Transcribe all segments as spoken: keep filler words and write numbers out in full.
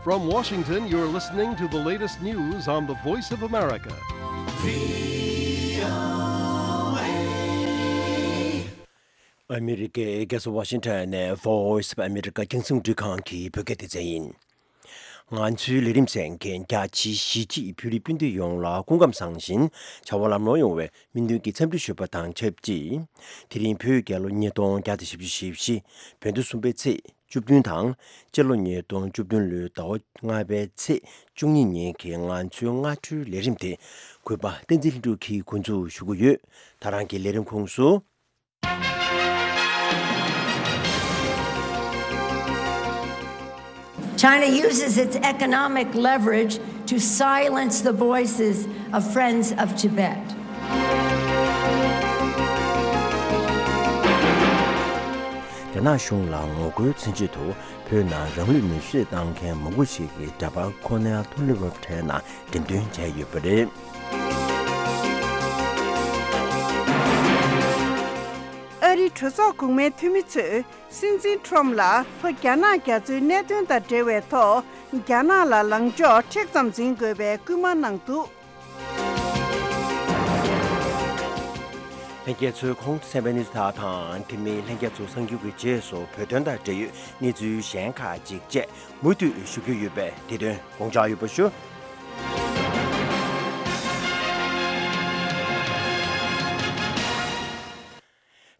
From Washington, you're listening to the latest news on the Voice of America. ཨ་མི་རི་ཀའི་རྒྱལ་ས་ཝ་ཤིང་ཊོན་ནས་Voice of America རྒྱང་སྲིང་རླུང་འཕྲིན་ཁང་གི་བོད་སྐད་སྡེ་ཚན་ཡིན། ང་ཚོའི་ལས་རིམ་གསན་མཁན་རྒྱ་ཆེའི་གཞིས་བྱེས་བོད་རིགས་སྤུན་ཟླ་ཡོངས་ལ་སྐུ་ཁམས་བཟང་ཞིང་བྱ་བ་ལམ་ལྷོང་ཡོང་བའི་སྨོན་འདུན་གྱི་འཚམས་འདྲི་ཞུ་བ་དང་ཆབས་ཅིག་དེ་རིང་བོད་རྒྱལ་ལོ་ཉིས་སྟོང་བརྒྱ་དང་བཞི་བཅུ་ཞེ་བཞི། བོད་ཟླ་གསུམ་པའི་ཚེས་བཅུ་བདུན་དང་། སྤྱི་ལོ་ཉིས་སྟོང་བཅུ་བདུན་ལོའི་ཟླ་བ་ལྔ་པའི་ཚེས་བཅུ་གཉིས་ཉིན་གྱི་ང་ཚོའི་སྔ་དྲོའི་ལས་རིམ་དེ་གུས་པ་བསྟན་འཛིན་ལྷུན་གྲུབ་ཀྱིས་འགོ་འཛུགས་ཞུ་གི་ཡོད། ད་རང་གི་ལས་རིམ་ཁོངས་སུ། China uses its economic leverage to silence the voices of Friends of Tibet. རྒྱ་ནག་གཞུང་ལ་ངོ་རྒོལ་མཚོན་ཆེད་དུ་བོད་ནང་རང་ལུས་མེར་སྲེག་བཏང་མཁན་མང་པོ་ཞིག་གི་འདྲ་པར་ཁོ་ནའི་མཐོ་རིམ་སློབ་གྲྭའི་ནང་འགྲེམས་སྟོན་བྱས་ཡོད་པ་རེད། ཨ་རིའི་གྲོས་ཚོགས་གོང་མའི་འཐུས་མི་ཚོས་སྲིད་འཛིན་ཁྲོམ་ལ་ལྷོ་རྒྱ་ནག་རྒྱ་མཚོའི་གནད་དོན་དང་འབྲེལ་བའི་ཐོག་རྒྱ་ནག་ལ་ལངས་ཕྱོགས་མཁྲེགས་ཙམ་འཛིན་དགོས་པའི་སྐུལ་མ་གནང་འདུག་ལྷན་རྒྱས་ཚོས་གོང་དུ་གསན་པའི་གནས་ཚུལ་དག་དང་། དེ་མིན་ལྷན་རྒྱས་ཚོ་གསར་འགྱུར་གྱི་རྗེས་སུ་བོད་དོན་དང་འབྲེལ་ཡོད་གནས་ཚུལ་གཞན་ཁག་ཅིག་བཅས་མུ་མཐུད་ཞུ་རྒྱུ་ཡོད་པས་དེ་དོན་དགོངས་འཇགས་ཡོད་པ་ཞུ།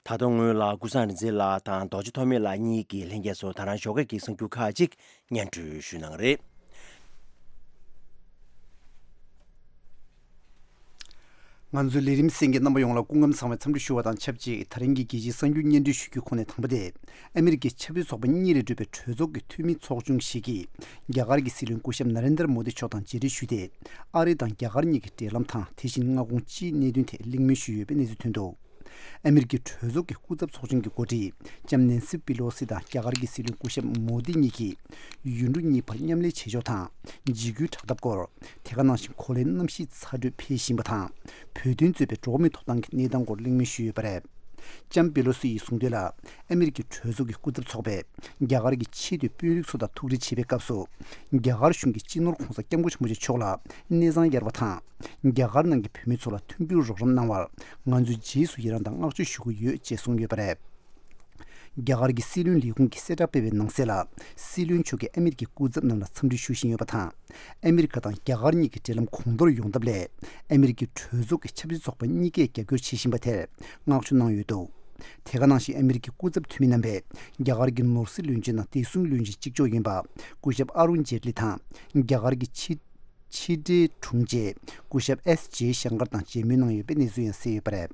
ད་དུང་སྔོན་ལ་ཀུན་བཟང་རིག་འཛིན་ལགས་དང་རྡོ་རྗེ་ཐོགས་མེད་ལགས་གཉིས་ཀྱིས་ལྷན་རྒྱས་ཚོར་ད་རང་ཞོགས་ཀས་ཀྱི་གསར་འགྱུར་ཁག་ཅིག་སྙན་སྒྲོན་ཞུ་གནང་རེད། ང་ཚོའི་ལས་རིམ་གསན་མཁན་རྣམ་པ་ཡོངས་ལ་སྐུ་ཁམས་བཟང་བའི་འཚམས་འདྲི་ཞུ་བ་དང་ཆབས་ཅིག་ད་རིང་གི་རྒྱལ་སྤྱིའི་གསར་འགྱུར་སྙན་སྒྲོན་ཞུ་རྒྱུའི་ཁོངས་ནས་དང་པོ་དེ། ཨ་མི་རི་ཀའི་ཆབ་སྲིད་ཚོགས་པ་གཉིས་ལས་གྲུབ་པའི་གྲོས་ཚོགས་ཀྱི་འཐུས་མི་ཚོགས་ཆུང་ཞིག་གིས་རྒྱ་གར་གྱི་སྲིད་བློན་སྐུ་ཞབས་ན་རེན་དར་མོ་དི་མཆོག་དང་མཇལ་འཕྲད་ཞུས་ཏེ། ཨ་རི་དང་རྒྱ་གར་གཉིས་ཀྱི་འབྲེལ་ལམ་དང་དེ་བཞིན་མངའ་ཁོངས་སྤྱིའི་གནད་དོན་ཐད་གླེང་མོལ་ཞུས་ཡོད་པའི་གནས་ཚུལ་ཐོན་འདུག་ཨ་མི་རི་ཀའི་གྲོས་ཚོགས་ཀྱི་སྐུ་ཚབ་ཚོགས་ཆུང་གི་འགོ་ཁྲིད་ལྕམ་ནན་སི་པི་ལོ་སི་དང་རྒྱ་གར་གྱི་སྲིད་བློན་སྐུ་ཞབས་མོ་དི་གཉིས་ཀྱིས་ཡུལ་གྲུ་གཉིས་བར་མཉམ་ལས་བྱེད་ཕྱོགས་དང་འཇིགས་སྐུལ་དྲག་འཐབ་སྐོར། དེ་ག་ནང་བཞིན་གོ་ལའི་གནམ་གཤིས་ཚ་དྲོད་འཕེལ་བཞིན་པ་དང་། བོད་དོན་གཙོས་པའི་འགྲོ་བ་མིའི་ཐོབ་ཐང་གི་གནས་སྟངས་སྐོར་གླེང་མོལ་ཞུས་ཡོད་པ་རེད། ལྕམ་པེ་ལོ་སི་ཡིས་གསུངས་དོན་ལ། ཨ་མི་རི་ཀའི་གྲོས་ཚོགས་ཀྱི་སྐུ་ཚབ་ཚོགས་པས་རྒྱ་གར་གྱི་ཆེས་མཐོའི་དཔོན་རིགས་ཚོ་དང་ཐུག་འཕྲད་བྱེད་པའི་སྐབས་སུ། རྒྱ་གར་གཞུང་གིས་སྤྱི་ནོར་༧གོང་ས་༧སྐྱབས་མགོན་ཆེན་པོ་མཆོག་ལ་གནས་ཚང་གཡར་བ་དང་། རྒྱ་གར་ནང་གི་བོད་མི་ཚོ་ལ་མཐུན་འགྱུར་རོགས་རམ་གནང་བར་ང་ཚོས་རྗེས་སུ་ཡི་རང་དང་བསྔགས་བརྗོད་ཞུ་གི་ཡོད་ཅེས་གསུངས་ཡོད་པ་རེད། རྒྱ་གར་གྱི་སྲིད་བློན་ལས་ཁུངས་ཀྱིས་གསལ་བསྒྲགས་སྤེལ་བའི་ནང་གསལ་ལ། སྲིད་བློན་མཆོག་གིས་ཨ་མི་རི་ཀའི་སྐུ་ཚབ་རྣམས་ལ་འཚམས་འདྲི་ཞུ་བཞིན་ཡོད་པ་དང་། ཨ་མི་རི་ཀ་དང་རྒྱ་གར་གཉིས་ཀྱི་འབྲེལ་ལམ་གོང་མཐོར་ཡོང་ཐབས་སླད། ཨ་མི་རི་ཀའི་གྲོས་ཚོགས་ཀྱི་ཆབ་སྲིད་ཚོགས་པ་གཉིས་ཀས་རྒྱབ་སྐྱོར་བྱེད་བཞིན་པ་དེར་བསྔགས་བརྗོད་གནང་ཡོད་འདུག་དེ་ག་ནང་བཞིན་ཨ་མི་རི་ཀའི་སྐུ་ཚབ་འཐུས་མི་རྣམ་པས་རྒྱ་གར་གྱི་ནོར་སྲིད་བློན་ཆེན་དང་བདེ་སྲུང་བློན་ཆེན་གཅིག་ལྕོགས་ཡིན་པ་སྐུ་ཞབས་ཨ་རུན་ཇེ་ཏི་ལི་དང་རྒྱ་གར་གྱི་ཕྱི་ཕྱི་འབྲེལ་དྲུང་ཆེ་སྐུ་ཞབས་ཨེས་ཇེ་ཤང་ཀར་དང་མཇལ་མོལ་གནང་ཡོད་པའི་གནས་ཚུལ་ཡང་གསལ་ཡོད་པ་རེད།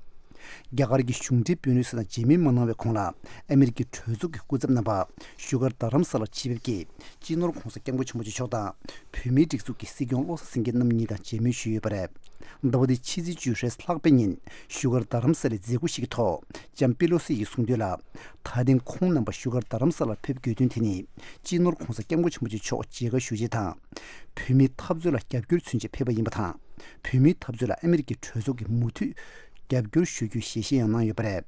རྒྱ་གར་གྱི་གཞུང་འབྲེལ་དཔོན་རིགས་སུ་དང་མཇལ་མོལ་མ་གནང་བའི་གོང་ལ་ཨ་མི་རི་ཀའི་གྲོས་ཚོགས་ཀྱི་སྐུ་ཚབ་རྣམ་པ་བཞུགས་སྒར་རྡ་རམ་ས་ལར་ཆེད་ཕེབས་ཀྱིས་སྤྱི་ནོར་༧གོང་ས་༧སྐྱབས་མགོན་ཆེན་པོ་མཆོག་དང་བོད་མིའི་སྒྲིག་འཛུགས་ཀྱི་སྲིད་སྐྱོང་བློ་བཟང་སེང་གེ་རྣམ་གཉིས་དང་མཇལ་མོལ་ཞུས་ཡོད་པ་རེད། ཟླ་བ་འདིའི་ཕྱི་ཚེས་བཅུ་ཕྱེད་ཀ་ལྷག་པའི་ཉིན་བཞུགས་སྒར་རྡ་རམ་ས་ལའི་མཛད་སྒོ་ཞིག་གི་ཐོག་ལྕམ་པེ་ལོ་སི་ཡིས་གསུངས་དོན་ལ། ད་ཐེངས་ཁོང་རྣམ་པ་བཞུགས་སྒར་རྡ་རམ་ས་ལར་ཕེབས་དགོས་དོན་དེ་ནི་སྤྱི་ནོར་༧གོང་ས་༧སྐྱབས་མགོན་ཆེན་པོ་མཆོག་མཇལ་ཁ་ཞུ་ཆེད་དང་། བོད་མིའི་འཐབ་རྩོད་ལ་རྒྱབ་སྐྱོར་མཚོན་ཆེད་ཕེབས་པ་ཡིན་པ་དང་། བོད་མིའི་འཐབ་རྩོད་ལ་ཨ་མི་རི་ཀའི་གྲོས་ཚོགས་ཀྱིས་མུ་མཐུད་རྒྱབ་སྐྱོར་ཞུ་རྒྱུའི་ཞལ་བཞེས་ཡང་གནང་ཡོད་པ་རེད།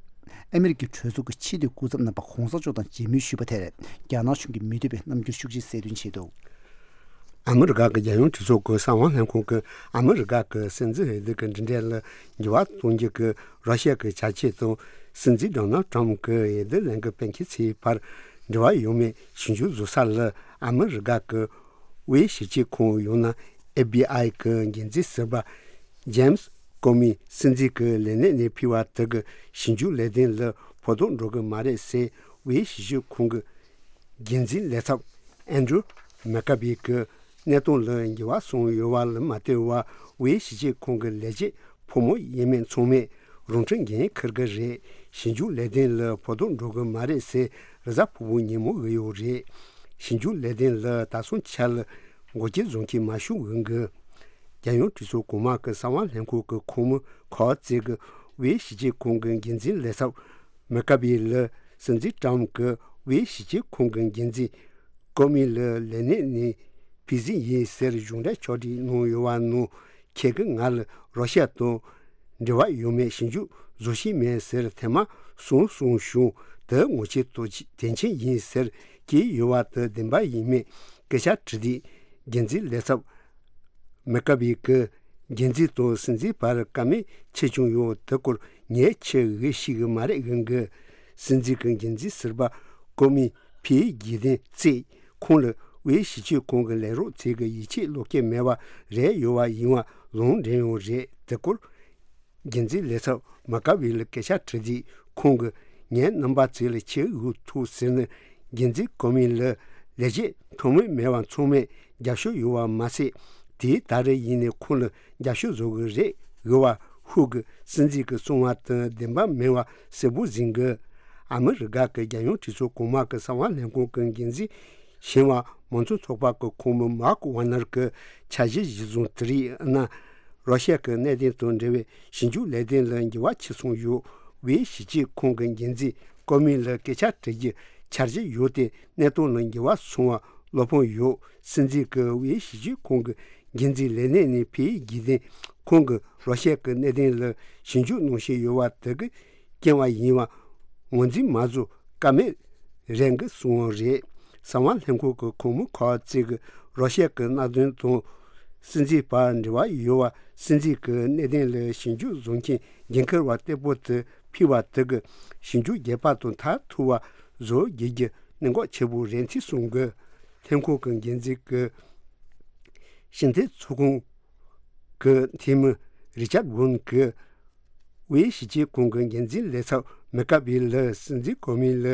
ཨ་མི་རི་ཀའི་གྲོས་ཚོགས་ཀྱི་ཆེས་མཐོའི་སྐུ་ཚབ་རྣམ་པ་གོང་ས་མཆོག་དང་མཇལ་མོལ་ཞུས་པ་དེར་རྒྱ་ནག་གཞུང་གིས་མི་འདོད་པའི་རྣམ་འགྱུར་ཤུགས་ཆེ་གསལ་སྟོན་བྱས་འདུག་ཨ་མི་རི་ཀ་གི་རྒྱལ་ཡོངས་གྲོས་ཚོགས་ཀྱི་གསང་བ་ལྷན་ཁང་གིས་ཨ་མི་རི་ཀ་གི་སྲིད་འཛིན་འོས་བསྡུ་གི་མགྲིན་ཚབ་ལ་འགྱུར་བ་གཏོང་རྒྱུ་གི་ར་ཤི་ཡ་གི་བྱ་སྤྱོད་དང་། སྲིད་འཛིན་ཌོ་ནལ་ཊམ་གྱི་འོས་བསྡུ་ལས་འགུལ་སྤེལ་མཁན་ཚོའི་བར་འབྲེལ་བ་ཡོད་མེད་ཞིབ་འཇུག་བཟོ་ས་ལ་ཨ་མི་རི་ཀ་གི་དབུས་ཞིབ་དཔྱོད་ཁང་ཡང་ན་ཨེཕ་བི་ཨའི་གི་འགན་འཛིན་ཟུར་པ་ཇེམ་སི་ཀོ་མི་སྲིད་འཛིན་གྱི་ལས་གནས་ནས་ཕུད་པ་དེ་གི་ཞིབ་འཇུག་ལས་དོན་ལ་ཕོག་ཐུག་འགྲོ་གི་མ་རེད་ཟེར། དབུས་ཞིབ་དཔྱོད་ཁང་གི་འགན་འཛིན་ལས་ཚབ་ཨན་ཌྲུ་མེ་ཀ་བི་གི་གནས་སྟངས་ལ་འགྱུར་བ་སོང་ཡོད་པ་ལ་མ་ལྟོས་པར། དབུས་ཞིབ་དཔྱོད་ཁང་གི་ལས་བྱེད་ཕོ་མོ་ཡིན་མིན་ཚང་མས་རང་འཁྲི་འགན་འཁུར་གི་རེད། ཞིབ་འཇུག་ལས་དོན་ལ་ཕོག་ཐུག་འགྲོ་གི་མ་རེད་ཟེར། རེས་གཟའ་ཕུར་བུ་ཉིན་མོ་གི་ཡོད་རེད། ཞིབ་འཇུག་ལས་དོན་ལ་ད་སོང་ཆ་ལ་འགོག་རྐྱེན་བཟོ་མཁན་མ་བྱུང་གི། རྒྱལ་ཡོངས་གྲོས་ཚོགས་གོང་མ་གི་གསང་བ་ལྷན་ཁང་གི་ཁོངས་མི་ཁོ་ཙེ་གི་དབུས་ཞིབ་དཔྱོད་ཁང་གི་འགན་འཛིན་ལས་ཚབ་མེ་ཀ་བི་ལ་སྲིད་འཛིན་ཊམ་གྱིས་དབུས་ཞིབ་དཔྱོད་ཁང་གི་འགན་འཛིན་ཀོ་མི་ལ་ལས་གནས་ནས་ཕུད་རྩིས་ཡིན་ཟེར་གཞུང་འབྲེལ་ཕྱོགས་སྒྲིག་གནང་ཡོད་པ་ནང་། ཁྱེད་ཀྱིས་ང་ལ་ར་ཤི་ཡ་དང་འབྲེལ་བ་ཡོད་མེད་ཞིབ་འཇུག་བཟོ་བཞིན་མེད་ཟེར་ཐེངས་མ་གསུམ་གསུངས་བྱུང་། དེ་ངོ་ཆེད་དུ་དོན་ཆེན་ཡིན་ཟེར་བཀོད་ཡོད་པ་དེ་བདེན་པ་ཡིན་མིན་ སྐད་ཆ་དྲི་དུས། འགན་འཛིན་ལས་ཚབ་མེ་ཀ་བྷི་གིས་འགན་འཛིན་དང་སྲིད་འཛིན་བར་བཀའ་མོལ་ཆེ་ཆུང་ཡོད། དེ་སྐོར་ངས་ཆེ་ངོས་ཤེས་ཀྱི་མ་རེད་ཡིན་གི། སྲིད་འཛིན་གྱི་འགན་འཛིན་ཟུར་པ་ཀོ་མི་ཕིའི་རྗེས་དོན་བརྩིས། ཁོང་ལ་དབུས་གཞིས་བྱེས་ཁོངས་ཀྱི་ལས་རོགས་ཚོས་ཀྱི་ཡིད་ཆེས་བློ་སྐྱེད་མེད་པ་རེད་ཡོད་པ་ཡིན་པ་ལུང་འདྲེན་ཡོད་རེད། དེ་སྐོར་འགན་འཛིན་ལས་ཚབ་མ་ཀ་བྷི་ལ་སྐད་ཆ་དྲིས་དུས། ཁོང་གིས་ངའི་རྣམ་པ་ཚོ་ལ་ཆེས་འུ་ཐུག་ཟེར་ནས། འགན་འཛིན་ཀོ་མི་ལ་ལས་བྱེད་ཐོགས་མེད་མེད་པ་ཚང་མས་རྒྱབ་སྐྱོར་ཡོད་པ་མ་ཟད། དེའི་ད་རེས་ཡིན་ནའི་ཁོང་ལ་རྒྱབ་སྐྱོར་བཟོ་གི་རེད། འོས་པ་ཧུ་གི་སྲིད་འཛིན་གྱི་གསུང་བ་དང་བདེན་པ་མིན་པ་གསལ་པོ་ཟིན་གི། ཨ་མི་རི་ཀ་གི་རྒྱལ་ཡོངས་གྲོས་ཚོགས་གོང་མ་གི་གསང་བ་ལྷན་ཁང་གི་འགན་འཛིན་གཞོན་པ་མང་གཙོ་ཚོགས་པ་གི་ཁོངས་མི་མཱརྐ་ཝ་ནར་གྱི་འཆར་གཞི་གཞིར་བཟུང་། དེ་རིང་ཨ་ན་རོ་ཤ་གི་གནད་དོན་དང་འབྲེལ་བའི་ཞིབ་འཇུག་ལས་དོན་ལ་འགྱུར་བ་ཕྱིན་སོང་ཡོད། དབུས་གཞིས་བྱེས་ཁོངས་ཀྱི་འགན་འཛིན་ཀོ་མི་ལ་སྐད་ཆ་དྲི་རྒྱུའི་འཆར་གཞི་ཡོད་དེ། གནད་དོན་ལ་འགྱུར་བ་སོང་བ་བློ་ཕམ་ཡོད། སྲིད་འཛིན་གྱིས་དབུས་གཞིས་བྱེས་ཁོངས་ཀྱི་འགན་འཛིན་ལས་གནས་ནས་ཕུད་རྒྱུ་དེ། ཁོང་གིས་རོ་ཤ་གི་གནད་དོན་ལ་ཞིབ་འཇུག་གནང་བཞིན་ཡོད་པ་དེ་གི་རྐྱེན་པས་ཡིན་པ་ངོས་འཛིན་མ་བཟོ་ཀ་མེད་རེད་གི་གསུངས་པ་རེད། གསང་བ་ལྷན་ཁང་གི་ཁོངས་མི་ཁོ་ཚོས་ཀྱིས་རོ་ཤ་གི་མནའ་དོན་དང་སྲིད་འཛིན་བར་འབྲེལ་བ་ཡོད་པ། སྲིད་འཛིན་གྱི་གནད་དོན་ལ་ཞིབ་འཇུག་བཟོ་མཁན་འགན་འཁུར་བ་བརྟན་པོ་དེ་ཕུད་པ་དེ་གིས་ཞིབ་འཇུག་རྒྱས་པ་དང་མཐར་ཐུག་པ་བཟོ་རྒྱུ་གི་གནད་འགག་ཆེ་པོ་རེད་ཅེས་གསུངས་གི། ལྷན་ཁང་གི་འགན་འཛིན་གྱི་ཕྱི་འཐེན་ཚོགས་ཁང་གི་འཐུས་མི་རི་ཅར་ཝུན་གྱིས་དབུས་གཞིས་བྱེས་ཁོངས་ཀྱི་འགན་འཛིན་ལས་ཚབ་མེ་ཀ་བྷི་ལ་སྲིད་འཛིན་ཀོ་མི་ལ་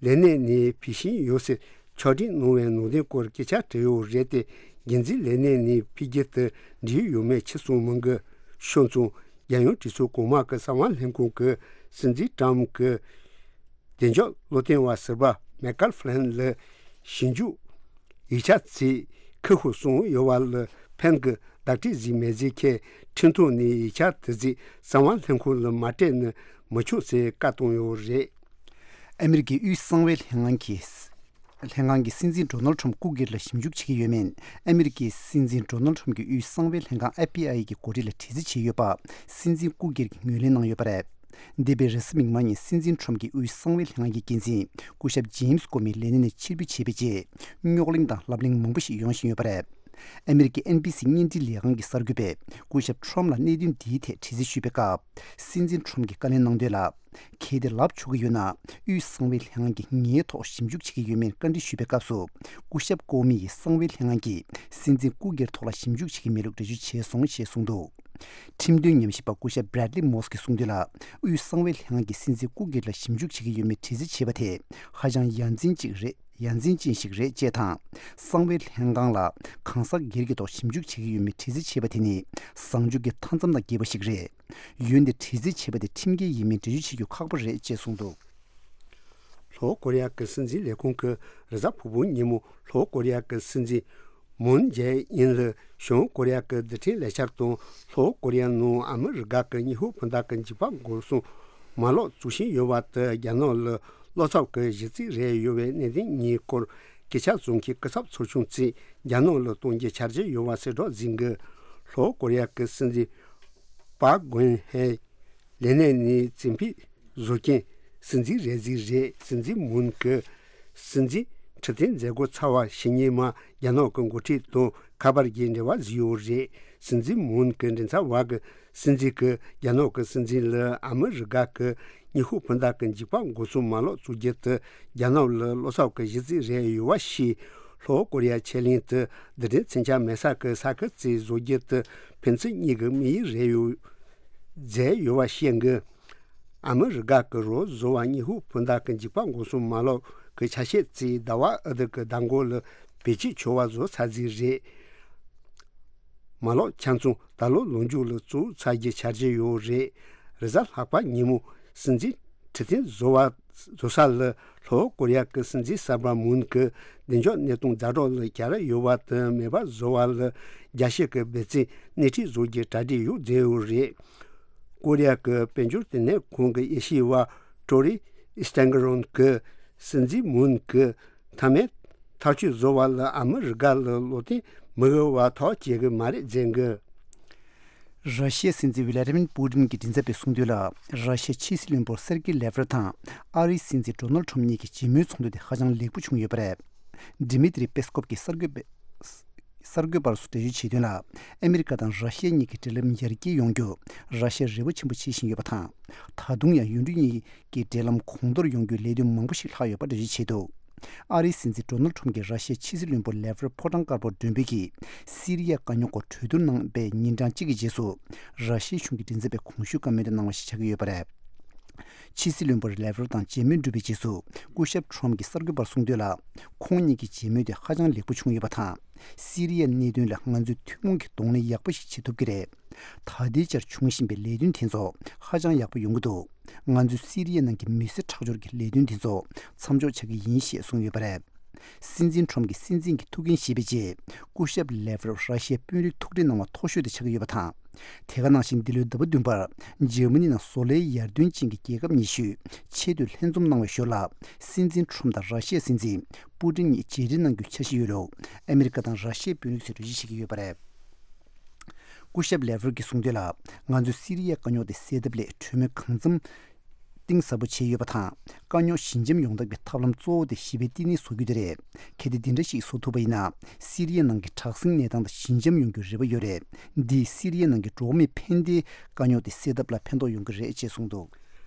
ལས་གནས་ནས་ཕུད་བཞིན་ཡོད་ཟེར་ཕྱོགས་སྒྲིག་གནང་བའི་ནང་དོན་སྐོར་སྐད་ཆ་དྲིས་ཡོད་རེད་དེ། འགན་འཛིན་ལས་གནས་ནས་ཕུད་རྒྱུ་དེ་འགྲིག་ཡོད་མེད་ཕྱིར་གསུངས་མི་འདུག་ཤོད་ཙང་། རྒྱལ་ཡོངས་གྲོས་ཚོགས་གོང་མ་གི་གསང་བ་ལྷན་ཁང་གིས་སྲིད་འཛིན་ཏྲམ་གྱི་བདེ་འཇགས་བློ་བསྟན་པ་ཟུར་པ་མའི་ཀལ་ཕི་ལིན་ལ་ཞིབ་འཇུག་ཡིག་ཆ་ཚིག་ཁུ་ཁུ་སོང་ཡོད་པ་ལ་ཕན་གྱི་བརྡ་སྤྲོད་ཟིག་མེད་ཟེར་མཁན་ཁྲིམས་ཐོག་ནས་ཡིག་ཆ་དེ་ཚིག་གསང་བ་ལྷན་ཁང་ལ་མ་སྤྲད་ན་མི་ཆོག་ཟེར་བཀའ་བཏང་ཡོད་རེད། ཨ་མི་རི་ཀའི་དབུས་གསང་བའི་ལྷན་ཁང་གིས། ལྷན་ཁང་གིས་སྲིད་འཛིན་ཌོ་ནལ་ཁྲམ་སྐུ་སྒེར་ལ་ཞིབ་འཇུག་བྱེད་ཀྱི་ཡོད་མེད། ཨ་མི་རི་ཀའི་སྲིད་འཛིན་ཌོ་ནལ་ཁྲམ་གྱི་དབུས་གསང་བའི་ལྷན་ཁང་ཨེཕ་པི་ཨའི་གི་འགོ་ཁྲིད་ལ་དྲི་རྩད་བྱས་ཡོད་པ། སྲིད་འཛིན་སྐུ་སྒེར་གྱིས་ངོས་ལེན་གནང་ཡོད་པ་རེད། འདས་པའི་རེས་གཟའ་མིག་དམར་ཉིན་སྲིད་འཛིན་ཁྲམ་གྱི་དབུས་གསང་བའི་ལྷན་ཁང་གི་འགན་འཛིན་སྐུ་ཞབས་ཇེམ་སི་ཀོ་མི་ལས་གནས་ནས་ཕྱིར་འབུད་བྱས་པའི་རྗེས། རྙོག་གླེང་དང་ལབ་གླེང་མང་པོ་ཞིག་ཡོང་བཞིན་ཡོད་པ་རེད། ཨ་མི་རི་ཀའི་ཨེན་བྷི་སི་བརྙན་འཕྲིན་ལས་ཁང་གི་གསར་འགོད་པས་སྐུ་ཞབས་ཁྲམ་ལ་གནད་དོན་འདིའི་ཐད་དྲི་རྩད་ཞུས་པའི་སྐབས། སྲིད་འཛིན་ཁྲམ་གྱིས་བཀའ་ལན་གནང་དོན་ལ། གལ་ཏེ་ལབ་ཆོག་གི་ཡོད་ན། དབུས་གསང་བའི་ལྷན་ཁང་གིས་ངའི་ཐོག་ཞིབ་འཇུག་བྱེད་ཀྱི་ཡོད་མེད་བཀའ་འདྲི་ཞུས་པའི་སྐབས་སུ། སྐུ་ཞབས་ཀོ་མི་ཡིས་གསང་བའི་ལྷན་ཁང་གིས་སྲིད་འཛིན་སྐུ་སྒེར་ཐོག་ལ་ཞིབ་འཇུག་བྱེད་ཀྱི་མེད་ལུགས་འགྲེལ་བརྗོད་བྱས་སོང་ཞེས་གསུངས་འདུག་ཁྲིམས་དོན་ཉམས་ཞིབ་པ་སྐུ་ཞབས་བྷྲེད་ལི་མོས་ཀྱིས་གསུངས་དོན་ལ། དབུས་གསང་བའི་ལྷན་ཁང་གིས་སྲིད་འཛིན་སྐུ་སྒེར་ལ་ཞིབ་འཇུག་བྱེད་ཀྱི་ཡོད་མེད་དྲི་རྩད་བྱས་པ་དེ་ཧ་ཅང་ཡ་མཚན་ཅིག་རེད། ཡ་མཚན་ཅན་ཞིག་རེད་ཅེས་དང་། གསང་བའི་ལྷན་ཁང་ལ་གང་ཟག་སྒེར་གྱི་ཐོག་ཞིབ་འཇུག་བྱེད་ཀྱི་ཡོད་མེད་དྲི་རྩད་བྱས་པ་དེ་ནི་བཟང་སྤྱོད་ཀྱི་མཐའ་མཚམས་དང་འགལ་བ་ཞིག་རེད། འོན་ཏེ་དྲི་རྩད་བྱས་པ་དེ་ཁྲིམས་འགལ་ཡིན་མིན་འགྲེལ་བརྗོད་བྱེད་རྒྱུ་ཁག་པོ་རེད་ཅེས་གསུངས་འདུག་ལྷོ་ཀོ་རི་ཡ་གི་སྲིད་འཛིན་ལས་ཁུངས་ཀྱིས་རེས་གཟའ་ཕུར་བུ་ཉིན་མོ་ལྷོ་ཀོ་རི་ཡ་གི་སྲིད་འཛིན་མུན་ཇེ་ཨིན་ལ་བྱང་ཀོ་རི་ཡ་གི་རྡུལ་ཕྲན་ལས་འཆར་དང་ལྷོ་ཀོ་རི་ཡ་ནང་ཨ་མི་རི་ཀ་གི་ཉི་ཧོང་སྤུན་ཟླ་གི་འཇིགས་པ་འགོག་སྲུང་མ་ལག་བཙུགས་བཞིན་ཡོད་པ་དེ་རྒྱ་ནག་ལ་བློ་འཚབ་ཀྱི་གཞི་རྩ་རེད་ཡོད་པའི་གནད་དོན་གཉིས་སྐོར་སྐད་ཆ་བཟོ་མཁན་སྐུ་ཚབ་ཚོགས་ཆུང་ཚོས་རྒྱ་ནག་ལ་གཏོང་རྒྱུའི་འཆར་གཞི་ཡོད་པ་གསལ་བསྒྲགས་ཟིན་གི། ལྷོ་ཀོ་རི་ཡ་གི་སྲིད་འཛིན་པཱག་གུན་ཧེ་ལས་གནས་ནས་བཙན་ཕེབས་བཟོ་མཁན་སྲིད་འཛིན་རེ་ཟིག་རེད། སྲིད་འཛིན་མུན་གྱིས་སྲིད་འཛིན་ཁྲི་སྟེང་མཛད་སྒོ་ཚར་བ་ཕྱི་ཉིན་མ་རྒྱ་ནག་གི་འགོ་ཁྲིད་དང་ཁ་པར་གྱི་འབྲེལ་བ་བཟོས་ཡོད་རེད། སྲིད་འཛིན་མུན་གྱི་མགྲིན་ཚབ་པ་གིས་སྲིད་འཛིན་གྱིས་རྒྱ་ནག་གི་སྲིད་འཛིན་ལ་ཨ་མི་རི་ཀ་གི་ཉི་ཧོང་སྤུན་ཟླ་གི་འཇིགས་པ་འགོག་སྲུང་མ་ལག་བཙུགས་རྒྱུ་དེ་རྒྱ་ནག་ལ་བློ་འཚབ་ཀྱི་གཞི་རྩ་རེད་ཡོད་པ་ཞིག་ལྷོ་ཀོ་རི་ཡ་ཆེད་ལས་དེ་རྡུལ་ཕྲན་མཚོན་ཆ་མེད་ས་གི་ས་ཁུལ་ཅིག་བཟོ་རྒྱུ་དེ་ཕན་ཚུན་གཉིས་ཀྱི་དམིགས་ཡུལ་རེད་ཡོད་མཛད་ཡོད་པ་བཤད་འགི། ཨ་མི་རི་ཀ་གི་རོགས་བཟོ་བ་ཉི་ཧོང་སྤུན་ཟླ་གི་འཇིགས་པ་འགོག་སྲུང་མ་ལག་གི་ཆ་ཤས་ཅིག་ཟླ་བ་ཨ་ཏི་གི་མདང་དགོང་ལ་བེད་སྤྱོད་བྱེད་པ་བཟོ་ཚར་ཟིག་རེད། མ་ལག་ཆ་ཚང་ད་ལོ་ལོ་མཇུག་ལ་བཙུགས་ཚར་རྒྱུའི་འཆར་གཞི་ཡོད་རེད། རེས་གཟའ་ལྷག་པ་ཉིན་མོ་སྲིད་འཛིན་ཁྲི་སྟེང་བཟོ་བ་བཟོ་ས་ལ་ལྷོ་ཀོ་རི་ཡ་གི་སྲིད་འཛིན་གསར་པ་མུན་གྱིས་བདེ་འཇགས་གནས་སྟངས་ཛ་དྲག་ལ་གྱར་ཡོད་པ་དང་མེད་པ་བཟོ་བ་ལ་རྒྱལ་སྤྱི་གི་འབད་བརྩོན་སྣེ་ཁྲིད་བཟོ་རྒྱུའི་གྲ་སྒྲིག་ཡོད་མཛད་ཡོད་རེད། ཀོ་རི་ཡ་གི་དཔལ་འབྱོར་ལྟེ་གནས་ཁང་གི་དབྱེ་ཞིབ་པ་ཀྲོ་རི་སྟན་གི་རོན་གྱིས་སྲིད་འཛིན་མུན་གྱིས་མཐའ་མའི་ཐག་གཅོད་བཟོ་བ་ལ་ཨ་མི་རི་ཀ་ལ་བློ་བརྟན་མི་དགོས་པ་ཐག་བཅད་གི་མ་རེད་ཟེར་གི། ར་ཤི་ཡའི་སྲིད་འཛིན་ཝི་ལ་ཏི་མིར་པུ་ཏིན་གྱི་མགྲིན་ཚབ་པས་གསུངས་དོན་ལ། ར་ཤི་ཡའི་ཕྱི་སྲིད་བློན་པོ་སེར་གེ་ལེ་ཝ་རོབ་དང་ཨ་རིའི་སྲིད་འཛིན་ཌོ་ནལ་ཁྲམ་གཉིས་ཀྱི་མཇལ་མོལ་ཚོགས་འདུ་དེ་ཧ་ཅང་ལེགས་པོ་བྱུང་ཡོད་པ་རེད། ཌི་མི་ཏྲི་པེ་སི་ཀོབ་ཀྱིས་གསར་འགོད་པ། གསར་འགོད་པར་སོགས་འགྲེལ་བརྗོད་བྱས་དོན་ལ། ཨ་མི་རི་ཀ་དང་ར་ཤི་ཡ་གཉིས་ཀྱི་འབྲེལ་ལམ་ཡར་རྒྱས་ཡོང་རྒྱུར་ར་ཤི་ཡ་རེ་བ་ཆེན་པོ་བྱེད་བཞིན་ཡོད་པ་དང་། ད་དུང་ཡང་ཡུལ་གྲུ་གཉིས་ཀྱི་འབྲེལ་ལམ་གོང་མཐོར་ཡོང་རྒྱུའི་ལས་དོན་མང་པོ་ཞིག་ལྷག་ཡོད་པ་འགྲེལ་བརྗོད་བྱས་འདུག་ཨ་རིའི་སྲིད་འཛིན་ཌོ་ནལ་ཁྲོམ་གྱིས་ར་ཤི་ཡའི་ཕྱི་སྲིད་བློན་པོ་ལེ་ཝ་རོབ་ཕོ་བྲང་དཀར་པོར་མགྲོན་འབོད་ཀྱིས་སི་རི་ཡའི་དཀའ་རྙོག་སྐོར་གྲོས་བསྡུར་གནང་བའི་ཉིན་གྲངས་གཅིག་གི་རྗེས་སུ། ར་ཤི་ཡའི་གཞུང་གི་མགྲིན་ཚབ་པས་གོང་ཞུས་བཀའ་མོལ་དེ་གནང་བ་ཞིག་ཆགས་ཀྱི་ཡོད་པ་རེད། ཕྱི་སྲིད་བློན་པོ་ལེ་ཝ་རོབ་དང་མཇལ་མོལ་གྲུབ་པའི་རྗེས་སུ། སྐུ་ཞབས་ཁྲོམ་གྱིས་གསར་འགོད་པར་གསུངས་དོན་ལ། ཁོང་གཉིས་ཀྱི་མཇལ་མོལ་དེ་ཧ་ཅང་ལེགས་པོ་བྱུང་ཡོད་པ་དང་། སི་རི་ཡའི་གནད་དོན་ལ་ང་ཚོས་ཐུན་མོང་གི་གདོང་ལེན་ཡག་པོ་ཞིག་བྱེད་ཐུབ་ཀྱི་རེད། ད་ལྟའི་ཆར་འབྱུང་བཞིན་པའི་ལས་དོན་དེ་ཚོ་ཧ་ཅང་ཡག་པོ་ཡོང་གི་འདུག་ང་ཚོས་སི་རི་ཡའི་ནང་གི་མི་སེར་ཁྲག་སྦྱོར་གྱི་ལས་དོན་དེ་ཚོ་མཚམས་འཇོག་བྱ་གི་ཡིན་ཞེས་གསུངས་ཡོད་པ་རེད། སྲིད་འཛིན་ཁྲོམ་གྱིས་སྲིད་འཛིན་གྱི་ཐུགས་འགན་བཞེས་པའི་རྗེས། སྐུ་ཞབས་ལེ་ཝ་རོབ་ར་ཤི་ཡའི་དཔོན་རིགས་ཐུག་འཕྲད་གནང་བ་མཐོ་ཤོས་དེ་ཆགས་ཀྱི་ཡོད་པ་དང་། དེ་ག་ནང་བཞིན་འདི་ལོའི་ཟླ་བ་བདུན་པར་འཇར་མ་ནི་ནང་བཟོ་ལས་ཡར་ཐོན་ཅན་གྱི་རྒྱལ་ཁབ་ཉི་ཤུས་ཆེས་མཐོའི་ལྷན་འཛོམས་གནང་བའི་ཞོར་ལ། སྲིད་འཛིན་ཁྲོམ་དང་ར་ཤི་ཡའི་སྲིད་འཛིན་པུ་ཏིན་གཉིས་མཇལ་འཕྲད་གནང་རྒྱུའི་འཆར་གཞི་ཡོད་ལུགས་ཨ་མི་རི་ཀ་དང་ར་ཤི་ཡའི་དཔོན་རིགས་ཚོས་འགྲེལ་བརྗོད་བྱེད་ཀྱི་ཡོད་པ་རེད། སྐུ་ཞབས་ལེ་ཝ་རོབ་ཀྱིས་གསུངས་དོན་ལ། ང་ཚོས་སི་རི་ཡའི་དཀའ་རྙོག་དེ་སེལ་ཐབས་སླད་གྲོས་མོལ་གང་འཚམ་གཏིང་ཟབ་པོ་བྱས་ཡོད་པ་དང་། དཀའ་རྙོག་ཞི་འཇམ་ཡོང་ཐབས་ཀྱི་ཐབས་ལམ་གཙོ་བོ་དེ་ཞི་བའི་བསྟི་གནས་བཟོ་རྒྱུ་དེ་རེད། གལ་ཏེ་འདི་འདྲ་ཞིག་བཟོ་ཐུབ་པ་ཡིན་ན། སི་རི་ཡའི་ནང་གི་དྲག་ཟིང་གནས་སྟངས་དེ་ཞི་འཇམ་ཡོང་རྒྱུའི་རེ་བ་ཡོད་རེད། འདིས་སི་རི་ཡའི་ནང་གི་འགྲོ་བ་མིའི་ཕན་བདེའི་དཀའ་རྙོག་དེ་སེལ་ཐབས་ལ་ཕན་ཐོགས་ཡོང་གི་རེད་ཅེས་གསུངས་འདུག་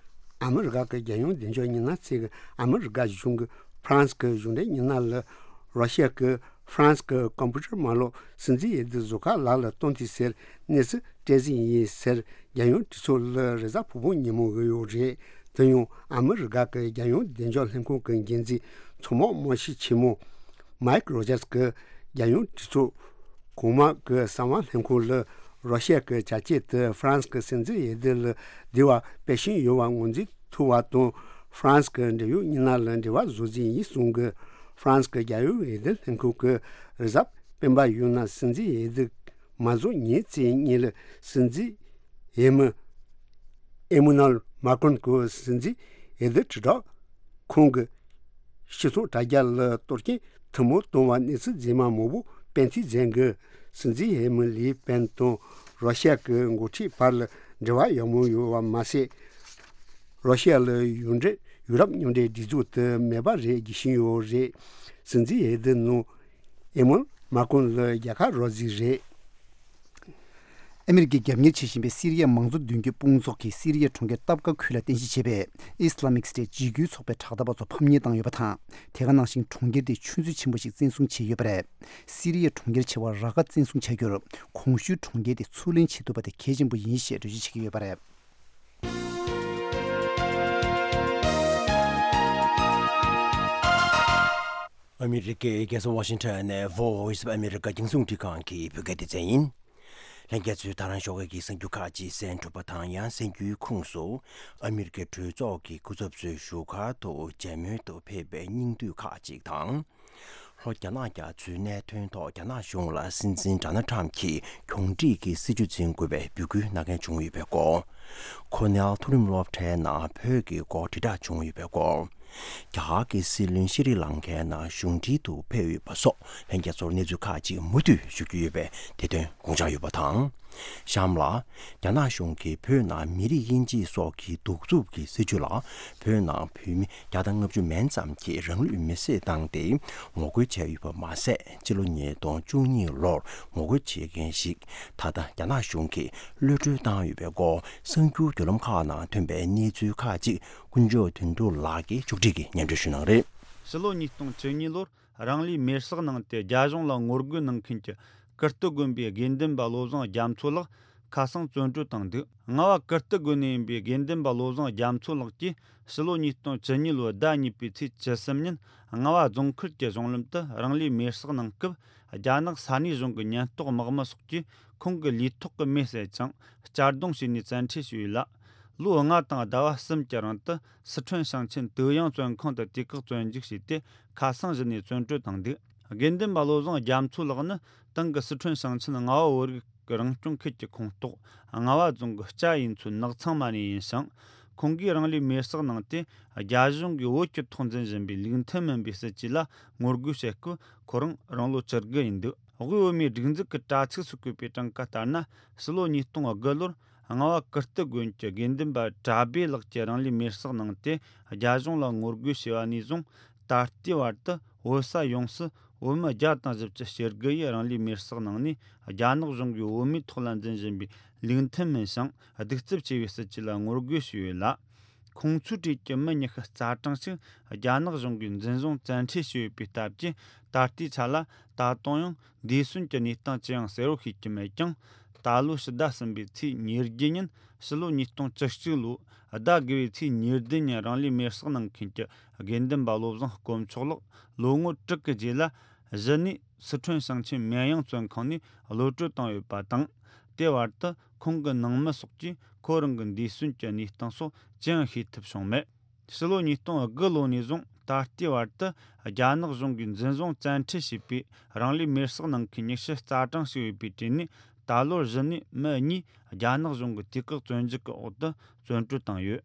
ཨ་མི་རི་ཀ་གི་རྒྱལ་ཡོངས་བདེ་འཇགས་ཉི་ན་ཚེ་གི་ཨ་མི་རི་ཀ་གཞུང་གི་ཧྥ་རན་སི་གི་གཞུང་འབྲེལ་ཉི་ན་ལ། རོ་ཤི་ཡ་གི་ཧྥ་རན་སི་གི་ཀམ་པུ་ཊར་དམག་ལོག་སྲིད་འཛིན་འོས་བསྡུ་བཟོ་ཁང་ལག་ལ་གཏོང་དུས་ཟེར་གནས་ཚུལ་སྤྲད་ཟིན་ཡིན་ཟེར། རྒྱལ་ཡོངས་གྲོས་ཚོགས་ལ་རེས་གཟའ་ཕུར་བུ་ཉིན་མོ་འོས་ཡོད་རེད། དེ་ཡང་ཨ་མི་རི་ཀ་གི་རྒྱལ་ཡོངས་བདེ་འཇགས་ལྷན་ཁང་གི་འགན་འཛིན་ཚོང་དམག་དམག་ཞབས་ཆེན་མོ་མའིག་རོ་ཇར་སི་གིས་རྒྱལ་ཡོངས་གྲོས་ཚོགས་གོང་མ་གི་གསང་བ་ལྷན་ཁང་ལ། རོ་ཤི་ཡ་གི་བྱ་སྤྱོད་དེ་ཧྥ་རན་སི་གི་སྲིད་འཛིན་འོས་བསྡུ་ལ་བདེ་བ་སྤེལ་བཞིན་ཡོད་པ་ངོས་འཛིན་ཐུབ་པ་དང་། ཧྥ་རན་སི་གི་འབྲེལ་ཡོད་མི་སྣ་ལ་འབྲེལ་བ་བཟོ་རྩིས་ཡིན་གསུང་གི། ཧྥ་རན་སི་གི་རྒྱལ་ཡོངས་འོས་བསྡུ་ལྷན་ཁང་གི་རེས་གཟའ་སྤེན་པ་ཡོད་ན་སྲིད་འཛིན་འོས་བསྡུ་མ་རྫོགས་ཉིན་གཅིག་གཉིས་ལ། སྲིད་འཛིན་འོས་མི་ཨེ་མ་ནུ་ཨེལ་མཱ་ཀྲོན་གྱིས་སྲིད་འཛིན་འོས་བསྡུ་དྲིལ་བསྒྲགས་ཁང་གི་སྤྱི་ཚོགས་དྲ་རྒྱ་ལ་གཏོར་སྐྱོན་ཐུན་མོང་བཏང་བ་གནས་ཚུལ་རྫུན་མ་མང་པོ་སྤེལ་འཐེན་མཛད་འགུལ། སྲིད་འཛིན་འོས་མི་ལི་པེན་དང་རོ་ཤི་ཡ་གི་འགོ་ཁྲིད་བར་ལ་འབྲེལ་བ་ཡག་མོ་ཡོད་པ་མ་ཟད། རོ་ཤི་ཡ་ལ་ཡུན་རིང་ཡུ་རོབ་མཉམ་འབྲེལ་སྒྲིག་འཛུགས་དེ་མེད་པ་རེད་བརྗོད་བཞིན་ཡོད་རེད། སྲིད་འཛིན་འོས་བསྡུ་ནང་ཨེ་མ་ནུ་ཨེལ་མཱ་ཀྲོན་ལ་རྒྱལ་ཁ་རག་རྩིས་རེད། ཨ་མི་རི་ཀས་རྒྱབ་གཉེར་བྱེད་བཞིན་པའི་སི་རི་ཡའི་མང་གཙོ་མདུན་སྐྱོད་དཔུང་ཚོགས་ཀྱིས་སི་རི་ཡའི་གྲོང་ཁྱེར་ཏབ་ཀ་ཁུལ་ལ་རྟེན་གཞི་བྱས་པའི་ཨི་སི་ལ་མིག་སི་ཊེ་ཊི་འཇིགས་སྐུལ་ཚོགས་པའི་དྲག་འཐབ་པ་ཚོ་ཕམ་ཉེས་བཏང་ཡོད་པ་དང་། དེ་ག་ནང་བཞིན་གྲོང་ཁྱེར་དེའི་ཆུ་མཛོད་ཆེན་པོ་ཞིག་བཙན་བཟུང་བྱས་ཡོད་པ་རེད། སི་རི་ཡའི་གྲོང་ཁྱེར་ཆེ་བ་ར་ཀ་བཙན་བཟུང་བྱ་རྒྱུར། གོང་ཞུས་གྲོང་ཁྱེར་དེ་ཚུར་ལེན་བྱེད་ཐུབ་པ་དེ་གལ་ཆེན་པོ་ཡིན་ཞེས་འགྲེལ་བརྗོད་བྱེད་ཀྱི་ཡོད་པ་རེད། ཨ་མི་རི་ཀའི་རྒྱལ་ས་ཝ་ཤིང་ཊོན་ནས་Voice of America རྒྱང་སྲིང་རླུང་འཕྲིན་ཁང་གི་བོད་སྐད་སྡེ་ཚན་ཡིན། ལྷན་རྒྱས་ཚོས་ད་རང་ཞོགས་ཀས་ཀྱི་གསར་འགྱུར་ཁག་ཅིག་གསན་གྲུབ་པ་དང་། ཡང་གསར་འགྱུར་ཁོངས་སུ། ཨ་མི་རི་ཀའི་གྲོས་ཚོགས་ཀྱི་སྐུ་ཚབ་ཚོའི་བཞུགས་སྒར་དུ་མཇལ་མོལ་དུ་ཕེབས་པའི་སྙིང་བསྡུས་ཁག་ཅིག་དང་། ལྷོ་རྒྱ་ནག་རྒྱ་མཚོའི་གནད་དོན་ཐོག་རྒྱ་ནག་གཞུང་ལ་སྲིད་འཛིན་ཌོ་ནལ་ཊམ་གྱིས་གྱོང་སྒྲིག་གི་སྲིད་ཇུས་འཛིན་དགོས་པའི་འབོད་སྐུལ་གནང་མཁན་བྱུང་ཡོད་པའི་སྐོར། ཁོ་ནེལ་མཐོ་རིམ་སློབ་གྲྭའི་ནང་བོད་ཀྱི་སྐོར་དྲིལ་བསྒྲགས་བྱུང་ཡོད་པའི་སྐོར། རྒྱ་གར་གྱི་སྲིད་བློན་ཤྲི་ལང་ཀའི་ནང་གཞུང་འབྲེལ་དུ་ཕེབས་ཡོད་པ་སོགས་ལྷན་རྒྱས་ཚོར་གནས་ཚུལ་ཁག་ཅིག་མུ་མཐུད་ཞུ་རྒྱུ་ཡོད་པས་དེ་དོན་དགོངས་འཇགས་ཡོད་པ་དང་། གཤམ་ལ། རྒྱ་ནག་གཞུང་གིས་བོད་ནང་མི་རིགས་དབྱེ་འབྱེད་སོགས་ཀྱི་གདུག་རྩུབ་ཀྱི་སྲིད་བྱུས་ལ། བོད་ནང་བོད་མི་བརྒྱ་དང་ལྔ་བཅུ་མན་ཙམ་གྱིས་རང་ལུས་མེར་སྲེག་བཏང་སྟེ་ངོ་རྒོལ་བྱས་ཡོད་པ་མ་ཟད། སྤྱི་ལོ་ཉིས་སྟོང་བཅུ་གཉིས་ལོར་ངོ་རྒོལ་བྱེད་མཁན་ཞིག་ད་ལྟ་རྒྱ་ནག་གཞུང་གིས་གློད་གྲོལ་བཏང་ཡོད་པའི་སྐོར། གསར་འགྱུར་བརྒྱུད་ལམ་ཁག་ནང་ཐོན་པའི་གནས་ཚུལ་ཁག་ཅིག་དཀོན་མཆོག་དོན་གྲུབ་ལགས་ཀྱིས་མཇུག་སྒྲིལ་གྱིས་སྙན་སྒྲོན་ཞུ་གནང་རེད། ཕྱི་ལོ་ཉིས་སྟོང་བཅུ་གཉིས་ལོར་རང་ལུས་མེར་སྲེག་གནང་སྟེ་རྒྱ་གཞུང་ལ་ངོ་རྒོལ་གནང་མཁན་གྱི་ཀིརྟི་དགོན་པའི་དགེ་འདུན་པ་བློ་བཟང་རྒྱ་མཚོ་ལགས་ཁ་སང་བཙོན་གྲོལ་བཏང་འདུག་ལྔ་བ་ཀིརྟི་དགོན་ནས་ཡིན་པའི་དགེ་འདུན་པ་བློ་བཟང་རྒྱ་མཚོ་ལགས་ཀྱིས་ཕྱི་ལོ་ཉིས་སྟོང་བཅུ་གཉིས་ལོའི་ཟླ་གཉིས་པའི་ཚེས་བཅུ་གསུམ་ཉིན་རྔ་བ་རྫོང་ཁུལ་གྱི་གཞུང་ལམ་དུ་རང་ལུས་མེར་སྲེག་གནང་སྐབས། རྒྱ་ནག་ས་གནས་གཞུང་གི་ཉེན་རྟོག་དམག་མི་སོགས་ཀྱིས་ཁོང་གི་ལུས་ཐོག་གི་མེ་བསད་ཅིང་གཅར་རྡུང་བྱས་ནས་བཙན་ཁྲིད་བྱས་ཡོད་ལ། ལོ་ལྔ་དང་ཟླ་བ་གསུམ་གྱི་རིང་དུ་སི་ཁྲོན་ཞིང་ཆེན་ཏུའུ་དབྱང་བཙོན་ཁང་དུ་དུས་བཀག་བཙོན་འཇུག་བྱས་ཏེ། ཁ་སང་གཞི་ནས་བཙོན་གྲོལ་བཏང་འདུག་དགེ་འདུན་པ་བློ་བཟང་རྒྱ་མཚོ་ལགས་ནི་དེང་གི་སི་ཁྲོན་ཞིང་ཆེན་རྔ་བ་བོད་རིགས་ཀྱི་རང་སྐྱོང་ཁུལ་གྱི་ཁོངས་གཏོགས་རྔ་བ་རྫོང་གི་སྐྱ་ཡིན་ཚོའི་ནགས་ཚང་མ་ནས་ཡིན་ཞིང་། ཁོང་གིས་རང་ལུས་མེར་སྲེག་གནང་སྟེ། རྒྱ་གཞུང་གིས་བོད་ཀྱི་ཐོག་འཛིན་བཞིན་པའི་ལུགས་མཐུན་མིན་པའི་སྲིད་ཇུས་ལ་ངོ་རྒོལ་བྱེད་སྐབས། ཁོ་རང་རང་ལོ་བཅུ་དགུ་ཡིན་འདུག་དབུས་བོད་མིའི་སྒྲིག་འཛུགས་ཀྱི་དྲ་ཚིགས་སུ་བཀོད་པའི་གྲངས་ཀ་ལྟར་ན། ཕྱི་ལོ་ཉིས་སྟོང་དགུ་ལོར་རྔ་བ་ཀིརྟི་དགོན་གྱི་དགེ་འདུན་པ་གྲྭ་སྦས་ལགས་ཀྱིས་རང་ལུས་མེར་སྲེག་གནང་སྟེ། རྒྱ་གཞུང་ལ་ངོ་རྒོལ་བྱས་པ་ནས་བཟུང་ད་ལྟའི་བར་དུ་ བོད་ས་ཡོངས་སུ་བོད་མི་བརྒྱ་དང་བཞི་བཅུ་ཞེ་དགུ་ཡིས་རང་ལུས་མེར་བསྲེགས་གནང་ནས། རྒྱ་ནག་གཞུང་གིས་བོད་མིའི་ཐོག་ལ་འཛིན་བཞིན་པའི་ལུགས་མཐུན་མིན་ཞིང་གདུག་རྩུབ་ཆེ་བའི་སྲིད་བྱུས་ལ་ངོ་རྒོལ་ཞུས་ཡོད་ལ། ཁོང་ཚོའི་གྲས་ཀྱི་མི་ཉི་ཤུ་རྩ་གྲངས་ཤིག་རྒྱ་ནག་གཞུང་གིས་འཛིན་བཟུང་བཙན་ཁྲིད་བྱས་ཡོད་པའི་སྟབས་ཀྱིས། ད་ལྟའི་ཆ་ལ་ད་དུང་ཡང་འདས་གསོན་གྱི་གནས་སྟངས་ཅི་ཡང་གསལ་བོ་ཤེས་ཀྱི་མེད་ཀྱང་། ད་ལོའི་ཕྱི་ཟླ་གསུམ་པའི་ཚེས་ཉེར་བརྒྱད་ཉིན། ཕྱི་ལོ་ཉིས་སྟོང་བཅུ་གཅིག་ལོའི་ཟླ་དགུ་བའི་ཚེས་ཉེར་བདུན་ཉིན་རང་ལུས་མེར་བསྲེགས་གནང་མཁན་གྱི་དགེ་འདུན་པ་བློ་བཟང་དཀོན་མཆོག་ལགས་ལོ་ངོ་དྲུག་གི་རྗེས་ལ། གཞི་ནས་སི་ཁྲོན་ཞིང་ཆེན་མིན་དབྱང་བཙོན་ཁང་ནས་གློད་བཀྲོལ་བཏང་ཡོད་པ་དང་། དེ་བར་དུ་ཁོང་གི་ནང་མི་སོགས་ཀྱིས་ཁོ་རང་གི་འདས་གསོན་གྱི་གནས་སྟངས་སོགས་ཅི་ཡང་ཤེས་ཐུབ་བྱུང་མེད། ཕྱི་ལོ་ཉིས་སྟོང་དགུ་ལོ་ནས་བཟུང་ད་ལྟའི་བར་དུ་རྒྱ་ནག་གཞུང་གིས་འཛིན་བཟུང་བཙན་ཁྲིད་བྱས་པའི་རང་ལུས་མེར་བསྲེགས་གནང་མཁན་ཉི་ཤུ་རྩ་གྲངས་ཤིག་ཡོད་པའི་གྲས་ནས། ད་ལོར་གཞི་ནས་མི་གཉིས་རྒྱ་ནག་གཞུང་གི་དུས་བཀག་བཙོན་འཇུག་གི་འོག་ཏུ་བཙོན་གྲོལ་བཏང་ཡོད།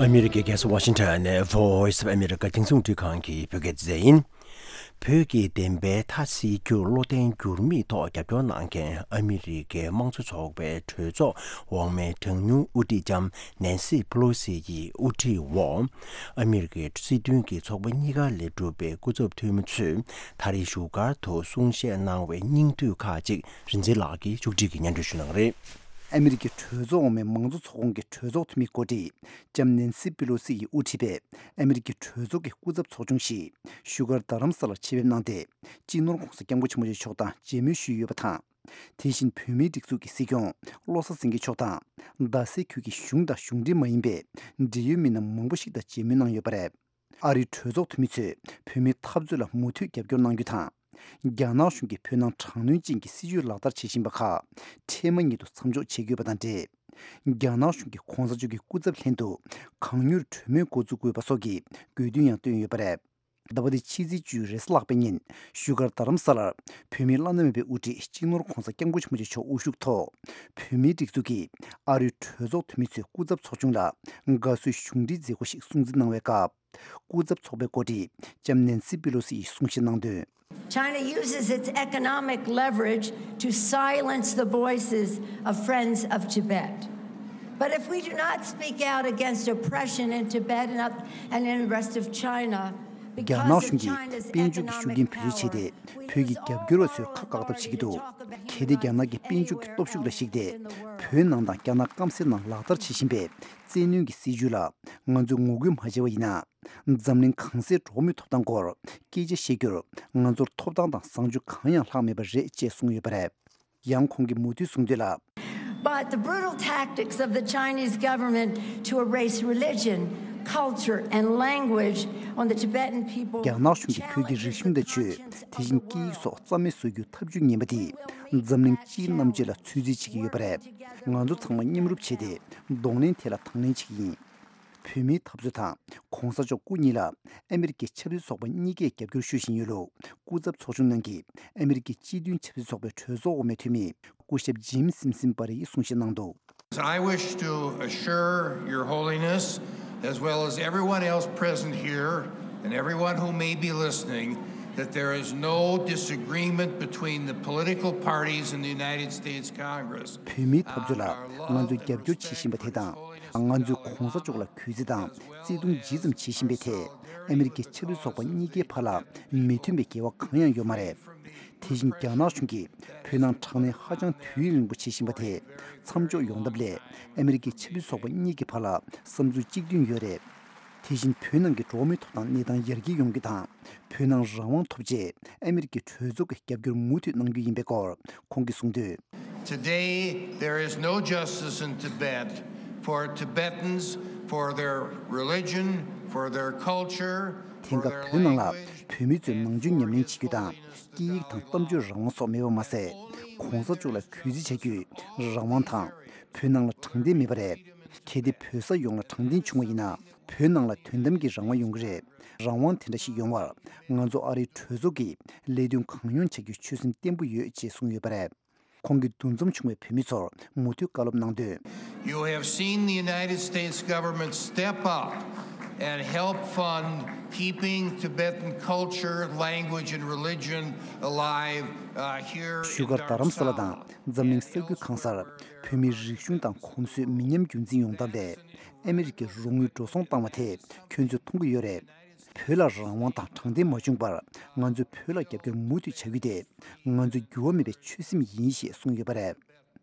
ཨ་མི་རི་ཀའི་རྒྱལ་ས་ཝ་ཤིང་ཊོན་ནས་Voice of America་རྒྱང་སྲིང་རླུང་འཕྲིན་ཁང་གི་བོད་སྐད་སྡེ་ཚན་ཡིན། བོད་ཀྱི་བདེན་པའི་མཐའ་གསལ་རྒྱུར་བློ་བརྟན་འགྱུར་མེད་ཐོག་རྒྱབ་སྐྱོར་གནང་མཁན་ཨ་མི་རི་ཀའི་དམངས་གཙོ་ཚོགས་པའི་གྲོས་ཚོགས་འོག་མའི་གྲངས་ཉུང་དབུ་ཁྲིད་ལྕམ་ནན་སི་པེ་ལོ་སི་ཡི་དབུ་ཁྲིད་འོག་ཨ་མི་རི་ཀའི་སྲིད་དོན་གྱི་ཚོགས་པ་གཉིས་ཀ་ལས་གྲུབ་པའི་སྐུ་ཚབ་འཐུས་མི་ཚོས་ད་རེས་བཞུགས་སྒར་དུ་གསུང་བཤད་གནང་བའི་སྙིང་བསྡུས་ཁག་ཅིག་རིག་འཛིན་ལགས་ཀྱིས་མཇུག་སྒྲིལ་གྱིས་སྙན་སྒྲོན་ཞུ་གནང་རེད། ཨ་མི་རི་ཀའི་གྲོས་ཚོགས་འོག་མའི་མང་གཙོ་ཚོགས་ཁོངས་ཀྱི་གྲོས་ཚོགས་འཐུས་མི་འགོ་ཁྲིད་ལྕམ་ནན་སི་པེ་ལོ་སི་ཡིས་དབུ་ཁྲིད་པའི་ཨ་མི་རི་ཀའི་གྲོས་ཚོགས་ཀྱི་སྐུ་ཚབ་ཚོགས་ཆུང་ཞིག་བཞུགས་སྒར་རྡ་རམ་ས་ལར་ཆེད་ཕེབས་གནང་སྟེ། སྤྱི་ནོར་༧གོང་ས་༧སྐྱབས་མགོན་ཆེན་པོ་མཆོག་དང་མཇལ་མོལ་ཞུས་ཡོད་པ་དང་། དེ་བཞིན་བོད་མིའི་སྒྲིག་འཛུགས་ཀྱི་སྲིད་སྐྱོང་བློ་བཟང་སེང་གེ་མཆོག་དང་། རྡ་སའི་ཁུལ་གྱི་གཞུང་དང་གཞུང་འབྲེལ་མ་ཡིན་པའི་འབྲེལ་ཡོད་མི་སྣ་མང་པོ་ཞིག་དང་མཇལ་མོལ་གནང་ཡོད་པ་རེད། ཨ་རིའི་གྲོས་ཚོགས་འཐུས་མི་ཚོས་བོད་མིའི་འཐབ་རྩོད་ལ་མུ་མཐུད་རྒྱབ་སྐྱོར་གནང་རྒྱུ་དང་། རྒྱ་ནག་གཞུང་གིས་བོད་ནང་དྲག་གནོན་ཅན་གྱི་སྲིད་བྱུས་ལག་བསྟར་བྱེད་བཞིན་པ་ཁག་འཕྲལ་མ་ཉིད་དུ་མཚམས་འཇོག་བྱེད་དགོས་པ་དང་འབྲེལ། རྒྱ་ནག་གཞུང་གིས་གོང་ས་མཆོག་གི་སྐུ་ཚབ་ལྷན་དུ་གང་མྱུར་གྲོས་མོལ་འགོ་འཛུགས་དགོས་པ་སོགས་ཀྱི་དགོས་འདུན་ཡང་བཏོན་ཡོད་པ་རེད། ཟླ་བ་འདིའི་ཕྱི་ཚེས་བཅུའི་རེས་གཟའ་ལྷག་པའི་ཉིན་བཞུགས་སྒར་རྡ་རམ་ས་ལར་བོད་མིའི་བླ་ན་མེད་པའི་དབུ་ཁྲིད་སྤྱི་ནོར་༧གོང་ས་༧སྐྱབས་མགོན་ཆེན་པོ་མཆོག་དབུ་བཞུགས་ཐོག་བོད་མིའི་སྒྲིག་འཛུགས་ཀྱི་ཨ་རིའི་གྲོས་ཚོགས་འཐུས་མི་ཚོའི་སྐུ་ཚབ་ཚོགས་ཆུང་ལ་དགའ་བསུའི་གཞུང་འབྲེལ་མཛད་སྒོ་ཞིག་སྲུང་བརྩི་གནང་བའི་སྐབས། སྐུ་ཚབ་ཚོགས་པའི་འགོ་ཁྲིད་ལྕམ་ནན་སི་པེ་ལོ་སི་ཡིས་གསུང་བཤད་གནང་དོན། China uses its economic leverage to silence the voices of Friends of Tibet. But if we do not speak out against oppression in Tibet and, up, and in the rest of China, རྒྱ་ནག་གཞུང་གིས་དཔལ་འབྱོར་གྱི་ཤུགས་རྐྱེན་བེད་སྤྱོད་བྱས་ཏེ། བོད་ཀྱི་རྒྱབ་སྐྱོར་བ་ཚོའི་ཁ་བཀག་ཐབས་བྱེད་ཀྱི་འདུག་གལ་ཏེ་རྒྱ་ནག་གི་དཔལ་འབྱོར་གྱི་སྟོབས་ཤུགས་ལ་གཞིགས་ཏེ། བོད་ནང་དང་རྒྱ་ནག་སྐམ་སའི་ནང་ལག་བསྟར་བྱེད་བཞིན་པའི་བཙན་གནོན་གྱི་སྲིད་བྱུས་ལ་ང་ཚོས་ངོ་རྒོལ་མ་བྱས་པ་ཡིན་ན། འཛམ་གླིང་གང་སའི་འགྲོ་བ་མིའི་ཐོབ་ཐང་སྐོར་སྐད་ཆ་བཤད་རྒྱུར་ང་ཚོར་ཐོབ་ཐང་དང་བཟང་སྤྱོད་གང་ཡང་ལྷག་མེད་པ་རེད་ཅེས་གསུངས་ཡོད་པ་རེད། ཡང་ཁོང་གིས་མུ་མཐུད་གསུངས་དོན་ལ། But the brutal tactics of the Chinese government to erase religion, culture, and language on the Tibetan people རྒྱ་ནག་གཞུང་གིས་བོད་ཀྱི་རིག་གཞུང་དང་ཆོས། དེ་བཞིན་སྐད་ཡིག་སོགས་རྩ་མེད་བཟོ་རྒྱུའི་ཐབས་ཇུས་ངན་པ་དེས་འཛམ་གླིང་སྤྱིའི་རྣམ་དཔྱོད་ལ་ཚོད་རྩིས་བྱེད་ཀྱི་ཡོད་པ་རེད། ང་ཚོ་ཚང་མ་མཉམ་རུབ་བྱས་ཏེ་གདོང་ལེན་དེ་ལ་དང་ལེན་བྱེད་ཀྱི་ཡིན། བོད་མིའི་འཐབ་རྩོད་དང་གོང་ས་མཆོག་སྐུ་གཉིས་ལ་ཨ་མི་རི་ཀའི་ཆབ་སྲིད་ཚོགས་པ་གཉིས་ཀས་རྒྱབ་སྐྱོར་ཞུ་བཞིན་ཡོད་ལུགས་སྐུ་ཚབ་ཚོགས་ཆུང་ནང་གི་ཨ་མི་རི་ཀའི་སྤྱི་མཐུན་ཆབ་སྲིད་ཚོགས་པའི་གྲོས་ཚོགས་འོག་མའི་འཐུས་མི་སྐུ་ཞབས་ཇིམ་སིམ་སིན་པ་རི་ཡིས་གསུང་བཤད་གནང་འདུག I wish to assure Your Holiness, as well as everyone else present here and everyone who may be listening, that there is no disagreement between the political parties in the United States Congress. བོད་མིའི་འཐབ་རྩོད་ལ་ང་ཚོས་རྒྱབ་སྐྱོར་བྱེད་བཞིན་པ་དེ་དང་། ང་ཚོས་གོང་ས་མཆོག་ལ་གུས་བརྩི་དང་བརྩི་མཐོང་ཇི་ཙམ་བྱེད་བཞིན་པའི་ཐད། ཨ་མི་རི་ཀའི་ཆབ་སྲིད་ཚོགས་པ་གཉིས་ཀའི་བར་ལ་མི་མཐུན་པའི་འགལ་བ་གང་ཡང་ཡོད་མ་རེད། དེ་བཞིན་རྒྱ་ནག་གཞུང་གིས་བོད་ནང་དྲག་གནོན་ཧ་ཅང་དུས་ཡུན་རིང་པོ་བྱེད་བཞིན་པ་དེ་མཚམས་འཇོག་ཡོང་ཐབས་སླད། ཨ་མི་རི་ཀའི་ཆབ་སྲིད་ཚོགས་པ་གཉིས་ཀྱི་བར་ལ་བསམ་ཚུལ་གཅིག་མཐུན་ཡོད་རེད། དེ་བཞིན་བོད་ནང་གི་འགྲོ་བ་མིའི་ཐོབ་ཐང་གནས་སྟངས་ཡར་རྒྱས་ཡོང་རྒྱུ་དང་། བོད་ནང་རང་དབང་ཐོབ་ཆེད་ཨ་མི་རི་ཀའི་གྲོས་ཚོགས་ཀྱི་རྒྱབ་སྐྱོར་མུ་མཐུད་གནང་རྒྱུ་ཡིན་པའི་སྐོར་ཁོང་གིས་གསུངས་དོན། Today, there is no justice in Tibet for Tibetans, for their religion, for their culture, for their language, and for their way of life. དེང་སྐབས་བོད་ནང་ལ་བོད་མི་ཚོས་ནང་ཆོས་ཉམས་ལེན་བྱེད་རྒྱུ་དང་། སྐད་ཡིག་དང་གཏམ་བརྗོད་རང་དབང་སོགས་མེད་པ་མ་ཟད། གོང་ས་མཆོག་ལ་གུས་བརྩི་བྱ་རྒྱུའི་རང་དབང་དང་། བོད་ནང་ལ་དྲང་བདེན་མེད་པ་རེད། གལ་ཏེ་བོད་ས་ཡོངས་ལ་དྲང་བདེན་བྱུང་བ་ཡིན་ན། བོད་ནང་ལ་དོན་དམ་གྱི་རང་དབང་ཡོང་གི་རེད། རང་དབང་དེ་འདྲ་ཞིག་ཡོང་བར་ང་ཚོ་ཨ་རིའི་གྲོས་ཚོགས་ཀྱིས་ལས་དོན་གང་ཡོང་བྱ་རྒྱུའི་ཆོད་སེམས་བརྟན་པོ་ཡོད་ཅེས་གསུངས་ཡོད་པ་རེད། ཁོང་གིས་འདུ་འཛོམས་བྱུང་བའི་བོད་མི་ཚོར་མུ་མཐུད་བཀའ་སློབ་གནང་དོན། You have seen the United States government step up and help fund keeping Tibetan culture, language, and religion alive, uh, here in བཞུགས་སྒར་རྡ་རམ་ས་ལ་དང་འཛམ་གླིང་ས་ཁུལ་གང་སར་བོད་མིའི་རིག་གཞུང་དང་གོམས་སྲོལ་མི་ཉམས་རྒྱུན་འཛིན་ཡོང་ཐབས་ལ་ཨ་མི་རི་ཀས་རོགས་དངུལ་འགྲོ་སོང་བཏང་བ་དེ་ཁྱོད་ཚོས་མཐོང་གི་ཡོད་རེད། བོད་ལ་རང་དབང་དང་དྲང་བདེན་མ་བྱུང་བར་ང་ཚོས་བོད་ལ་རྒྱབ་སྐྱོར་མུ་མཐུད་བྱ་རྒྱུ་དེ་ང་ཚོའི་འགྱུར་བ་མེད་པའི་ཆོད་སེམས་ཡིན་ཞེས་གསུངས་ཡོད་པ་རེད།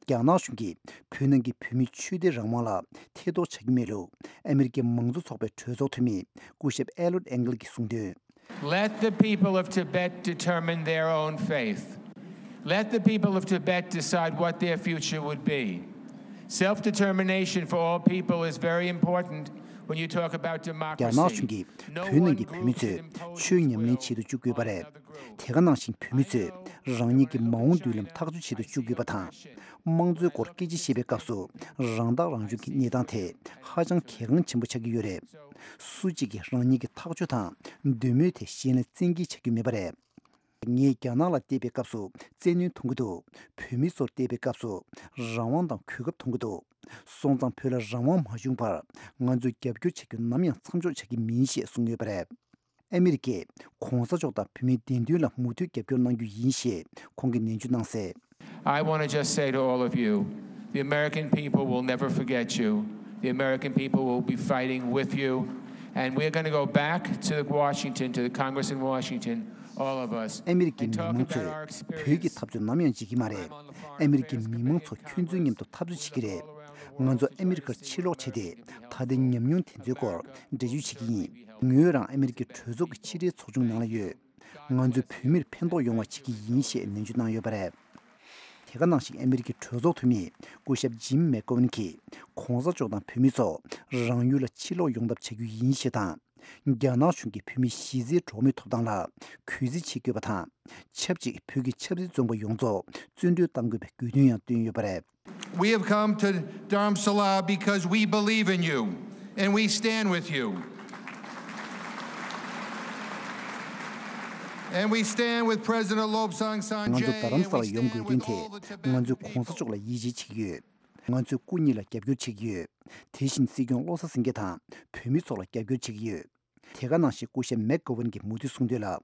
རྒྱ་ནག་གཞུང་གིས་བོད་ནང་གི་བོད་མིའི་ཆོས་དད་རང་དབང་ལ་ཐེ་གཏོགས་བྱ་རྒྱུ་མེད་ལུགས་ཨ་མི་རི་ཀའི་མང་གཙོ་ཚོགས་པའི་གྲོས་ཚོགས་འཐུས་མི་སྐུ་ཞབས་ཨེ་ལོད་ཨེང་གལ་གྱིས་གསུངས་དོན། Let the people of Tibet determine their own fate. Let the people of Tibet decide what their future would be. Self-determination for all people is very important when you talk about democracy. རྒྱ་ནག་གཞུང་གིས་བོད་ནང་གི་བོད་མི་ཚོས་ཆོས་ཉམས་ལེན་བྱེད་དུ་བཅུག་དགོས་པ་རེད། དེ་ག་ནང་བཞིན་བོད་མི་ཚོས་རང་ཉིད་ཀྱི་མ་འོངས་མདུན་ལམ་ཐག་གཅོད་བྱེད་དུ་བཅུག་དགོས་པ་དང་། དམངས་གཙོའི་སྐོར་སྐད་ཆ་བཤད་པའི་སྐབས་སུ་རང་ཐག་རང་གཅོད་ཀྱི་གནས་སྟངས་དེ་ཧ་ཅང་གལ་འགངས་ཆེན་པོ་ཆགས་ཀྱི་ཡོད་རེད། སུ་གཅིག་གིས་རང་ཉིད་ཀྱི་ཐག་གཅོད་དང་འདོད་མོས་དེ་གཞན་ལ་བཙན་འགེལ་བྱ་རྒྱུ་མེད་པ་རེད། ངས་རྒྱ་ནག་ལ་བལྟས་པའི་སྐབས་སུ་བཙན་གནོན་མཐོང་གི་འདུག་བོད་མི་ཚོར་བལྟས་པའི་སྐབས་སུ་རང་དབང་དང་གོ་སྐབས་མཐོང་གི་འདུག་སོང་ཙང་བོད་ལ་རང་དབང་མ་བྱུང་བར་ང་ཚོས་རྒྱབ་སྐྱོར་བྱ་རྒྱུ་ནམ་ཡང་མཚམས་འཇོག་བྱ་གི་མིན་ཞེས་གསུངས་ཡོད་པ་རེད། ཨ་མི་རི་ཀས་གོང་ས་མཆོག་དང་བོད་མིའི་བདེན་དོན་ལ་མུ་མཐུད་རྒྱབ་སྐྱོར་གནང་རྒྱུ་ཡིན་ཞེས་ཁོང་གིས་ནན་བརྗོད་གནང་གསལ། I want to just say to all of you, the American people will never forget you. The American people will be fighting with you. And we're going to go back to Washington, to the Congress in Washington, all of us, ཨ་མི་རི་ཀའི་མི་མང་ཚོས་བོད་ཀྱི་འཐབ་རྩོད་ནམ་ཡང་བརྗེད་ཀྱི་མ་རེད། ཨ་མི་རི་ཀའི་མི་མང་ཚོ་ཁྱོད་ཚོའི་མཉམ་དུ་འཐབ་རྩོད་བྱེད་ཀྱི་རེད། ང་ཚོ་ཨ་མི་རི་ཀར་ཕྱིར་ལོག་བྱས་ཏེ་ད་ལྟའི་ཉམས་མྱོང་དེ་ཚོའི་སྐོར་འགྲེལ་བརྗོད་བྱེད་ཀྱི་ཡིན། ངོས་རང་ཨ་མི་རི་ཀའི་གྲོས་ཚོགས་ཀྱི་ཕྱི་དྲིལ་ཚོགས་ཆུང་ནང་ལ་ཡོད། ང་ཚོས་བོད་མིར་ཕན་ཐོགས་ཡོང་བ་བྱེད་ཀྱི་ཡིན་ཞེས་ནན་བརྗོད་གནང་ཡོད་པ་རེད། དེ་ག་ནང་བཞིན་ཨ་མི་རི་ཀའི་གྲོས་ཚོགས་འཐུས་མི་སྐུ་ཞབས་ཇིམ་མེག་གོ་ཝན་གྱིས་གོང་ས་མཆོག་དང་བོད་མི་ཚོ་རང་ཡུལ་ལ་ཕྱིར་ལོག་ཡོང་ཐབས་བྱ་རྒྱུ་ཡིན་ཞེས་དང་། རྒྱ་ནག་གཞུང་གིས་བོད་མིའི་གཞི་རྩའི་འགྲོ་བ་མིའི་ཐོབ་ཐང་ལ་གུས་བརྩི་བྱེད་དགོས་པ་དང་། ཆབས་ཅིག་བོད་ཀྱི་ཆབ་སྲིད་བཙོན་པ་ཡོངས་རྫོགས་བཙོན་གྲོལ་གཏང་དགོས་པའི་དགོས་འདུན་ཡང་བཏོན་ཡོད་པ་རེད། We have come to Dharamsala because we believe in you and we stand with you. And we stand with President Lobsang Sangay. ང་ཚོ་རྡ་རམ་ས་ལ་ཡོང་དགོས་དོན་དེ་ང་ཚོས་གོང་ས་མཆོག་ལ་ཡིད་ཆེས་བྱེད་ཀྱི་ཡོད། ང་ཚོས་སྐུ་ཉིད་ལ་རྒྱབ་སྐྱོར་བྱེད་ཀྱི་ཡོད། དེ་བཞིན་སྲིད་སྐྱོང་བློ་བཟང་སེང་གེ་དང་བོད་མི་ཚོ་ལ་རྒྱབ་སྐྱོར་བྱེད་ཀྱི་ཡོད། དེ་ག་ནང་བཞིན་སྐུ་ཞབས་མེག་གོ་ཝན་གྱིས་མུ་མཐུད་གསུངས་དོན་ལ།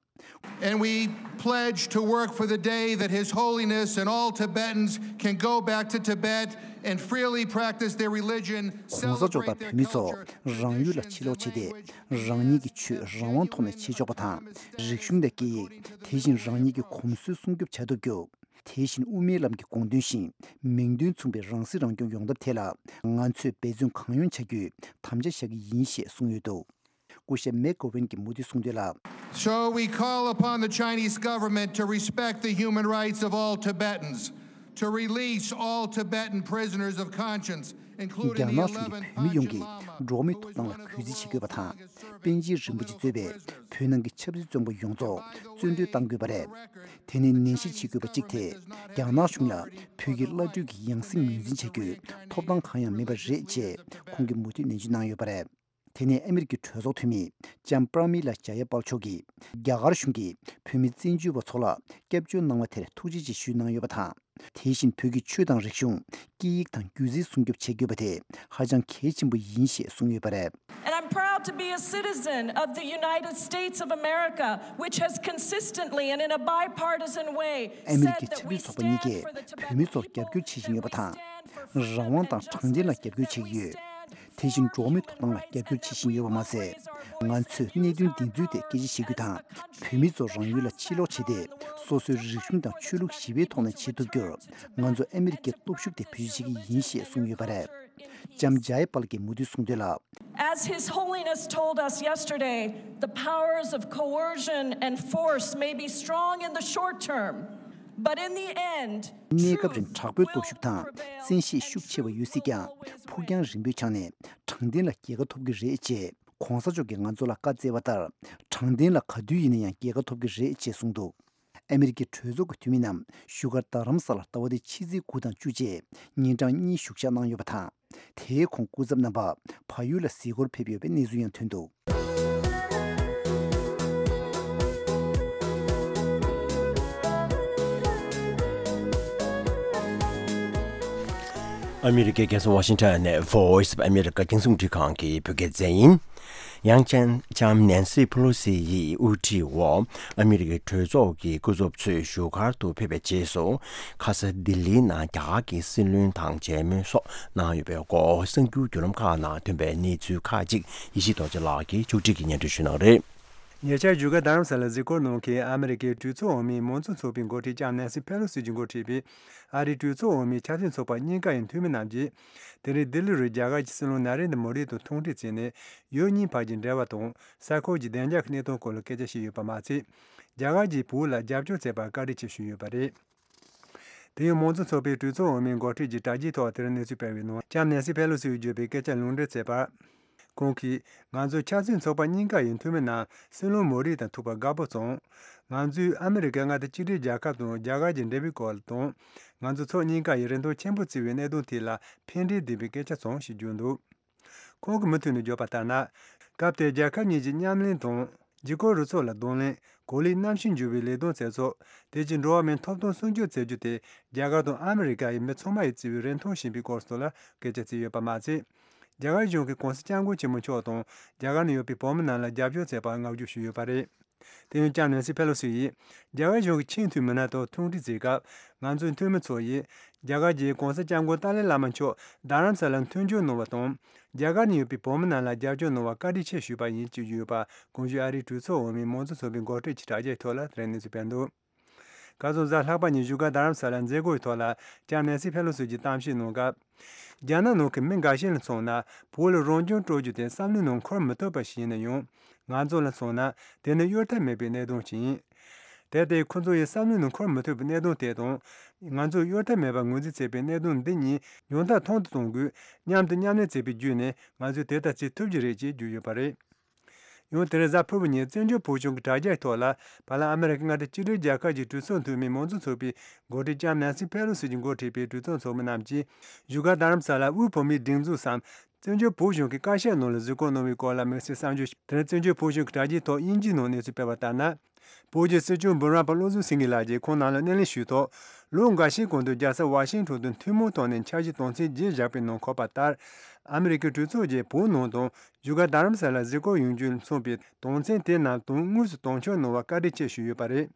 And we pledge to work for the day that His Holiness and all Tibetans can go back to Tibet and freely practice their religion, གོང་ས་མཆོག་དང་བོད་མི་ཚོ་རང་ཡུལ་ལ་ཕྱིར་ལོག་བྱས་ཏེ་རང་ཉིད་ཀྱི་ཆོས་རང་དབང་ཐོག་ནས་བྱེད་ཆོག་པ་དང་། རིག་གཞུང་དང་སྐད་ཡིག་དེ་བཞིན་རང་ཉིད་ཀྱི་གོམས་སྲོལ་སྲུང་སྐྱོབ་བྱ་ཐུབ་རྒྱུ། དེ་བཞིན་དབུ་མའི་ལམ་གྱི་དགོངས་དོན་བཞིན་མིང་དོན་མཚུངས་པའི་རང་སྲིད་རང་སྐྱོང་ཡོང་ཐབས་ཐད་ལ་ང་ཚོས་འབད་བརྩོན་གང་ཡོང་བྱ་རྒྱུའི་དམ་བཅའ་བཞག་གི་ཡིན་ཞེས་གསུངས་ཡོད་འདུག་སྐུ་ཞབས་མེག་གོ་ཝན་གྱིས་མུ་མཐུད་གསུངས་དོན་ལ། So we call upon the Chinese government to respect the human rights of all Tibetans, to release all Tibetan prisoners of conscience, རྒྱ་ནག་གཞུང་གིས་བོད་མི་ཡོངས་ཀྱི་འགྲོ་བ་མིའི་ཐོབ་ཐང་ལ་གུས་བརྩི་བྱེད་དགོས་པ་དང་། པཎ་ཆེན་རིན་པོ་ཆེ་གཙོས་པའི་བོད་ནང་གི་ཆབ་སྲིད་བཙོན་པ་ཡོངས་རྫོགས་བཙོན་གྲོལ་གཏང་དགོས་པ་རེད། དེ་ནས་ནན་བཤད་བྱེད་དགོས་པ་གཅིག་དེ་རྒྱ་ནག་གཞུང་ལ་བོད་ཀྱི་བླ་སྤྲུལ་གྱི་ཡང་སྲིད་ངོས་འཛིན་བྱ་རྒྱུའི་ཐོབ་ཐང་གང་ཡང་མེད་པ་རེད་ཅེས་ཁོང་གིས་མུ་མཐུད་ནན་བརྗོད་གནང་ཡོད་པ་རེད། དེ་ནས་ཨ་མི་རི་ཀའི་གྲོས་ཚོགས་འཐུས་མི་ལྕམ་པྲ་མི་ལ་ཇ་ཡ་པལ་མཆོག་གིས་རྒྱ་གར་གཞུང་གིས་བོད་མི་བཙན་བྱོལ་བ་ཚོ་ལ་སྐྱབས་བཅོལ་གནང་བ་དེར་ཐུགས་རྗེ་ཆེ་ཞུས་གནང་ཡོད་པ་དང་། དེ་བཞིན་བོད་ཀྱི་ཆོས་དང་རིག་གཞུང་། སྐད་ཡིག་དང་སྒྱུ་རྩལ་སྲུང་སྐྱོབ་བྱེད་དགོས་པ་དེ་ཧ་ཅང་གལ་ཆེན་པོ་ཡིན་ཞེས་གསུངས་ཡོད་པ་རེད། And I'm proud to be a citizen of the United States of America, which has consistently and in a bipartisan way ཨ་མི་རི་ཀའི་ཆབ་སྲིད་ཚོགས་པ་གཉིས་ཀས་བོད་མི་ཚོར་རྒྱབ་སྐྱོར་བྱེད་བཞིན་ཡོད་པ་དང་། རང་དབང་དང་དྲང་བདེན་ལ་རྒྱབ་སྐྱོར་བྱེད་ཀྱི་ཡོད། དེ་བཞིན་འགྲོ་བ་མིའི་ཐོབ་ཐང་ལ་རྒྱབ་སྐྱོར་བྱེད་བཞིན་ཡོད་པ་མ་ཟད། ང་ཚོས་གནད་དོན་འདི་ཚོའི་ཐད་སྐད་ཆ་བཤད་རྒྱུ་དང་། བོད་མི་ཚོ་རང་ཡུལ་ལ་ཕྱིར་ལོག་བྱས་ཏེ། སོ་སོའི་རིག་གཞུང་དང་ཆོས་ལུགས་ཞི་བའི་ཐོག་ནས་བྱེད་ཐུབ་རྒྱུར། ང་ཚོ་ཨ་མི་རི་ཀའི་སྟོབས་ཤུགས་དེ་བེད་སྤྱོད་བྱེད་ཀྱི་ཡིན་ཞེས་གསུངས་ཡོད་པ་རེད། ལྕམ་ཇའི་པལ་གྱིས་མུ་མཐུད་གསུངས་དོན་ལ། As His Holiness told us yesterday, the powers of coercion and force may be strong in the short term, but in the end, གནས་སྐབས་རིང་དྲག་པོའི་སྟོབས་ཤུགས་དང་བཙན་ཤེད་ཤུགས་ཆེ་བ་ཡོད་སྲིད་ཀྱང་། ཕུགས་རྒྱང་རིང་པོའི་ཆ་ནས་དྲང་བདེན་ལ་རྒྱལ་ཁ་ཐོབ་ཀྱི་རེད་ཅེས། གོང་ས་མཆོག་གིས་ང་ཚོ་ལ་བཀའ་སྩལ་བ་ལྟར། དྲང་བདེན་ལ་ག་དུས་ཡིན་ན་ཡང་རྒྱལ་ཁ་ཐོབ་ཀྱི་རེད་ཅེས་གསུངས་འདུག་ཨ་མི་རི་ཀའི་གྲོས་ཚོགས་ཀྱི་འཐུས་མི་རྣམས་བཞུགས་སྒར་རྡ་རམ་ས་ལར་ཟླ་བ་འདིའི་ཕྱི་ཚེས་དགུ་དང་བཅུ་བཅས་ཉིན་གྲངས་གཉིས་བཞུགས་ཞག་གནང་ཡོད་པ་དང་། དེའི་གོང་སྐུ་ཚབ་རྣམ་པ་བལ་ཡུལ་ལ་གཟིགས་སྐོར་ཕེབས་ཡོད་པའི་གནས་ཚུལ་ཡང་ཐོན་འདུག་ཨ་མི་རི་ཀའི་རྒྱལ་ས་ཝ་ཤིང་ཊོན་ནས་Voice of America་རྒྱང་སྲིང་རླུང་འཕྲིན་ཁང་གི་བོད་སྐད་སྡེ་ཚན་ཡིན། ཡང་ལྕམ་ལྕམ་ནན་སི་ཕེ་ལོ་སི་ཡི་དབུ་ཁྲིད་འོག་ཨ་མི་རི་ཀའི་གྲོས་ཚོགས་ཀྱི་སྐུ་ཚབ་ཚོས་བཞུགས་སྒར་དུ་ཕེབས་པའི་རྗེས་སུ། ཁ་ས་ལྡི་ལིའི་ནང་རྒྱ་གར་གྱི་སྲིད་བློན་དང་མཇལ་མོལ་སོགས་གནང་ཡོད་པའི་སྐོར། གསར་འགྱུར་བརྒྱུད་ལམ་ཁག་ནང་ཐོན་པའི་གནས་ཚུལ་ཁག་ཅིག་ཡེ་ཤེས་རྡོ་རྗེ་ལགས་ཀྱིས་ཕྱོགས་སྒྲིག་གིས་སྙན་སྒྲོན་ཞུ་གནང་གི་རེད། ཉེ་ཆར་བཞུགས་སྒར་རྡ་རམ་ས་ལར་གཟིགས་སྐོར་གནང་མཁན་ཨ་མི་རི་ཀའི་གྲོས་ཚོགས་འོག་མའི་མང་གཙོ་ཚོགས་པའི་འགོ་ཁྲིད་ལྕམ་ནན་སི་ཕེ་ལོ་སི་གྱིས་འགོ་ཁྲིད་པའི་ཨ་རིའི་གྲོས་ཚོགས་འོག་མའི་ཆབ་སྲིད་ཚོགས་པ་གཉིས་ཀ་ཡི་འཐུས་མི་རྣམས་ཀྱིས། དེ་རིང་ལྡི་ལི་རུ་རྒྱ་གར་གྱི་སྲིད་བློན་ན་རེན་དྲ་མོ་དི་དང་ཐུག་འཕྲད་བྱས་ནས། ཡུལ་གཉིས་བར་གྱི་འབྲེལ་བ་དང་ས་ཁུལ་གྱི་བདེ་འཇགས་ཀྱི་གནད་དོན་སྐོར་ལ་སྐད་ཆ་བཤད་ཡོད་པ་མ་ཚད། རྒྱ་གར་གྱིས་བོད་ལ་རྒྱབ་སྐྱོར་བྱས་པར་བཀའ་དྲིན་ཆེ་ཞུས་ཡོད་པ་རེད། དེ་ཡང་མང་གཙོ་ཚོགས་པའི་གྲོས་ཚོགས་འོག་མའི་འགོ་ཁྲིད་ཀྱི་དྲ་རྒྱའི་ཐོག་དེར་གནས་ཚུལ་སྤེལ་བའི་ནང་ལྕམ་ནན་སི་ཕེ་ལོ་སིས་བརྗོད་པའི་སྐད་ཆ་ལུང་འདྲེན་བྱས་པར། ཁོང་གིས། ང་ཚོ་ཆབ་སྲིད་ཚོགས་པ་གཉིས་ཀ་ཡི་འཐུས་མི་རྣམས་སྲིད་བློན་མོ་རི་དང་ཐུག་པར་དགའ་པོ་བྱུང་། ང་ཚོས་ཨ་མི་རི་ཀའི་མངའ་སྡེ་གཅིག་སྒྲིལ་རྒྱལ་ཁབ་དང་རྒྱ་གར་གྱི་འབྲེལ་བའི་སྐོར་དང་། ང་ཚོ་ཕྱོགས་གཉིས་ཀ་ཡི་རིན་ཐང་ཆེན་པོ་བརྩི་བའི་གནད་དོན་ཐད་ལ་ཕན་འབྲས་ལྡན་པའི་སྐད་ཆ་བྱུང་ཞེས་བརྗོད་འདུག་ཁོང་གིས་མུ་མཐུད་ནས་བརྗོད་པ་ལྟར་ན། སྐབས་དེར་རྒྱལ་ཁབ་གཉིས་ཀྱི་མཉམ་ལས་དང་། འཇིགས་སྐུལ་རུ་ཚོགས་ལ་གདོང་ལེན། གོ་ལའི་གནམ་གཤིས་འགྱུར་བའི་ལས་དོན་བྱེད་ཕྱོགས། དེ་བཞིན་འགྲོ་བ་མིའི་ཐོབ་ཐང་སྲུང་སྐྱོབ་བྱེད་རྒྱུ་དེ། རྒྱ་གར་དང་ཨ་མི་རི་ཀ་ཡི་མི་ཚང་མ་ཡིས་བརྩི་བའི་རིན་ཐང་ཞིག་ཡིན་པའི་སྐོར་སོགས་ལ་སྐད་ཆ་བྱས་ཡོད་པ་མ་ཚད། རྒྱ་གར་གཞུང་གིས་གོང་ས་སྐྱབས་མགོན་ཆེན་པོ་མཆོག་དང་རྒྱ་གར་ནང་ཡོད་པའི་བོད་མི་རྣམས་ལ་རྒྱབ་སྐྱོར་བྱས་པར་བསྔགས་བརྗོད་ཞུས་ཡོད་པ་རེད། དེ་ཡང་ལྕམ་ནན་སི་ཕེ་ལོ་སི་ཡིས། རྒྱ་གར་གཞུང་གི་ཆེས་མཐོའི་མི་སྣ་དང་ཐུག་འཕྲད་བྱེད་སྐབས། ང་ཚོའི་འཐུས་མི་ཚོ་ཡིས། རྒྱ་གར་གྱི་གོང་ས་སྐྱབས་མགོན་ཏཱ་ལའི་བླ་མ་མཆོག་རྡ་རམ་ས་ལར་མཐུན་འགྱུར་གནང་བ་དང་། རྒྱ་གར་ནང་ཡོད་པའི་བོད་མི་རྣམས་ལ་རྒྱབ་སྐྱོར་གནང་བར་བཀའ་དྲིན་ཆེ་ཞུས་པ་ཡིན་ཞེས་བརྗོད་ཡོད་པ། གོང་ཞུས་ཨ་རིའི་གྲོས་ཚོགས་འོག་མའི་མང་གཙོ་ཚོགས་པའི་འགོ་ཁྲིད་ཀྱི་དྲ་རྒྱའི་ཐོག་ལ་དེ་རིང་གནས་ཚུལ་སྤེལ་འདུག་ཁ་སང་གཟའ་ལྷག་པ་ཉིན་བཞུགས་སྒར་རྡ་རམ་ས་ལར་མཛད་སྒོའི་ཐོག་ལ་ལྕམ་ནན་སི་ཕེ་ལོ་སི་གྱིས་གཏམ་བཤད་གནང་སྐབས། རྒྱ་ནག་ནང་གི་མི་འགའ་ཤས་ལ་མཚོན་ན། བོད་ལ་རང་སྐྱོང་སྤྲོད་རྒྱུ་དེ་བསམ་བློའི་ནང་འཁོར་མི་ཐུབ་པ་ཞིག་ཡིན་ན་ཡང་། ང་ཚོ་ལ་མཚོན་ན། དེ་ནི་གཡོལ་ཐབས་མེད་པའི་གནད་དོན་ཞིག་ཡིན། དེ་ལྟའི་ཁོ་ཚོ་ཡི་བསམ་བློའི་ནང་འཁོར་མི་ཐུབ་པའི་གནད་དོན་དེ་དང་། ང་ཚོས་གཡོལ་ཐབས་མེད་པར་ངོས་འཛིན་བྱེད་པའི་གནད་དོན་འདི་གཉིས་ཡང་དག་མཐོང་དུ་གཏོང་དགོས། མཉམ་དུ་མཉམ་ལས་བྱེད་པའི་བརྒྱུད་ནས་ང་ཚོས་དེ་ལྟར་བྱེད་ཐུབ་ཀྱི་རེད་ཅེས་བརྗོད་ཡོད་པ་རེད། ཡང་དེ་རིང་གཟའ་ཕུར་བུ་ཉིན་བཙན་བྱོལ་བོད་གཞུང་གི་དྲ་རྒྱའི་ཐོག་ལ། བར་ལམ་ཨ་མི་རི་ཀའི་མངའ་སྡེ་གཅིག་སྒྲིལ་རྒྱལ་ཁབ་ཀྱི་གྲོས་ཚོགས་འཐུས་མི་མང་གཙོ་ཚོགས་པའི་འགོ་ཁྲིད་ལྕམ་ནན་སི་ཕེ་ལོ་སི་གྱིས་འགོ་ཁྲིད་པའི་གྲོས་ཚོགས་ཚོགས་མི་རྣམས་ཀྱིས་བཞུགས་སྒར་རྡ་རམ་ས་ལར་དབུས་བོད་མིའི་སྒྲིག་འཛུགས་སམ། བཙན་བྱོལ་བོད་གཞུང་གི་བཀའ་ཤག་ནང་ལ་གཟིགས་སྐོར་གནང་བའི་སྐོར་ལ་དམིགས་བསལ་གསར་འགྱུར། དེ་རིང་བཙན་བྱོལ་བོད་གཞུང་གི་དྲ་རྒྱའི་ཐོག་དབྱིན་ཇིའི་ནང་གནས་ཚུལ་སྤེལ་བ་ལྟར་ན། བོད་ཀྱི་སྲིད་སྐྱོང་འབུམ་རམས་པ་བློ་བཟང་སེང་གེ་ལགས་ཀྱིས་ཁོང་རྣམས་ལ་སྣེ་ལེན་ཞུས་ཐོག་ལོ་འགའ་ཤས་གོང་དུ་རྒྱལ་ས་ཝ་ཤིང་ཊོན་དུ་ཐུན་མོང་ཐོག་ནས་འཆར་གཞི་དོན་ཚན་བརྒྱད་བཞག་པའི་ནང་འཁོད་པ་ལྟར། ཨ་མི་རི་ཀའི་གྲོས་ཚོགས་ཀྱིས་བོད་ནང་དང་བཞུགས་སྒར་རྡ་རམ་ས་ལར་གཟིགས་སྐོར་ཡོང་རྒྱུ་མཚོན་པའི་དོན་ཚན་དེ་རྣམས་དོན་དངོས་སུ་དོན་འཁྱོལ་གནང་བར་བཀའ་དྲིན་ཆེ་ཞུས་ཡོད་པ་རེད།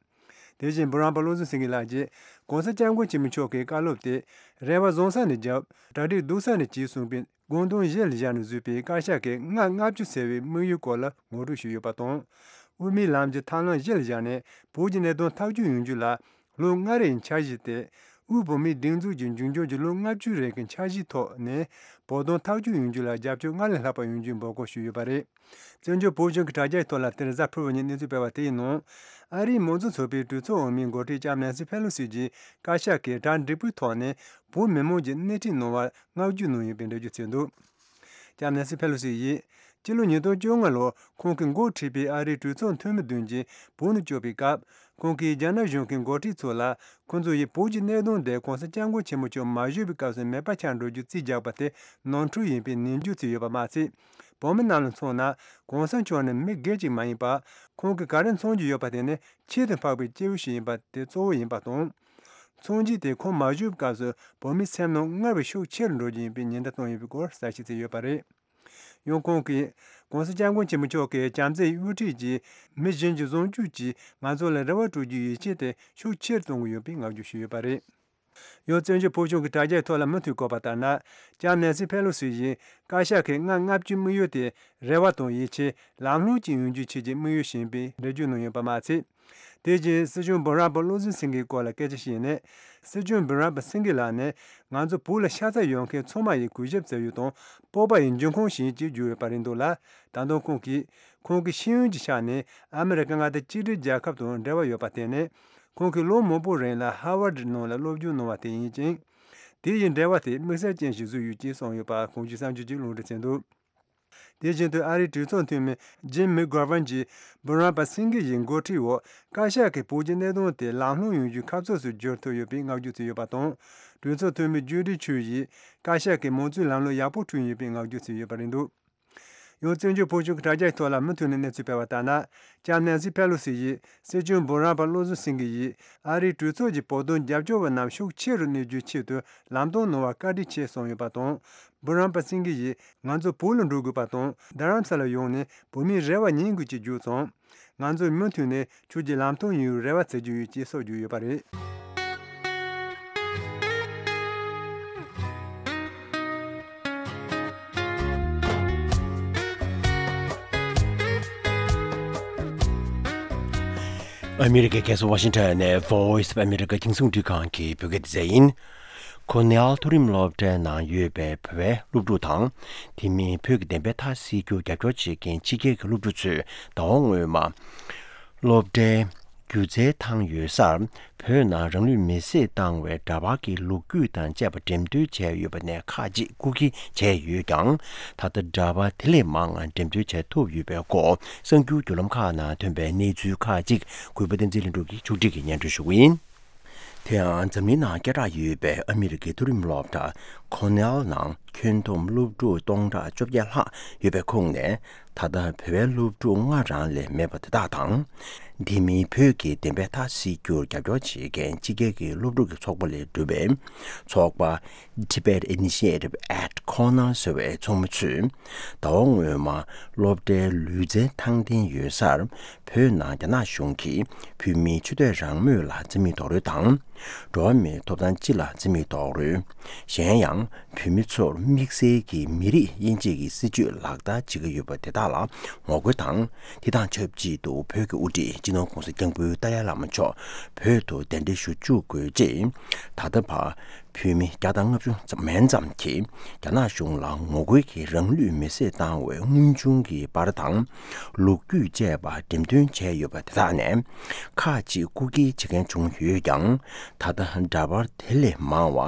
དེ་བཞིན་འབུམ་རམས་པ་བློ་བཟང་སེང་གེ་ལགས་ཀྱིས་གོང་ས་སྐྱབས་མགོན་ཆེན་པོ་མཆོག་གི་བཀའ་སློབ་དེ་རེ་བ་བཟང་ས་ནས་བརྒྱབ། གྲ་སྒྲིག་སྡུག་ས་ནས་བྱས་གསུངས་པའི་དགོངས་དོན་གཞི་ལ་བཞག་ནས་བཟོས་པའི་བཀའ་ཤག་གི་ལྔ་ལྔ་བཅུ་ཟེར་བའི་དམིགས་ཡུལ་སྐོར་ལ་ངོ་སྤྲོད་ཞུས་ཡོད་པ་དང་། དབུ་མའི་ལམ་གྱི་ཐབས་ལམ་གཞི་ལ་བཞག་ནས་བོད་ཀྱི་གནད་དོན་ཐག་གཅོད་ཡོང་རྒྱུ་ལ་ལོ་ལྔ་རེའི་འཆར་གཞི་སྟེ། དབུས་བོད་མིའི་སྒྲིག་འཛུགས་ཀྱི་འཛིན་སྐྱོང་གི་ལོ་ལྔ་བཅུའི་རིང་གི་འཆར་གཞིའི་ཐོག་ནས་བོད་དོན་ཐག་གཅོད་ཡོང་རྒྱུ་ལ་རྒྱབ་སྐྱོར་སྔར་ལས་ལྷག་པ་ཡོང་རྒྱུའི་འབོད་སྐུལ་ཞུས་ཡོད་པ་རེད། བཙན་བྱོལ་བོད་གཞུང་གི་དྲ་རྒྱའི་ཐོག་ལ་དེ་རིང་གཟའ་ཕུར་བུ་ཉིན་གནས་ཚུལ་སྤེལ་བ་དེའི་ནང་། ཨ་རིའི་མང་གཙོ་ཚོགས་པའི་གྲོས་ཚོགས་འོག་མའི་འགོ་ཁྲིད་ལྕམ་ནན་སི་ཕེ་ལོ་སི་ཀྱིས་བཀའ་ཤག་གིས་གྲ་འགྲིག་པོའི་ཐོག་ནས་བོད་མི་མང་གི་སྣེ་ཁྲིད་གནང་བར་བསྔགས་བརྗོད་གནང་ཡོད་པའི་འགྲེལ་བརྗོད་བྱས་འདུག་ལྕམ་ནན་སི་ཕེ་ལོ་སི་ཡིས། སྤྱི་ལོ་ཉིས་སྟོང་བཅོ་ལྔ་ལོར་ཁོང་གིས་འགོ་ཁྲིད་པའི་ཨ་རིའི་གྲོས་ཚོགས་འཐུས་མི་བདུན་གྱིས་བོད་ནང་བསྐྱོད་པའི་སྐབས། ཁོང་གིས་རྒྱ་ནག་གཞུང་གི་འགོ་ཁྲིད་ཚོ་ལ། ཁོང་ཚོ་ཡིས་བོད་ཀྱི་གནད་དོན་དེ་གོང་ས་སྐྱབས་མགོན་ཆེན་པོ་མཆོག་མ་བཞུགས་པའི་སྐབས་སུ་མེད་པ་ཆགས་འགྲོ་རྒྱུ་རྩིས་རྒྱག་པ་དེ་ནོར་འཁྲུལ་ཡིན་པའི་ནན་བརྗོད་བྱས་ཡོད་པ་མ་ཚད། བོད་མི་རྣམས་ལ་མཚོན་ན། གོང་ས་མཆོག་ནི་མི་སྒེར་གཅིག་མ་ཡིན་པར། ཁོང་གིས་ག་རེ་མཚོན་གྱི་ཡོད་པ་དེ་ནི་ཁྱད་དུ་འཕགས་པའི་སྐྱེས་བུ་ཞིག་ཡིན་པ་དེ་གཙོ་བོ་ཡིན་པ་དང་། མཚོན་བྱེད་དེ་ཁོང་མ་བཞུགས་པའི་སྐབས་སུ་བོད་མིའི་སེམས་ནང་སྔར་བས་ཤུགས་ཆེ་རུ་འགྲོ་རྒྱུ་ཡིན་པའི་ཉེན་བརྡ་བཏང་ཡོད་པའི་སྐོར་གསལ་བཤད་བྱས་ཡོད་པ་རེད། ཡང་ཁོང་གིས། གོང་ས་སྐྱབས་མགོན་ཆེན་པོ་མཆོག་གིས་བྱམས་བརྩེའི་དབུ་ཁྲིད་ཀྱིས་མི་གཞན་གྱི་བཟང་སྤྱོད་ཀྱིས་ང་ཚོ་ལ་རེ་བ་སྤྲོད་རྒྱུའི་ཡིད་ཆེས་དེ་ཤུགས་ཆེ་རུ་གཏོང་གི་ཡོད་པའི་བསྔགས་བརྗོད་ཞུས་ཡོད་པ་རེད། ཡང་བཙན་བྱོལ་བོད་གཞུང་གི་དྲ་རྒྱའི་ཐོག་ལ་མུ་མཐུད་བཀོད་པ་ལྟར་ན། ལྕམ་ནན་སི་ཕེ་ལོ་སི་ཡིས་བཀའ་ཤག་གི་ལྔ་ལྔ་བཅུའི་དམིགས་ཡུལ་དེ་རེ་བ་དང་ཡིད་ཆེས་ལམ་ལྷོང་ཅན་ཡོང་རྒྱུའི་ཆེད་ཀྱི་དམིགས་ཡུལ་ཞིག་ཡིན་པའི་འགྲེལ་བརྗོད་གནང་ཡོད་པ་མ་ཚད། དེ་བཞིན་སྲིད་སྐྱོང་འབུམ་རམས་པ་བློ་བཟང་སེང་གེའི་སྐོར་ལ་སྐད་ཆ་བཤད་ནས། སྲིད་སྐྱོང་འབུམ་རམས་པ་སེང་གེ་ལགས་ནི་ང་ཚོ་བོད་ལ་ཤ་ཚ་ཡོད་མཁན་ཚང་མ་ཡི་གུས་ཞབས་བྱ་ཡུལ་དང་སྤོབས་པ་ཡི་འབྱུང་ཁུངས་ཤིག་ཅེས་བརྗོད་ཡོད་པ་རེད་འདུག་ལ། ད་དུང་ཁོང་གིས་ཁོང་གི་ཤེས་ཡོན་གྱི་ཆ་ནས་ཨ་མི་རི་ཀ་མངའ་སྡེ་གཅིག་སྒྲིལ་རྒྱལ་ཁབ་དང་འབྲེལ་བ་ཡོད་པ་དེ་ནི། ཁོང་གིས་ལོ་མང་པོ་རིང་ལ་ཧར་ཝར་ཌི་ནང་ལ་སློབ་སྦྱོང་གནང་བ་དེ་ཡིན་ཅིང་། དེ་ཡི་འབྲེལ་བ་དེ་དམིགས་བསལ་ཅན་ཞིག་བཟོས་ཡོད་ཅེས་གསུངས་ཡོད་པ་གོང་ཞུས་གསར་འགྱུར་གྱིས་ལུང་འདྲེན་བྱས་འདུག་དེ་བཞིན་དུ་ཨ་རིའི་གྲོས་ཚོགས་འཐུས་མི་ཇིམ་མེག་གྷོ་ཝན་གྱིས་འབུམ་རམས་པ་སེང་གེ་ཡི་འགོ་ཁྲིད་འོག་བཀའ་ཤག་གིས་བོད་ཀྱི་གནད་དོན་དེ་ལམ་ལྷོང་ཡོང་རྒྱུའི་ཁ་ཕྱོགས་སུ་བསྒྱུར་ཐུབ་ཡོད་པའི་བསྔགས་བརྗོད་བྱས་ཡོད་པ་དང་། གྲོས་ཚོགས་འཐུས་མི་ཇུ་ཌི་ཆུ་ཡིས་བཀའ་ཤག་གིས་མང་གཙོའི་ལམ་ལུགས་ཡག་པོ་བསྐྲུན་ཡོད་པའི་བསྔགས་བརྗོད་བྱས་ཡོད་པ་རེད་འདུག་ཡང་བཙན་བྱོལ་བོད་གཞུང་གི་དྲ་རྒྱའི་ཐོག་ལ་མུ་མཐུད་ནས་གནས་ཚུལ་སྤེལ་བ་ལྟར་ན། ལྕམ་ནན་སི་ཕེ་ལོ་སི་ཡིས་སྲིད་སྐྱོང་འབུམ་རམས་པ་བློ་བཟང་སེང་གེ་ཡིས་ཨ་རིའི་གྲོས་ཚོགས་ཀྱི་བོད་དོན་རྒྱབ་སྐྱོར་བའི་རྣམ་ཤུགས་ཆེ་རུ་གནས་རྒྱུའི་ཆེད་དུ་ལམ་སྟོན་གནང་བར་བཀའ་འདྲི་བྱས་གསུངས་ཡོད་པ་དང་། འབུམ་རམས་པ་སེང་གེ་ཡིས་ང་ཚོ་བོད་ལ་འགྲོ་དགོས་པ་དང་། རྡ་རམ་ས་ལར་ཡོང་ནས་བོད་མིའི་རེ་བ་ཉན་དགོས་ཅེས་བརྗོད་ཙང་། ང་ཚོས་མུ་མཐུད་ནས་ཁྱོད་ཀྱི་ལམ་སྟོན་ཡོང་བའི་རེ་བ་བྱེད་ཀྱི་ཡོད་ཅེས་སོགས་བརྗོད་ཡོད་པ་རེད། ཨ་མི་རི་ཀའི་རྒྱལ་ས་ཝ་ཤིང་ཊོན་ནས་Voice of America་རྒྱང་སྲིང་རླུང་འཕྲིན་ཁང་གི་བོད་སྐད་སྡེ་ཚན་ཡིན། ཁོ་ནེལ་མཐོ་རིམ་སློབ་གྲྭའི་ནང་ཡོད་པའི་བོད་པའི་སློབ་ཕྲུག་དང་། དེ་མིན་བོད་ཀྱི་བདེན་པའི་མཐའ་གསལ་རྒྱུར་རྒྱབ་སྐྱོར་བྱེད་མཁན་ཕྱི་རྒྱལ་གྱི་སློབ་ཕྲུག་ཚོས་ཟླ་བ་སྔོན་མ། སློབ་གྲྭའི་སྒྱུ་རྩལ་ཐང་ཡོད་སར། བོད་ནང་རང་ལུས་མེར་སྲེག་བཏང་བའི་འདྲ་པར་གྱི་ལོ་རྒྱུས་དང་བཅས་པ་འགྲེམས་སྟོན་བྱས་ཡོད་པ་ནས་ཁག་ཅིག་རྐུ་འཁྱེར་བྱས་ཡོད་ཀྱང་། ད་ལྟ་འདྲ་པར་དེ་ལས་མང་བ་འགྲེམས་སྟོན་བྱས་ཐུབ་ཡོད་པའི་སྐོར། གསར་འགྱུར་བརྒྱུད་ལམ་ཁག་ནང་ཐོན་པའི་གནས་ཚུལ་ཁག་ཅིག་གུས་པ་བསྟན་འཛིན་ལྷུན་གྲུབ་ཀྱིས་ཕྱོགས་སྒྲིག་གིས་སྙན་སྒྲོན་ཞུ་གི་ཡིན། དེ་ཡང་འཛམ་གླིང་ནང་སྐད་གྲགས་ཡོད་པའི་ཨ་མི་རི་ཀའི་མཐོ་རིམ་སློབ་གྲྭ་ཁོ་ནེལ་ནང་ཁྱོན་བསྡོམས་སློབ་ཕྲུག་སྟོང་ཕྲག་བཅོ་བརྒྱད་ལྷག་ཡོད་པའི་ཁོངས་ནས། ད་ལྟ་བོད་པའི་སློབ་ཕྲུག་ལྔ་རང་ལས་མེད་པ་དེ་དག་དང་། དེ་མིན་བོད་ཀྱི་བདེན་པའི་མཐའ་གསལ་རྒྱུར་རྒྱབ་སྐྱོར་བྱེད་མཁན་ཕྱི་རྒྱལ་གྱི་སློབ་ཕྲུག་གི་ཚོགས་པ་ལས་གྲུབ་པའི་ཚོགས་པ། Tibet Initiative at Cornell་ཟེར་བའི་ཚོགས་མི་ཚོས། ཟླ་བ་སྔོན་མ་སློབ་གྲྭའི་ལུས་རྩལ་ཐང་ལྡན་ཡོད་སར། བོད་ནང་རྒྱ་ནག་གཞུང་གིས་བོད་མིའི་ཆོས་དད་རང་མོས་ལ་བརྩི་མེད་རྡོག་རོལ་དང་། འགྲོ་བ་མིའི་ཐོབ་ཐང་སྤྱི་ལ་བརྩི་མེད་རྡོག་རོལ། གཞན་ཡང་བོད་མི་ཚོར་དམིགས་བསལ་གྱི་མི་རིགས་དབྱེ་འབྱེད་ཀྱི་སྲིད་བྱུས་ལག་བསྟར་བྱེད་ཀྱི་ཡོད་པ་དེ་དག་ལ་ངོ་རྒོལ་དང་། དེ་དང་ཆབས་ཅིག་ཏུ་བོད་ཀྱི་དབུ་ཁྲིད་སྤྱི་ནོར་༸གོང་ས་༸སྐྱབས་མགོན་ཏཱ་ལའི་བླ་མ་མཆོག་བོད་དུ་གདན་འདྲེན་ཞུ་བཅུག་དགོས་ཅེས། ད་ལྟ་བར་བོད་མི་བརྒྱ་དང་ལྔ་བཅུ་ཙམ་མན་ཙམ་གྱིས་རྒྱ་ནག་གཞུང་ལ་ངོ་རྒོལ་གྱིས་རང་ལུས་མེར་སྲེག་བཏང་བའི་དངོས་བྱུང་གི་པར་དང་། ལོ་རྒྱུས་བཅས་པ་འགྲེམས་སྟོན་བྱས་ཡོད་པ་དེ་དག་ནས། ཁག་ཅིག་རྐུ་འཁྱེར་བྱེད་མཁན་བྱུང་ཡོད་ཀྱང་། ད་ལྟ་འདྲ་པར་དེ་ལས་མང་བ་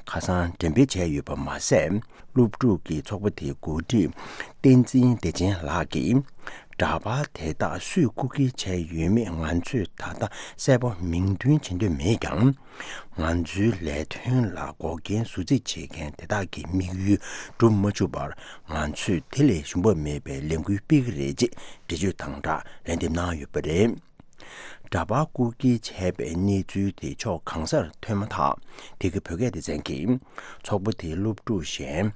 ཁ་སང་འགྲེམས་སྤེལ་བྱས་ཡོད་པ་མ་ཟད། སློབ་ཕྲུག་གི་ཚོགས་པ་དེའི་འགོ་ཁྲིད་བསྟན་འཛིན་བདེ་ཆེན་ལགས་ཀྱིས། འདྲ་པར་དེ་དག་སུས་རྐུ་འཁྱེར་བྱས་ཡོད་མེད་ང་ཚོས་ད་ལྟ་གསལ་པོ་མིང་འདོན་བྱེད་འདོད་མེད་ཀྱང་། ང་ཚོའི་ལས་དོན་ལ་འགོག་རྐྱེན་བཟོ་རྩིས་བྱེད་མཁན་དེ་དག་གི་དམིགས་ཡུལ་འགྲུབ་མ་བཅུག་པར། ང་ཚོས་དེ་ལས་ཞུམ་པ་མེད་པའི་ལས་འགུལ་སྤེལ་གྱི་རེད་ཅེས་འགྲེལ་བརྗོད་དང་སྦྲགས་ལན་འདེབས་གནང་ཡོད་པ་རེད། འདྲ་པར་རྐུ་འཁྱེར་བྱས་པའི་གནས་ཚུལ་དེ་ཕྱོགས་གང་སར་ཐོན་མ་ཐག་དེ་གའི་བོད་སྐད་སྡེ་ཚན་གྱིས། ཚོགས་པ་དེའི་སློབ་ཕྲུག་གཞན།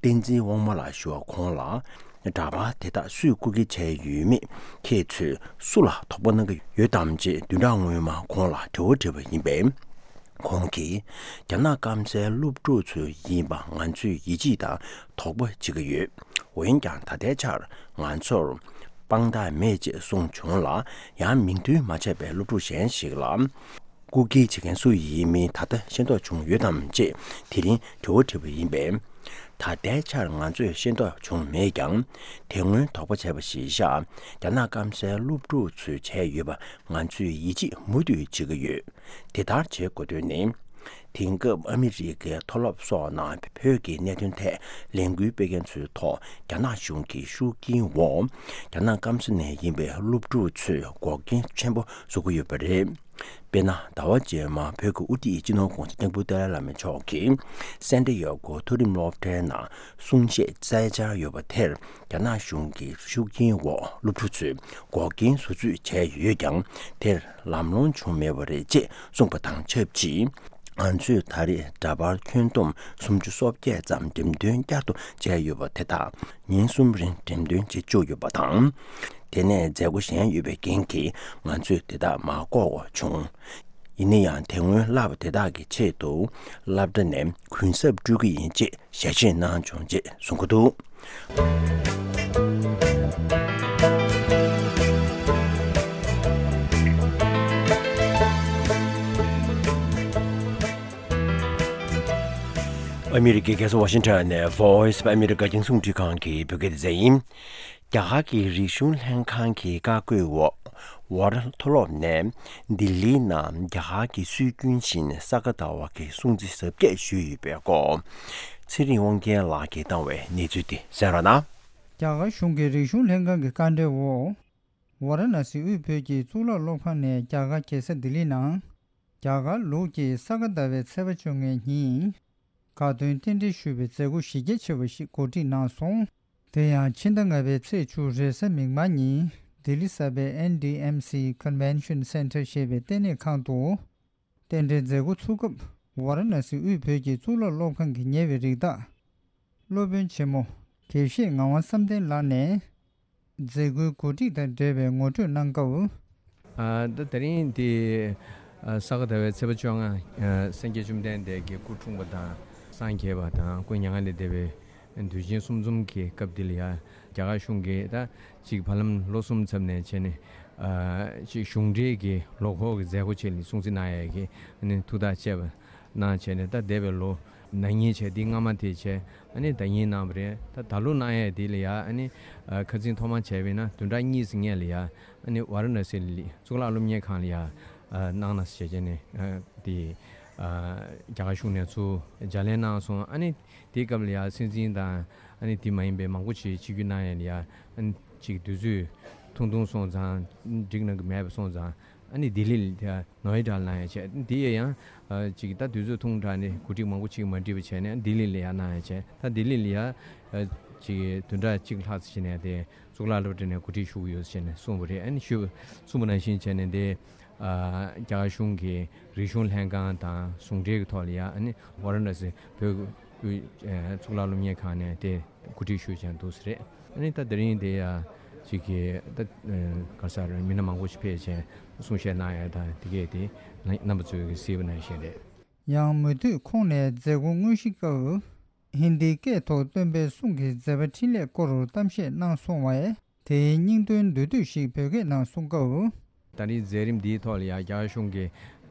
བསྟན་འཛིན་དབང་མོ་ལགས་ཞུ་བ་ཁོང་ལ། འདྲ་པར་དེ་དག་སུས་རྐུ་འཁྱེར་བྱས་ཡོད་མེད། ཁྱེད་ཚོས་སུ་ལ་དོགས་པ་གནང་གི་ཡོད་དམ་ཅེས་བདུན་ཕྲག་སྔོན་མ་ཁོང་ལ་དྲི་བ་དྲིས་པ་ཡིན་པས། ཁོང་གིས། རྒྱ་ནག་སྐམ་སའི་སློབ་ཕྲུག་ཚོ་ཡིན་པ་ང་ཚོས་ཡིད་ཆེས་དང་དོགས་པ་བྱེད་ཀྱི་ཡོད། འོན་ཀྱང་ད་ལྟའི་ཆར་ང་ཚོར་དཔང་རྟགས་མེད་ཅེས་གསུངས་བྱུང་ལ། ཡང་མིང་འདོན་མ་བྱས་པའི་སློབ་ཕྲུག་གཞན་ཞིག་ལ། རྐུ་འཁྱེར་བྱེད་མཁན་སུ་ཡིན་མིན་ད་ལྟ་ཤེས་རྟོགས་བྱུང་ཡོད་དམ་ཅེས་དེ་རིང་དྲི་བ་དྲིས་པ་ཡིན་པས། ད་ལྟའི་ཆར་ང་ཚོས་ཤེས་རྟོགས་བྱུང་མེད་ཀྱང་། དེ་སྔོན་དོགས་པ་བྱས་པ་ཞིག་བཞག་རྒྱ་ནག་སྐམ་སའི་སློབ་ཕྲུག་ཚོས་བྱས་ཡོད་པ་ང་ཚོས་ཡིད་ཆེས་མུ་མཐུད་བྱེད་ཀྱི་ཡོད། དེ་ལྟར་བྱེད་དགོས་དོན་ནི། དེང་སྐབས་ཨ་མི་རི་ཀའི་མཐོ་སློབ་སོགས་ནང་བོད་ཀྱི་གནད་དོན་ཐད་ལས་འགུལ་སྤེལ་མཁན་ཚོའི་ཐོག་རྒྱ་ནག་གཞུང་གི་ཤུགས་རྐྱེན་འོག་རྒྱ་ནག་སྐམ་ས་ནས་ཡིན་པའི་སློབ་ཕྲུག་ཚོས་འགོག་རྐྱེན་ཆེན་པོ་བཟོ་གི་ཡོད་པ་རེད། དཔེར་ན། ཟླ་བ་རྗེས་མ་བོད་ཀྱི་དབུ་ཁྲིད་སྤྱི་ནོར་༸གོང་ས་༸སྐྱབས་མགོན་ཏཱ་ལའི་བླ་མ་མཆོག་གིས་སན་ཏི་ཡ་གོ་མཐོ་རིམ་སློབ་གྲྭའི་ནང་གསུང་བཤད་བསྩལ་འཆར་ཡོད་པ་དེར། རྒྱ་ནག་གཞུང་གི་ཤུགས་རྐྱེན་འོག་སློབ་ཕྲུག་ཚོས་འགོག་རྐྱེན་བཟོ་རྩིས་བྱས་ཡོད་ཀྱང་། དེར་ལམ་ལྷོང་བྱུང་མེད་པ་རེད་ཅེས་གསུངས་པ་དང་ཆབས་ཅིག་ང་ཚོས་ད་རེས་འདྲ་པར་ཁྱོན་བསྡོམས་སུམ་ཅུ་སོ་བརྒྱད་ཙམ་འགྲེམས་སྟོན་བསྐྱར་དུ་བྱས་ཡོད་པ་དེ་དག་ཉིན་གསུམ་རིང་འགྲེམས་སྟོན་བྱེད་བཅུག་ཡོད་པ་དང་། དེ་ནས་མཛད་སྒོ་གཞན་ཡོད་པའི་རྐྱེན་གྱིས་ང་ཚོས་དེ་དག་མ་བཀོད་དགོས་བྱུང་། ཡིན་ན་ཡང་དེ་སྔོན་བསླབ་པ་དེ་དག་གི་ཆེད་དུ་སློབ་གྲྭ་ནས་གུན་གསབ་སྤྲོད་ཀྱི་ཡིན་ཅེས་ཞལ་བཞེས་གནང་བྱུང་ཅེས་གསུང་གི་འདུག་ཨ་མི་རི་ཀའི་རྒྱལ་ས་ཝ་ཤིང་ཊོན་ནས་Voice of America་རྒྱང་སྲིང་རླུང་འཕྲིན་ཁང་གི་བོད་སྐད་སྡེ་ཚན་ཡིན། རྒྱ་གར་གྱི་རིག་གཞུང་ལྷན་ཁང་གི་བཀའ་བཀོད་འོག་ཝ་ར་མཐོ་སློབ་ནས་ལྡི་ལིའི་ནང་རྒྱ་གར་གྱི་སྲོལ་རྒྱུན་བཞིན་ས་ག་ཟླ་བ་གི་སྲུང་བརྩི་གཟབ་རྒྱས་ཞུས་ཡོད་པའི་སྐོར། ཚེ་རིང་དབང་རྒྱལ་ལགས་ཀྱིས་བཏང་བའི་གནས་ཚུལ་དེ་གསན་རོགས་གནང་། རྒྱ་གར་གཞུང་གི་རིག་གཞུང་ལྷན་ཁང་གི་བཀའ་འཁྲོལ་འོག་ཝ་ར་ཎ་སི་དབུས་བོད་ཀྱི་གཙུག་ལག་སློབ་ཁང་ནས་རྒྱ་གར་རྒྱལ་ས་ལྡི་ལི་ནང་རྒྱ་གར་ལུགས་ཀྱི་ས་ག་ཟླ་བའི་ཚེས་པ་བཅོ་ལྔའི་ཉིན། དགའ་སྟོན་རྟེན་འབྲེལ་ཞུ་བའི་མཛད་སྒོ་གཞི་རྒྱ་ཆེ་བ་ཞིག་གོ་སྒྲིག་གནང་སོང་། དེ་ཡང་ཕྱི་ཟླ་ལྔ་པའི་ཚེས་བཅུ་རེས་གཟའ་མིག་དམར་ཉིན་ལྡི་ལི་གསར་པའི་ཨེན་ཌི་ཨེམ་སི་Convention Centre ཞེས་པའི་ལྟེ་གནས་ཁང་དུ། རྟེན་འབྲེལ་མཛད་སྒོ་ཚུགས་སྐབས་ཝཱ་ར་ཎ་སི་དབུས་བོད་ཀྱི་གཙུག་ལག་སློབ་ཁང་གི་ཉེ་བའི་རིགས་བདག་སློབ་དཔོན་ཆེན་མོ་དགེ་བཤེས་ངག་དབང་བསམ་གཏན་ལགས་ནས། མཛད་སྒོའི་གོ་སྒྲིག་དང་འབྲེལ་བའི་ངོ་སྤྲོད་གནང་སྐབས། ཨ། ད་དེ་རིང་འདི་ཨ་ས་ག་ཟླ་བའི་ཚེས་པ་བཅོ་ལྔ། ཨ། སངས་རྒྱས་བཅོམ་ལྡན་འདས་ཀྱི་སྐུ་འཁྲུངས་པ་དང་སངས་རྒྱས་པ་དང་སྐུ་མྱ་ངན་ལས་འདས་པའི་དུས་ཆེན་གསུམ་འཛོམས་ཀྱི་སྐབས་འདི་ལ་ཡ། རྒྱ་གར་གཞུང་གིས་ད་ཅིག་བར་ལམ་ལོ་གསུམ་ཚབ་ནས་བྱས་ནས། ཨ། ཅིག་གཞུང་འབྲེལ་གྱི་ལོ་འཁོར་གྱི་མཛད་སྒོ་ཅིག་ལ་སྲུང་བརྩི་གནང་ཡས་ཀྱི་ནི་ཐུགས་ཐག་བཅད་པ་གནང་བྱས་ནས། ད་འདས་པའི་ལོ་ན་གཉིས་བྱས། འདི་སྔ་མ་དེ་བྱས། ཨ་ནི་ཟླ་ཉིན་གནང་བ་རེད། ད་ད་ལོ་གནང་ཡས་དེ་ལ་ཡ། ཨ་ནི་ཨ་ཁ་སང་ཐོག་མ་བྱས་པས་ན་བདུན་ཕྲག་གཉིས་ཙམ་སྔོན་ལ་ཡ། ཨ་ནི་ཝཱ་ར་ཎ་སི་ལ་གཙུག་ལག་སློབ་གཉེར་ཁང་ལ་ཡ། ཨ་གནང་ན་ཟེར་བྱས་ནས། ཨ་དེ་ཨ་རྒྱ་གར་གཞུང་ནས་ཚུར་བརྒྱ་ལན་གནང་སོང་། ཨ་ནི་དེའི་སྐབས་ལ་ཡ་སྲིད་འཛིན་དང་། ཨ་ནི་དེ་མ་ཡིན་པའི་མང་པོ་ཞིག་ཆིབས་བསྒྱུར་གནང་ཡས་ལ་ཡ། ཨ་ནི་ཅིག་དུས་ཚོད་ཐུང་ཐུང་སོང་ཙང་། འགྲིག་གནང་གི་མེད་པ་སོང་ཙང་། ཨ་ནི་ལྡི་ལི་ལ་ཡ་ནོ་ཨེ་ཌ་ལ་གནང་ཡས་བྱས། དེ་ཡང་ཨ་ཅིག་ད་དུས་ཚོད་ཐུང་དྲགས་ནས་གོ་སྒྲིག་མང་པོ་ཅིག་མ་འགྲིག་པ་བྱས་ནས་ལྡི་ལི་ལ་ཡ་གནང་ཡས་བྱས། ད་ལྡི་ལི་ལ་ཡ་ཨ་ཅིག་བདུན་ཕྲག་གཅིག་ལྷག་ཙམ་བྱས་ནས་དེ་གཙུག་ལག་སློབ་གྲྭ་ནས་གོ་སྒྲིག་ཞུ་གི་ཡོད་ཟེར་ནས་གསུངས་པ་རེད། ཨ་ནི་ཞུས་པ་གསུངས་པ་ནང་བཞིན་བྱས་ནས། དེ་ཨ་རྒྱ་གར་གཞུང་གི་རིག་གཞུང་ལྷན་ཁང་དང་ཟུང་འབྲེལ་གྱི་ཐོག་ལ་ཡ། ཨ་ནི་ཝཱ་ར་ཎ་སི་བོད་ཨ་གཙུག་ལག་སློབ་གཉེར་ཁང་ནས་དེ་གོ་སྒྲིག་ཞུས་བྱས་འདུག་ཟེར་རེད། ཨ་ནི་ད་དེ་རིང་དེ་ཡ་ཅིག་གི་ད་ཨ་ག་ས་རེད། མི་སྣ་མང་པོ་ཞིག་ཕེབས་བྱས་གསུང་བཤད་གནང་ཡ་དང་། དེ་གས་དེ་རྣམ་པ་ཚོས་གིས་གཟིགས་པ་ནང་བཞིན་རེད། ཡང་མུ་མཐུད་ཁོང་ནས་མཛད་སྒོ་དངོས་གཞིའི་སྐབས། ཧིན་དིའི་སྐད་ཐོག་སྟོན་པའི་གསུང་གི་མཛད་པ་འཕྲིན་ལས་སྐོར་གཏམ་བཤད་གནང་སོང་བས། དེའི་སྙིང་དོན་མདོར་བསྡུས་ཤིག་བོད་སྐད་ནང་གསུང་སྐབས། ད་རེས་མཛད་རིམ་འདིའི་ཐོག་ལ་ཡ་རྒྱ་གར་གཞུང་གི་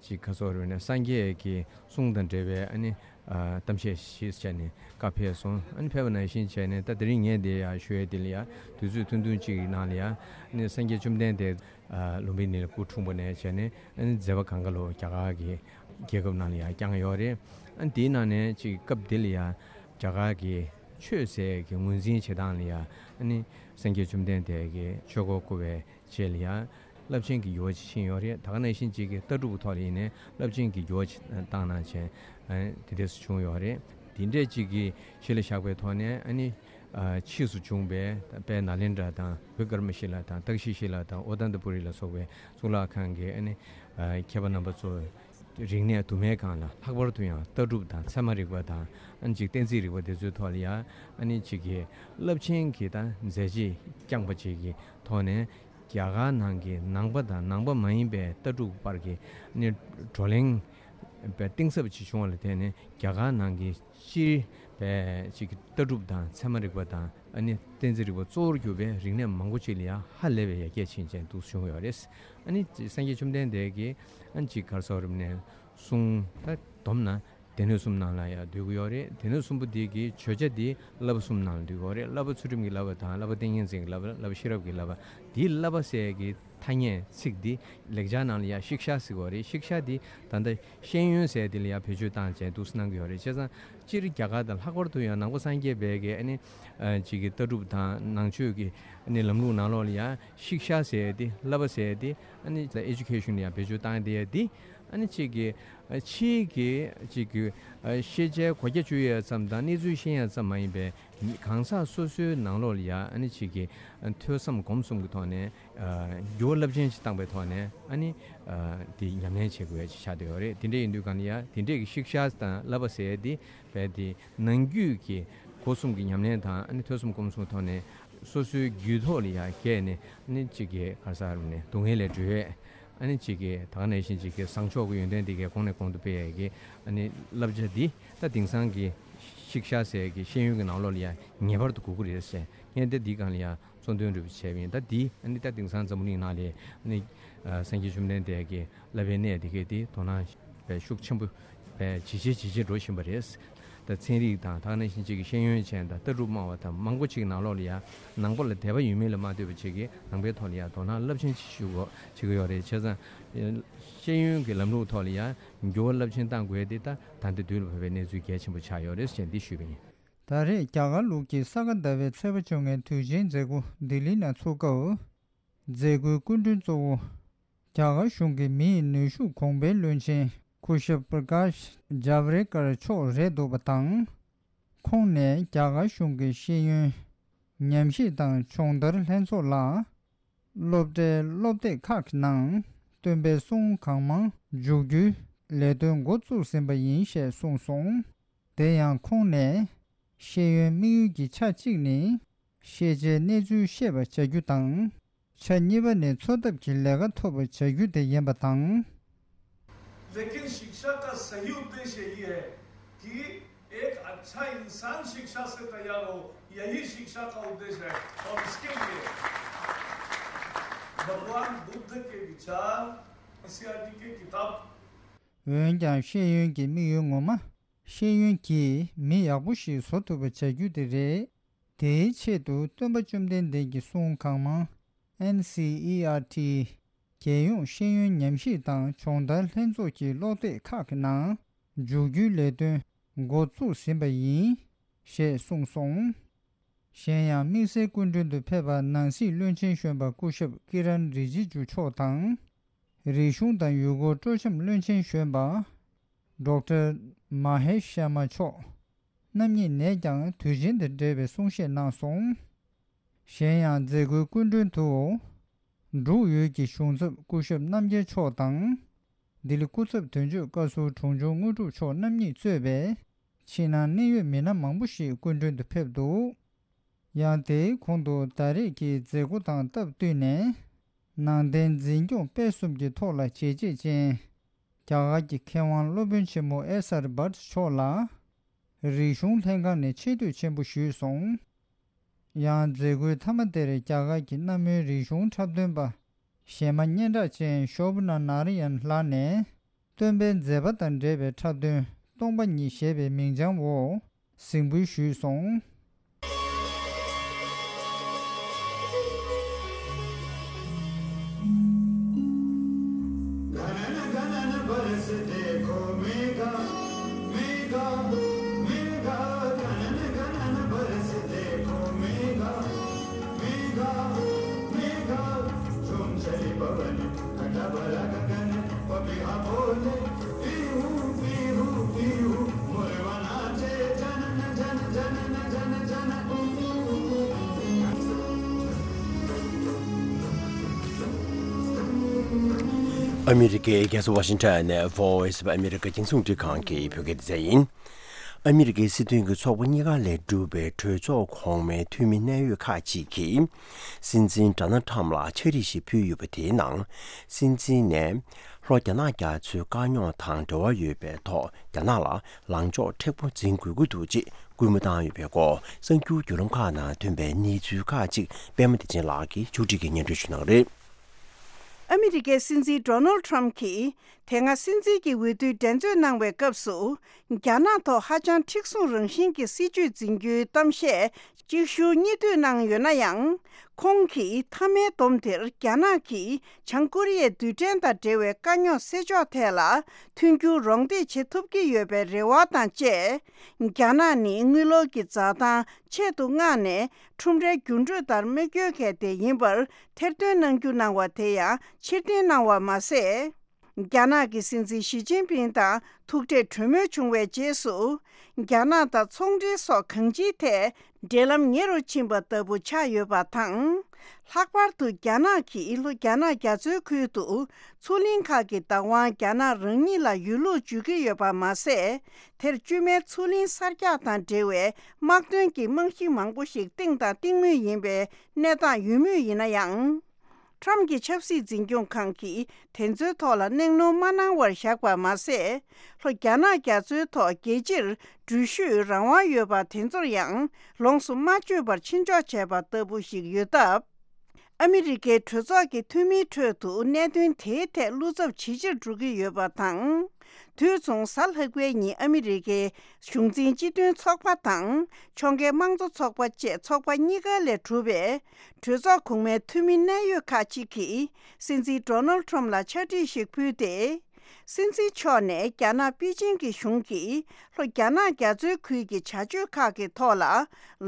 ཅིག་ག་ཟེར་རེད་ན། སངས་རྒྱས་ཀྱི་གསུང་དང་འབྲེལ་བའི་ཨ་ནི་ཨ་གཏམ་བཤད་ཞིག་བྱས་ནས་བཀའ་ཕེབས་སོང་། ཨ་ནི་ཕེབས་པ་ནང་བཞིན་བྱས་ནས། ད་དེ་རིང་ངས་འདི་ཡ་ཞུ་ཡས་འདི་ལ་ཡ། དུས་ཚོད་ཐུང་ཐུང་ཅིག་གི་ནང་ལ་ཡ། ཨ་ནི་སངས་རྒྱས་བཅོམ་ལྡན་འདས་ཨ་ལུམ་བི་ནི་ལ་སྐུ་འཁྲུངས་པ་ནས་བྱས་ནས། ཨ་ནི་མཛད་པ་གང་ག་ལོ་རྒྱ་གར་གྱི་རྒྱལ་ཁབ་ནང་ལ་ཡ་བསྐྱངས་ཡོད་རེད། ཨ་ནི་དེའི་ནང་ནས་ཅིག་སྐབས་འདི་ལ་ཡ་རྒྱ་གར་གྱི་ཆོས་ཟེར་གྱི་ངོས་འཛིན་བྱེད་སྟངས་ལ་ཡ། ཨ་ནི་སངས་རྒྱས་བཅོམ་ལྡན་འདས་ཀྱི་ཆོས་འཁོར་བསྐོར་བའི་རྗེས་ལ་ཡ། རླབས་ཆེན་གྱི་འགྱུར་བ་ཅིག་ཕྱིན་ཡོད་རེད། ད་ག་ནང་བཞིན་ཅིག་གི་ལྟ་གྲུབ་ཐོག་ལ་ཡིན་ནའི་རླབས་ཆེན་གྱི་འགྱུར་བ་ཅིག་བཏང་གནང་བྱས། ཨ་ནི་དེ་འདྲས་སུ་བྱུང་ཡོད་རེད། དེ་འདྲས་ཅིག་གི་གཞི་ལ་བཞག་པའི་ཐོག་ནས། ཨ་ནི་ཨ་ཕྱིས་སུ་བྱུང་བའི་དཔལ་ནཱ་ལེནྡྲ་དང་བི་ཀརྨ་ཤི་ལ་དང་ཏཀ་ཤི་ཤི་ལ་དང་ཨོ་ཏནྟ་པུ་རི་ལ་སོགས་པའི་གཙུག་ལག་ཁང་གི་ཨ་ནི་ཨ་མཁས་པ་རྣམ་པ་ཚོ་རིག་གནས་དུ་མའི་སྒང་ལ། ལྷག་པར་དུ་ཡང་ལྟ་གྲུབ་དང་ཚད་མ་རིག་པ་དང་། ཨ་ནི་ཅིག་གཏན་ཚིགས་རིག་པ་དེ་ཚོའི་ཐོག་ལ་ཡ། ཨ་ནི་ཅིག་གི་རླབས་ཆེན་གྱི་ད་མཛད་རྗེས་བསྐྱངས་པ་ཅིག་གི་ཐོག་ནས། རྒྱ་གར་ནང་གི་ནང་པ་དང་ནང་པ་མ་ཡིན་པའི་ལྟ་གྲུབ་བར་གྱི་ནི་བགྲོ་གླེང་བའི་གཏིང་ཟབ་ཅིག་བྱུང་བ་ལ་བརྟེན་ནས། རྒྱ་གར་ནང་གི་སྤྱིར་བའི་ཅིག་གི་ལྟ་གྲུབ་དང་ཚད་མ་རིག་པ་དང་། ཨ་ནི་གཏན་ཚིགས་རིག་པ་གཙོ་བོར་གྱུར་པའི་རིག་གནས་མང་པོ་ཅིག་ལ་ཡང་ཧ་ལས་པའི་ཡར་རྒྱས་ཕྱིན་ཅན་འདུག་བྱུང་ཡོད་རེད། ཨ་ནི་སངས་རྒྱས་བཅོམ་ལྡན་འདས་ཀྱིས་ཨ་ནི་ཅིག་ག་རེ་ཟེར་དགོས་རེད་ན། གསུང་ད་བསྡོམས་ན། སྡེ་སྣོད་གསུམ་ནང་ལ་ཡང་འདུས་ཀྱི་ཡོད་རེད། སྡེ་སྣོད་གསུམ་པོ་འདི་གི་བརྗོད་བྱ་འདི་བསླབ་པ་གསུམ་ནང་ལ་འདུས་ཀྱི་ཡོད་རེད། བསླབ་པ་ཚུལ་ཁྲིམས་ཀྱི་བསླབ་པ་དང་། བསླབ་པ་ཏིང་ངེ་འཛིན་གྱི་བསླབ་པ། བསླབ་པ་ཤེས་རབ་ཀྱི་བསླབ་པ། འདིའི་བསླབ་པ་ཟེར་གྱི་ཐ་སྙད་ཚིག་འདི་ལེགས་སྦྱར་ནང་ལ་ཡང་ཤིག་ཤ་ཟེར་གྱི་ཡོད་རེད། ཤིག་ཤ་འདི་ད་ལྟ་ཤེས་ཡོན་ཟེར་འདི་ལ་ཡང་བེད་སྤྱོད་བཏང་བྱས་འདུག་སེ་གནང་གི་ཡོད་རེད། བྱས་ཙང་སྤྱིར་རྒྱ་གར་དང་། ལྷག་པར་དུ་ཡང་ནང་པ་སངས་རྒྱས་པའི་གི་ཨ་ནི་ཨ་ཅིག་གི་ལྟ་གྲུབ་དང་ནང་ཆོས་ཀྱི་ཨ་ནི་ལམ་ལུགས་ནང་ལོགས་ལ་ཡང་ཤིག་ཤ་ཟེར་འདི། བསླབ་པ་ཟེར་འདི་ཨ་ནི་ཨེ་ཇུ་ཁེ་ཤན་ལ་ཡང་བེད་སྤྱོད་བཏང་བསྡད་ཡ་འདི། ཨ་ནི་ཅིག་གི་ཨ་ཕྱིའི་གི་ཅིག་གི་ཨ་ཤེས་བྱའི་གོ་རྒྱ་བཅོས་ཡ་ཙམ་དང་གནས་ཚུལ་ཤེས་ཡ་ཙམ་མ་ཡིན་པའི། གང་ཟག་སོ་སོའི་ནང་ལོགས་ལ་ཡ་ཨ་ནི་ཅིག་གི་ཨ་ཐོས་བསམ་སྒོམ་གསུམ་གྱི་ཐོག་ནས་ཨ་འགྱུར་བ་རླབས་ཆེན་ཞིག་བཏང་པའི་ཐོག་ནས། ཨ་ནི་ཨ་དེ་ཉམས་ལེན་བྱེད་དགོས་ཡ་ཅིག་ཆགས་བསྡད་ཡོད་རེད། དེ་འདྲ་ཡིན་དུས་གང་ལ་ཡ་དེ་འདྲས་ཀྱི་ཤིག་ཤ་དང་བསླབ་པ་ཟེར་ཡ་དེ་བས་དེ་ནང་རྒྱུད་ཀྱི་སྒོ་གསུམ་གྱི་ཉམས་ལེན་དང་། ཨ་ནི་ཐོས་བསམ་སྒོམ་གསུམ་གྱི་ཐོག་ནས་སོ་སོའི་རྒྱུད་ཐོག་ལ་ཡ་བསྐྱལ་ནས། ཨ་ནི་ཅིག་གི་ག་རེ་ཟེར་དགོས་རེད་ན། སྡུག་བསྔལ་ལས་གྲོལ་བའི། ཨ་ནི་ཅིག་གི་ད་ག་ནང་བཞིན་ཅིག་གི་བཟང་ཕྱོགས་ཀྱི་ཡོན་ཏན་དེ་གའི་གོང་ནས་གོང་དུ་སྤེལ་ཡས་ཀྱི་ཨ་ནི་བསླབ་བྱ་འདི་ད་དེང་སང་གི་ཤིག་ཤ་ཟེར་ཡས་ཀྱི་ཤེས་ཡོན་གྱི་ནང་ལོགས་ལ་ཡང་ངེས་པར་དུ་དགོས་ཀྱི་རེད་ཟེར། ངས་ད་འདི་སྒང་ལ་ཡང་གཙོ་འདོན་འདྲ་པོ་བྱས་པ་ཡིན། ད་འདི་ཨ་ནི་ད་དེང་སང་འཛམ་བུ་གླིང་ནང་ལ་ཨ་ནི་ཨ་སངས་རྒྱས་བཅོམ་ལྡན་འདས་ཀྱི་བསླབ་པའི་གནས་དེ་གའི་དེ་དོ་སྣང་བས་ཤུགས་ཆེན་པོ་བས་ཇེ་ཆེ་ཇེ་ཆེ་འགྲོ་བཞིན་པ་རེད། ད་ཚན་རིག་དང་། ད་ག་ནང་བཞིན་ཅིག་གི་ཤེས་ཡོན་ཅན་དང་ལྟ་གྲུབ་སྨྲ་བ་དང་མང་པོ་ཅིག་གི་ནང་ལོགས་ལ་ཡང་ནང་པ་ལ་དད་པ་ཡོད་མེད་ལ་མ་ལྟོས་པ་ཅིག་གི་ནང་པའི་ཐོག་ལ་ཡང་དོ་སྣང་རླབས་ཆེན་ཅིག་ཞུ་དགོས་བྱེད་ཀྱི་ཡོད་རེད། བྱས་ཙང་ཤེས་ཡོན་གྱི་ལམ་ལུགས་ཐོག་ལ་ཡང་འགྱུར་བ་རླབས་ཆེན་གཏང་དགོས་དེ་ད་ད་ལྟ་དུས་ལ་བབ་པའི་གནས་ཚུལ་གལ་ཆེན་པོ་ཆགས་ཡོད་རེད་ཅེས་འདི་ཞུས་པ་ཡིན། ད་རེས་རྒྱ་གར་ལུགས་ཀྱི་ས་ག་ཟླ་བའི་ཚེས་པ་བཅོ་ལྔའི་དུས་ཆེན་མཛད་སྒོ་ལྡི་ལི་ནང་ཚུགས་སྐབས། མཛད་སྒོའི་སྐུ་མགྲོན་གཙོ་བོ། རྒྱ་གར་གཞུང་གི་མིའི་ནུས་ཤུགས་གོང་འཕེལ་བློན་ཆེན་སྐུ་ཞབས་པྲ་ཀཱཤ་ཇཱ་བྷྲེ་ཀར་མཆོག་རེད་འདུག་པ་དང་། ཁོང་ནས་རྒྱ་གར་གཞུང་གི་ཤེས་ཡོན་ ཉམས་ཞིབ་དང་སྦྱོང་བརྡར་ལྷན་ཚོགས་ལ། སློབ་གྲྭའི་སློབ་དེབ་ཁག་གི་ནང་སྟོན་པའི་གསུང་གང་མང་འཇུག་རྒྱུའི་ལས་དོན་འགོ་བཙུགས་ཟིན་པ་ཡིན་ཞེས་གསུངས་སོང་། དེ་ཡང་ཁོང་ནས། ཤེས་ཡོན་དམིགས་ཡུལ་གྱི་ཆ་གཅིག་ནི། ཤེས་བྱའི་གནས་ཚུལ་ཤེས་པར་བྱ་རྒྱུ་དང་། ཆ་གཉིས་པ་ནི་འཚོ་ཐབས་ཀྱི་ལས་ཀ་ཐོབ་པར་བྱ་རྒྱུ་དེ་ཡིན་པ་དང་། लेकिन शिक्षा का सही उद्देश्य यही है कि एक अच्छा इंसान शिक्षा से तैयार हो, यही शिक्षा का उद्देश्य है। और इसके लिए भगवान बुद्ध के विचार, एनसीईआरटी की किताब འོན་ཀྱང་ཤེས་ཡོན་གྱི་དམིགས་ཡུལ་ངོ་མ། ཤེས་ཡོན་གྱིས་མི་ཡག་པོ་ཞིག་བཟོ་ཐུབ་པར་བྱ་རྒྱུ་དེ་རེད། དེའི་ཆེད་དུ་སྟོན་པ་བཅོམ་ལྡན་འདས་ཀྱི་གསུང་གང་མང་། ཨེན་སི་ཨི་ཨར་ཊི། རྒྱལ་ཡོངས་ཤེས་ཡོན་ཉམས་ཞིབ་དང་སྦྱོང་བརྡར་ལྷན་ཚོགས་ཀྱི་ཀློག་དེབ་ཁག་གི་ནང་འཇུག་རྒྱུའི་ལས་དོན་འགོ་བཙུགས་ཟིན་པ་ཡིན། ཞེས་གསུངས་སོང་། གཞན་ཡང་དམིགས་བསལ་སྐུ་མགྲོན་དུ་ཕེབས་པ་ནང་སྲིད་བློན་ཆེན་གཞོན་པ་སྐུ་ཞབས་ཀི་རན་རི་ཇི་ཇུ་མཆོག་དང་། རིག་གཞུང་དང་ཡུལ་སྐོར་སྤྲོ་འཆམ་བློན་ཆེན་གཞོན་པ། ཌོག་ཊར་མ་ཧེ་ཤར་མ་མཆོག་རྣམ་གཉིས་ནས་ཀྱང་དུས་ཆེན་དང་འབྲེལ་བའི་གསུང་བཤད་གནང་སོང་། གཞན་ཡང་མཛད་སྒོའི་སྐུ་མགྲོན་དུ། འབྲུག་ཡུལ་གྱི་གཞུང་ཚབ་སྐུ་ཞབས་རྣམ་རྒྱལ་མཆོག་དང་། ལྡི་ལི་སྐུ་ཚབ་དོན་གཅོད་བཀའ་ཟུར་དྲུང་ཆུང་དངོས་གྲུབ་མཆོག་རྣམ་གཉིས་གཙོས་པའི་ཕྱི་ནང་གནད་ཡོད་མི་སྣ་མང་པོ་ཞིག་སྐུ་མགྲོན་དུ་ཕེབས་འདུག། ཡང་དེའི་གོང་དུ་ད་རེས་ཀྱི་མཛད་སྒོ་དང་སྟབས་བསྟུན་ནས། ནང་བསྟན་འཛིན་སྐྱོང་སྤེལ་གསུམ་གྱི་ཐོག་ལ་བྱས་རྗེས་ཅན། རྒྱ་གར་གྱི་མཁས་དབང་སློབ་དཔོན་ཆེན་མོ་ཨེ་སར་བྷཊ་མཆོག་ལ། རིག་གཞུང་ལྷན་ཁང་ནས་ཆེ་བསྟོད་ཆེན་པོ་ཞུས་སོང་། ཡང་མཛད་སྒོའི་མཐའ་མ་དེར་རྒྱ་གར་གྱི་གནའ་མོའི་རིག་གཞུང་འཁྲབ་སྟོན་པ། གཞས་མ་སྙན་གྲགས་ཅན་ཤོ་བྷ་ན་ནཱ་ར་ཡན་ལགས་ནས། སྟོན་པའི་མཛད་པ་དང་འབྲེལ་བའི་འཁྲབ་སྟོན་སྟོང་པ་ཉིད་ཞེས་པའི་མིང་བྱང་འོག་གཟིགས་འབུལ་ཞུས་སོང་། ཨ་མི་རི་ཀའི་རྒྱལ་ས་ཝ་ཤིང་ཊོན་ནས་Voice of America རྒྱང་སྲིང་རླུང་འཕྲིན་ཁང་གི་བོད་སྐད་སྡེ་ཚན་ཡིན། ཨ་མི་རི་ཀའི་སྲིད་དོན་གྱི་ཚོགས་པ་གཉིས་ཀ་ལས་གྲུབ་པའི་གྲོས་ཚོགས་གོང་མའི་འཐུས་མི་གནད་ཡོད་ཁག་ཅིག་གིས། སྲིད་འཛིན་ཌོ་ནལ་ཊམ་ལ་ཕྱག་བྲིས་ཤིག་ཕུལ་ཡོད་པ། དེའི་ནང་། སྲིད་འཛིན་ནས་ལྷོ་རྒྱ་ནག་རྒྱ་མཚོའི་དཀའ་རྙོག་དང་འབྲེལ་བ་ཡོད་པའི་ཐོག་རྒྱ་ནག་ལ་ལངས་ཕྱོགས་མཁྲེགས་པོ་འཛིན་དགོས་ཀྱི་འདུག་ཅེས་སྐུལ་མ་བཏང་ཡོད་པའི་སྐོར། གསར་འགྱུར་བརྒྱུད་ལམ་ཁག་ནང་ཐོན་པའི་གནས་ཚུལ་ཁག་ཅིག་པད་མ་བདེ་ཆེན་ལགས་ཀྱིས་ཕྱོགས་སྒྲིག་གིས་སྙན་སྒྲོན་ཞུ་གནང་རེད། ཨ་མི་རི་ཀའི་སྲིད་འཛིན་ཌོ་ནལ་ཊམ་གྱིས། དེ་སྔ་སྲིད་འཛིན་གྱི་འོས་བསྡུའི་འགྲན་རྩོད་གནང་བའི་སྐབས་སུ། རྒྱ་ནག་ཐོག་ཧ་ཅང་མཁྲེགས་བཟུང་རང་བཞིན་གྱི་སྲིད་བྱུས་འཛིན་རྒྱུའི་གཏམ་བཤད་གཅིག་མཇུག་གཉིས་མཐུད་གནང་ཡོད་ན་ཡང་། ཁོང་གིས་མཐའ་མའི་བསྡོམས་དེར་རྒྱ་ནག་གིས་བྱང་ཀོ་རི་ཡའི་རྡུལ་ཕྲན་དང་འབྲེལ་བའི་དཀའ་རྙོག་སེལ་ཕྱོགས་ཐད་ལ་མཐུན་འགྱུར་རོགས་འདེགས་བྱེད་ཐུབ་ཀྱི་ཡོད་པའི་རེ་བ་དང་བཅས། རྒྱ་ནག་ནི་དངུལ་ལོར་གྱི་འཛའ་ཐང་ཆེད་དུ་མངགས་ནས། ཁྲོམ་རའི་འགྱུར་འགྲོས་ལྟར་དམིགས་ཡོད་མཁན་དེ་ཡིན་པར་ཐེར་འདོན་གནང་རྒྱུ་གནང་བ་དེ་ཡང་ཕྱིར་འཐེན་གནང་བ་མ་ཟད། རྒྱ་ནག་གི་སྲིད་འཛིན་ཞི་ཅིན་ཕིང་དང་ཐུག་འཕྲད་གྲོས་མོལ་བྱུང་བའི་རྗེས་སུ། རྒྱ་ནག་དང་ཚོང་འབྲེལ་སོགས་གང་ཅིའི་ཐད་འབྲེལ་ལམ་ཉེ་རུ་ཕྱིན་པ་ལྟ་བུ་ཆགས་ཡོད་པ་དང་། ལྷག་པར་དུ་རྒྱ་ནག་གིས་ལྷོ་རྒྱ་ནག་རྒྱ་མཚོའི་ཁུལ་དུ་མཚོ་གླིང་ཁག་གི་བདག་དབང་རྒྱ་ནག་རང་ཉིད་ལ་ཡོད་ལུགས་བརྗོད་ཀྱི་ཡོད་པ་མ་ཟད། དེར་བཅོས་མའི་མཚོ་གླིང་གསར་རྒྱག་དང་འབྲེལ་བའི་དམག་དོན་གྱི་རྨང་གཞི་མང་པོ་ཞིག་བཏིང་དང་བཏིང་མུས་ཡིན་པའི་གནས་སྟངས་ཡོད་མུས་ཡིན་ན་ཡང་། ཁྲམ་གྱི་ཆབ་སྲིད་འཛིན་སྐྱོང་ཁང་གིས་དེ་ཚོའི་ཐོག་ལ་གནད་སྣོན་མ་གནང་བར་བཞག་པ་མ་ཟད། ལྷོ་རྒྱ་ནག་རྒྱ་མཚོའི་ཐོག་རྒྱལ་སྤྱིར་འགྲུལ་བཞུད་རང་དབང་ཡོད་པ་དེ་ཚོར་ཡང་ལོངས་སུ་མ་སྤྱོད་པར་ཕྱིར་འཇོག་བྱས་པ་ལྟ་བུ་ཞིག་ཡོད་སྟབས། ཨ་མི་རི་ཀའི་གྲོས་ཚོགས་ཀྱི་འཐུས་མིའི་ཁྲོད་དུ་གནད་དོན་དེའི་ཐད་བློ་འཚབ་ཇེ་ཆེར་འགྲོ་གི་ཡོད་པ་དང་། དུས་མཚུངས་གཟའ་ལྷག་པའི་ཉིན་ཨ་མི་རི་ཀའི་གཞུང་འཛིན་སྤྱི་མཐུན་ཚོགས་པ་དང་ཕྱོགས་འགལ་དམངས་གཙོ་ཚོགས་པ་བཅས་ཚོགས་པ་གཉིས་ཀ་ལས་གྲུབ་པའི་གྲོས་ཚོགས་གོང་མའི་འཐུས་མི་གནད་ཡོད་ཁག་ཅིག་གིས་སྲིད་འཛིན་ཌོ་ནལ་ཁྲོམ་ལ་ཕྱག་བྲིས་ཤིག་ཕུལ་ཏེ། སྲིད་འཛིན་མཆོག་ནས་རྒྱ་ནག་པེ་ཅིང་གི་གཞུང་གིས་ལྷོ་རྒྱ་ནག་རྒྱ་མཚོའི་ཁུལ་གྱི་བྱ་སྤྱོད་ཁག་གི་ཐོག་ལ་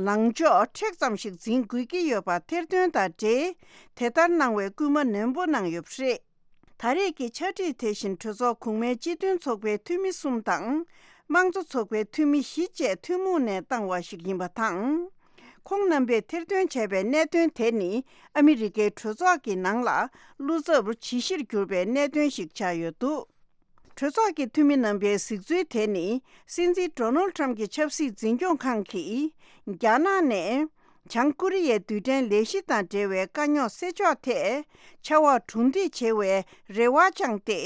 ལངས་ཕྱོགས་མཁྲེགས་ཙམ་ཞིག་འཛིན་དགོས་ཀྱི་ཡོད་པ་ཐེར་འདོན་དང་འབྲེལ། དེ་ལྟར་གནང་བའི་སྐུལ་མ་ནན་པོ་གནང་ཡོད་པ་རེད། ད་རེས་ཀྱི་ཕྱག་བྲིས་དེ་བཞིན་གྲོས་ཚོགས་གོང་མའི་སྤྱི་མཐུན་ཚོགས་པའི་འཐུས་མི་གསུམ་དང་། དམངས་གཙོ་ཚོགས་པའི་འཐུས་མི་བཞི་བཅས་ཐུན་མོང་ནས་བཏང་བ་ཞིག་ཡིན་པ་དང་། ཁོང་རྣམ་པས་ཐེར་འདོན་བྱས་པའི་གནད་དོན་དེ་ནི་ཨ་མི་རི་ཀའི་གྲོས་ཚོགས་ཀྱི་ནང་ལ་བློ་འཚབ་ཇི་ཞིག་གྱུར་པའི་གནད་དོན་ཞིག་ཆགས་ཡོད་འདུག་གྲོས་ཚོགས་ཀྱི་འཐུས་མི་རྣམ་པའི་གཟིགས་ཚུལ་དེ་ནི། སྲིད་འཛིན་ཌོ་ནལ་ཊམ་གྱི་ཆབ་སྲིད་འཛིན་སྐྱོང་ཁང་གིས། རྒྱ་ནག་ནས་བྱང་ཀོ་རི་ཡའི་རྡུལ་ཕྲན་ལས་གཞི་དང་འབྲེལ་བའི་དཀའ་རྙོག་སེལ་ཕྱོགས་ཐད། ཕྱར་བ་གྲུ་འདེགས་བྱེད་པའི་རེ་བ་བཅངས་ཏེ།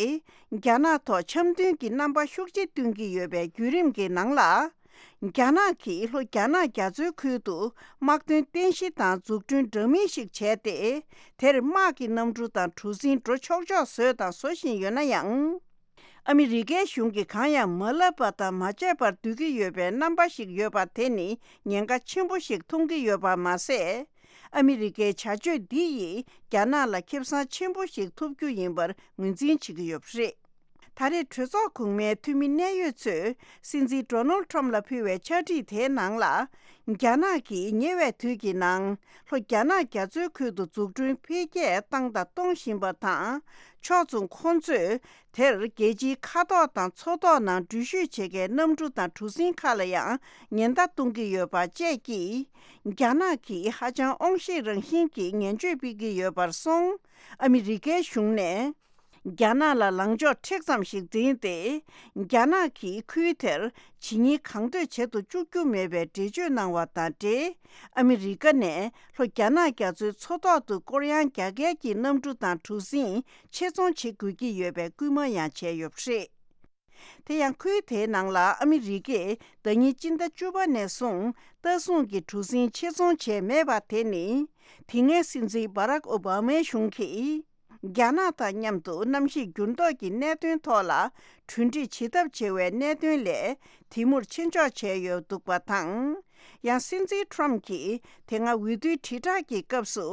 རྒྱ་ནག་ཐོག་འཆམ་མཐུན་གྱི་རྣམ་པ་ཤུགས་ཆེ་སྟོན་གྱི་ཡོད་པའི་བརྒྱུད་རིམ་གྱི་ནང་ལ། རྒྱ་ནག་གིས་ལྷོ་རྒྱ་ནག་རྒྱ་མཚོའི་ཁུལ་དུ་དམག་དོན་རྟེན་གཞི་དང་འཛུགས་སྐྲུན་འདྲ་མིན་ཞིག་བྱས་ཏེ། དེར་དམག་གི་གནམ་གྲུ་དང་གྲུ་གཟིངས་འགྲོ་ཆོག་ཆོག་བཟོས་དང་བཟོ་བཞིན་ཡོད་ན་ཡང་། ཨ་མི་རི་ཀའི་གཞུང་གིས་གང་ཡང་མ་ལབ་པ་དང་མ་བྱས་པར་སྡོད་ཀྱི་ཡོད་པའི་རྣམ་པ་ཞིག་ཡོད་པ་དེ་ནི་ཉེན་ཁ་ཆེན་པོ་ཞིག་མཐོང་གི་ཡོད་པ་མ་ཟད། ཨ་མི་རི་ཀའི་བྱ་སྤྱོད་འདི་ཡིས་རྒྱ་ནག་ལ་ཁེ་བཟང་ཆེན་པོ་ཞིག་ཐོབ་རྒྱུ་ཡིན་པར་ངོས་འཛིན་བྱེད་ཀྱི་ཡོད་པ་རེད། ད་རེས་གྲོས་ཚོགས་གོང་མའི་འཐུས་མི་གནད་ཡོད་ཚོས་སྲིད་འཛིན་ཌོ་ནལ་ཊམ་ལ་ཕུལ་བའི་ཕྱག་བྲིས་དེའི་ནང་ལ། རྒྱ་ནག་གིས་ཉེ་བའི་དུས་ཀྱི་ནང་ལྷོ་རྒྱ་ནག་རྒྱ་མཚོའི་ཁུལ་དུ་འཛུགས་སྐྲུན་འཕེལ་རྒྱས་བཏང་དང་གཏོང་བཞིན་པ་དང་། ཕྱོགས་མཚུངས་ཁོང་ཚོས་དེར་རྒྱལ་སྤྱིའི་མཁའ་ཐོག་དང་མཚོ་ཐོག་ནང་འགྲུལ་བཞུད་བྱེད་མཁན་གནམ་གྲུ་དང་གྲུ་གཟིངས་ཁག་ལ་ཡང་ཉེན་བརྡ་གཏོང་གི་ཡོད་པ་བཅས་ཀྱིས། རྒྱ་ནག་གིས་ཧ་ཅང་དབང་ཤེད་རང་བཞིན་གྱིས་ངན་བྱུས་སྤེལ་གྱི་ཡོད་པར་སོང་། ཨ་མི་རི་ཀའི་གཞུང་ནས། རྒྱ་ནག་ལ་ལངས་ཕྱོགས་མཁྲེགས་ཙམ་ཞིག་འཛིན་ཏེ། རྒྱ་ནག་གིས་ཁུལ་དེར་ཇི་སྙེད་གང་འདོད་བྱེད་དུ་བཅུག་རྒྱུ་མེད་པའི་འགྲེལ་བརྗོད་གནང་བ་དང་འབྲེལ། ཨ་མི་རི་ཀ་ནས་ལྷོ་རྒྱ་ནག་རྒྱ་མཚོའི་མཚོ་ཐོག་ཏུ་སྐོར་གཡང་རྒྱག་མཁན་གྱི་གནམ་གྲུ་དང་གྲུ་གཟིངས་ཆེད་ཚོང་བྱེད་དགོས་ཀྱི་ཡོད་པའི་སྐུལ་མ་ཡང་བྱས་ཡོད་པ་རེད། དེ་ཡང་ཁུལ་དེའི་ནང་ལ་ཨ་མི་རི་ཀས་ཟླ་ཉིན་སྤྱི་ཟླ་བཅུ་པ་ནས་བཟུང་ལྟ་སྲུང་གི་གྲུ་གཟིངས་ཆེད་ཚོང་བྱས་མེད་པ་དེ་ནི། དེ་སྔའི་སྲིད་འཛིན་བྷ་རག་ཨོ་བྷ་མའི་གཞུང་གིས། རྒྱ་ནག་དང་མཉམ་དུ་གནམ་གཤིས་འགྱུར་ལྡོག་གི་གནད་དོན་ཐོག་ལ་གྲོས་འགྲིག་བྱེད་ཐབས་བྱེད་པའི་གནད་དོན་ལས་དེ་མུར་ཆེད་འཇོག་བྱས་ཡོད་འདུག་པ་དང་། ཡང་སྲིད་འཛིན་ཊམ་གྱིས་དེ་སྔ་འོས་བསྡུའི་དྲིལ་བསྒྲགས་ཀྱི་སྐབས་སུ་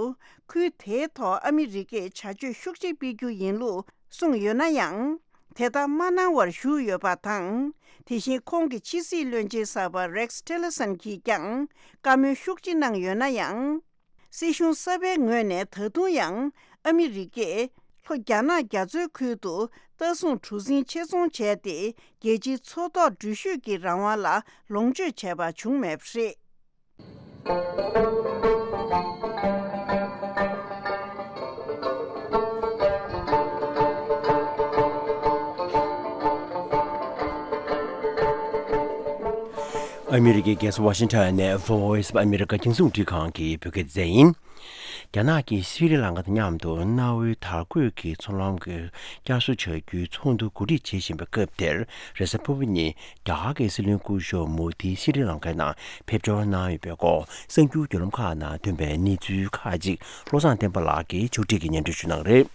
ཁུལ་དེའི་ཐོག་ཨ་མི་རི་ཀས་བྱ་སྤྱོད་ཤུགས་ཆེ་སྤེལ་རྒྱུ་ཡིན་ལུགས་གསུངས་ཡོད་ན་ཡང་། དེ་ལྟར་མ་གནང་བར་བཞུགས་ཡོད་པ་དང་། དེ་བཞིན་ཁོང་གི་ཕྱི་སྲིད་བློན་ཆེན་གསར་པ་རེགས་ཊི་ལར་སན་གྱིས་ཀྱང་བཀའ་མོལ་ཤུགས་ཆེ་གནང་ཡོད་ན་ཡང་། སྲིད་གཞུང་གསར་པའི་ངོས་ནས་ད་དུང་ཡང་ཨ་མི་རི་ཀས་ལྷོ་རྒྱ་ནག་རྒྱ་མཚོའི་ཁུལ་དུ་ལྟ་སྲུང་གྲུ་གཟིངས་ཆེད་ཚོང་བྱས་ཏེ། རྒྱལ་སྤྱིའི་མཚོ་ཐོག་འགྲུལ་བཞུད་ཀྱི་རང་དབང་ལ་ལོངས་སྤྱོད་བྱས་པ་བྱུང་མེད་པ་རེད། ཨ་མི་རི་ཀའི་རྒྱལ་ས་ཝ་ཤིང་ཊོན་ནས་Voice of America རྒྱང་སྲིང་རླུང་འཕྲིན་ཁང་གི་བོད་སྐད་སྡེ་ཚན་ཡིན། རྒྱ་ནག་གིས་སི་རི་ལང་ཀ་དང་མཉམ་དུ་གནའ་བོའི་དར་གོས་ཀྱི་ཚོང་ལམ་གྱི་བསྐྱར་གསོ་བྱ་རྒྱུའི་ཚོགས་འདུ་གོ་སྒྲིག་བྱེད་བཞིན་པའི་སྐབས་དེར། རེས་གཟའ་ཕུར་བུ་ཉིན་རྒྱ་གར་གྱི་སྲིད་བློན་སྐུ་ཞབས་མོ་དི་སི་རི་ལང་ཀའི་ནང་ཕེབས་འབྱོར་གནང་ཡོད་པའི་སྐོར་གསར་འགྱུར་བརྒྱུད་ལམ་ཁག་ནང་ཐོན་པའི་གནས་ཚུལ་ཁག་ཅིག་བློ་བཟང་བསྟན་པ་ལགས་ཀྱིས་ཕྱོགས་སྒྲིག་གིས་སྙན་སྒྲོན་ཞུ་གནང་གི་རེད།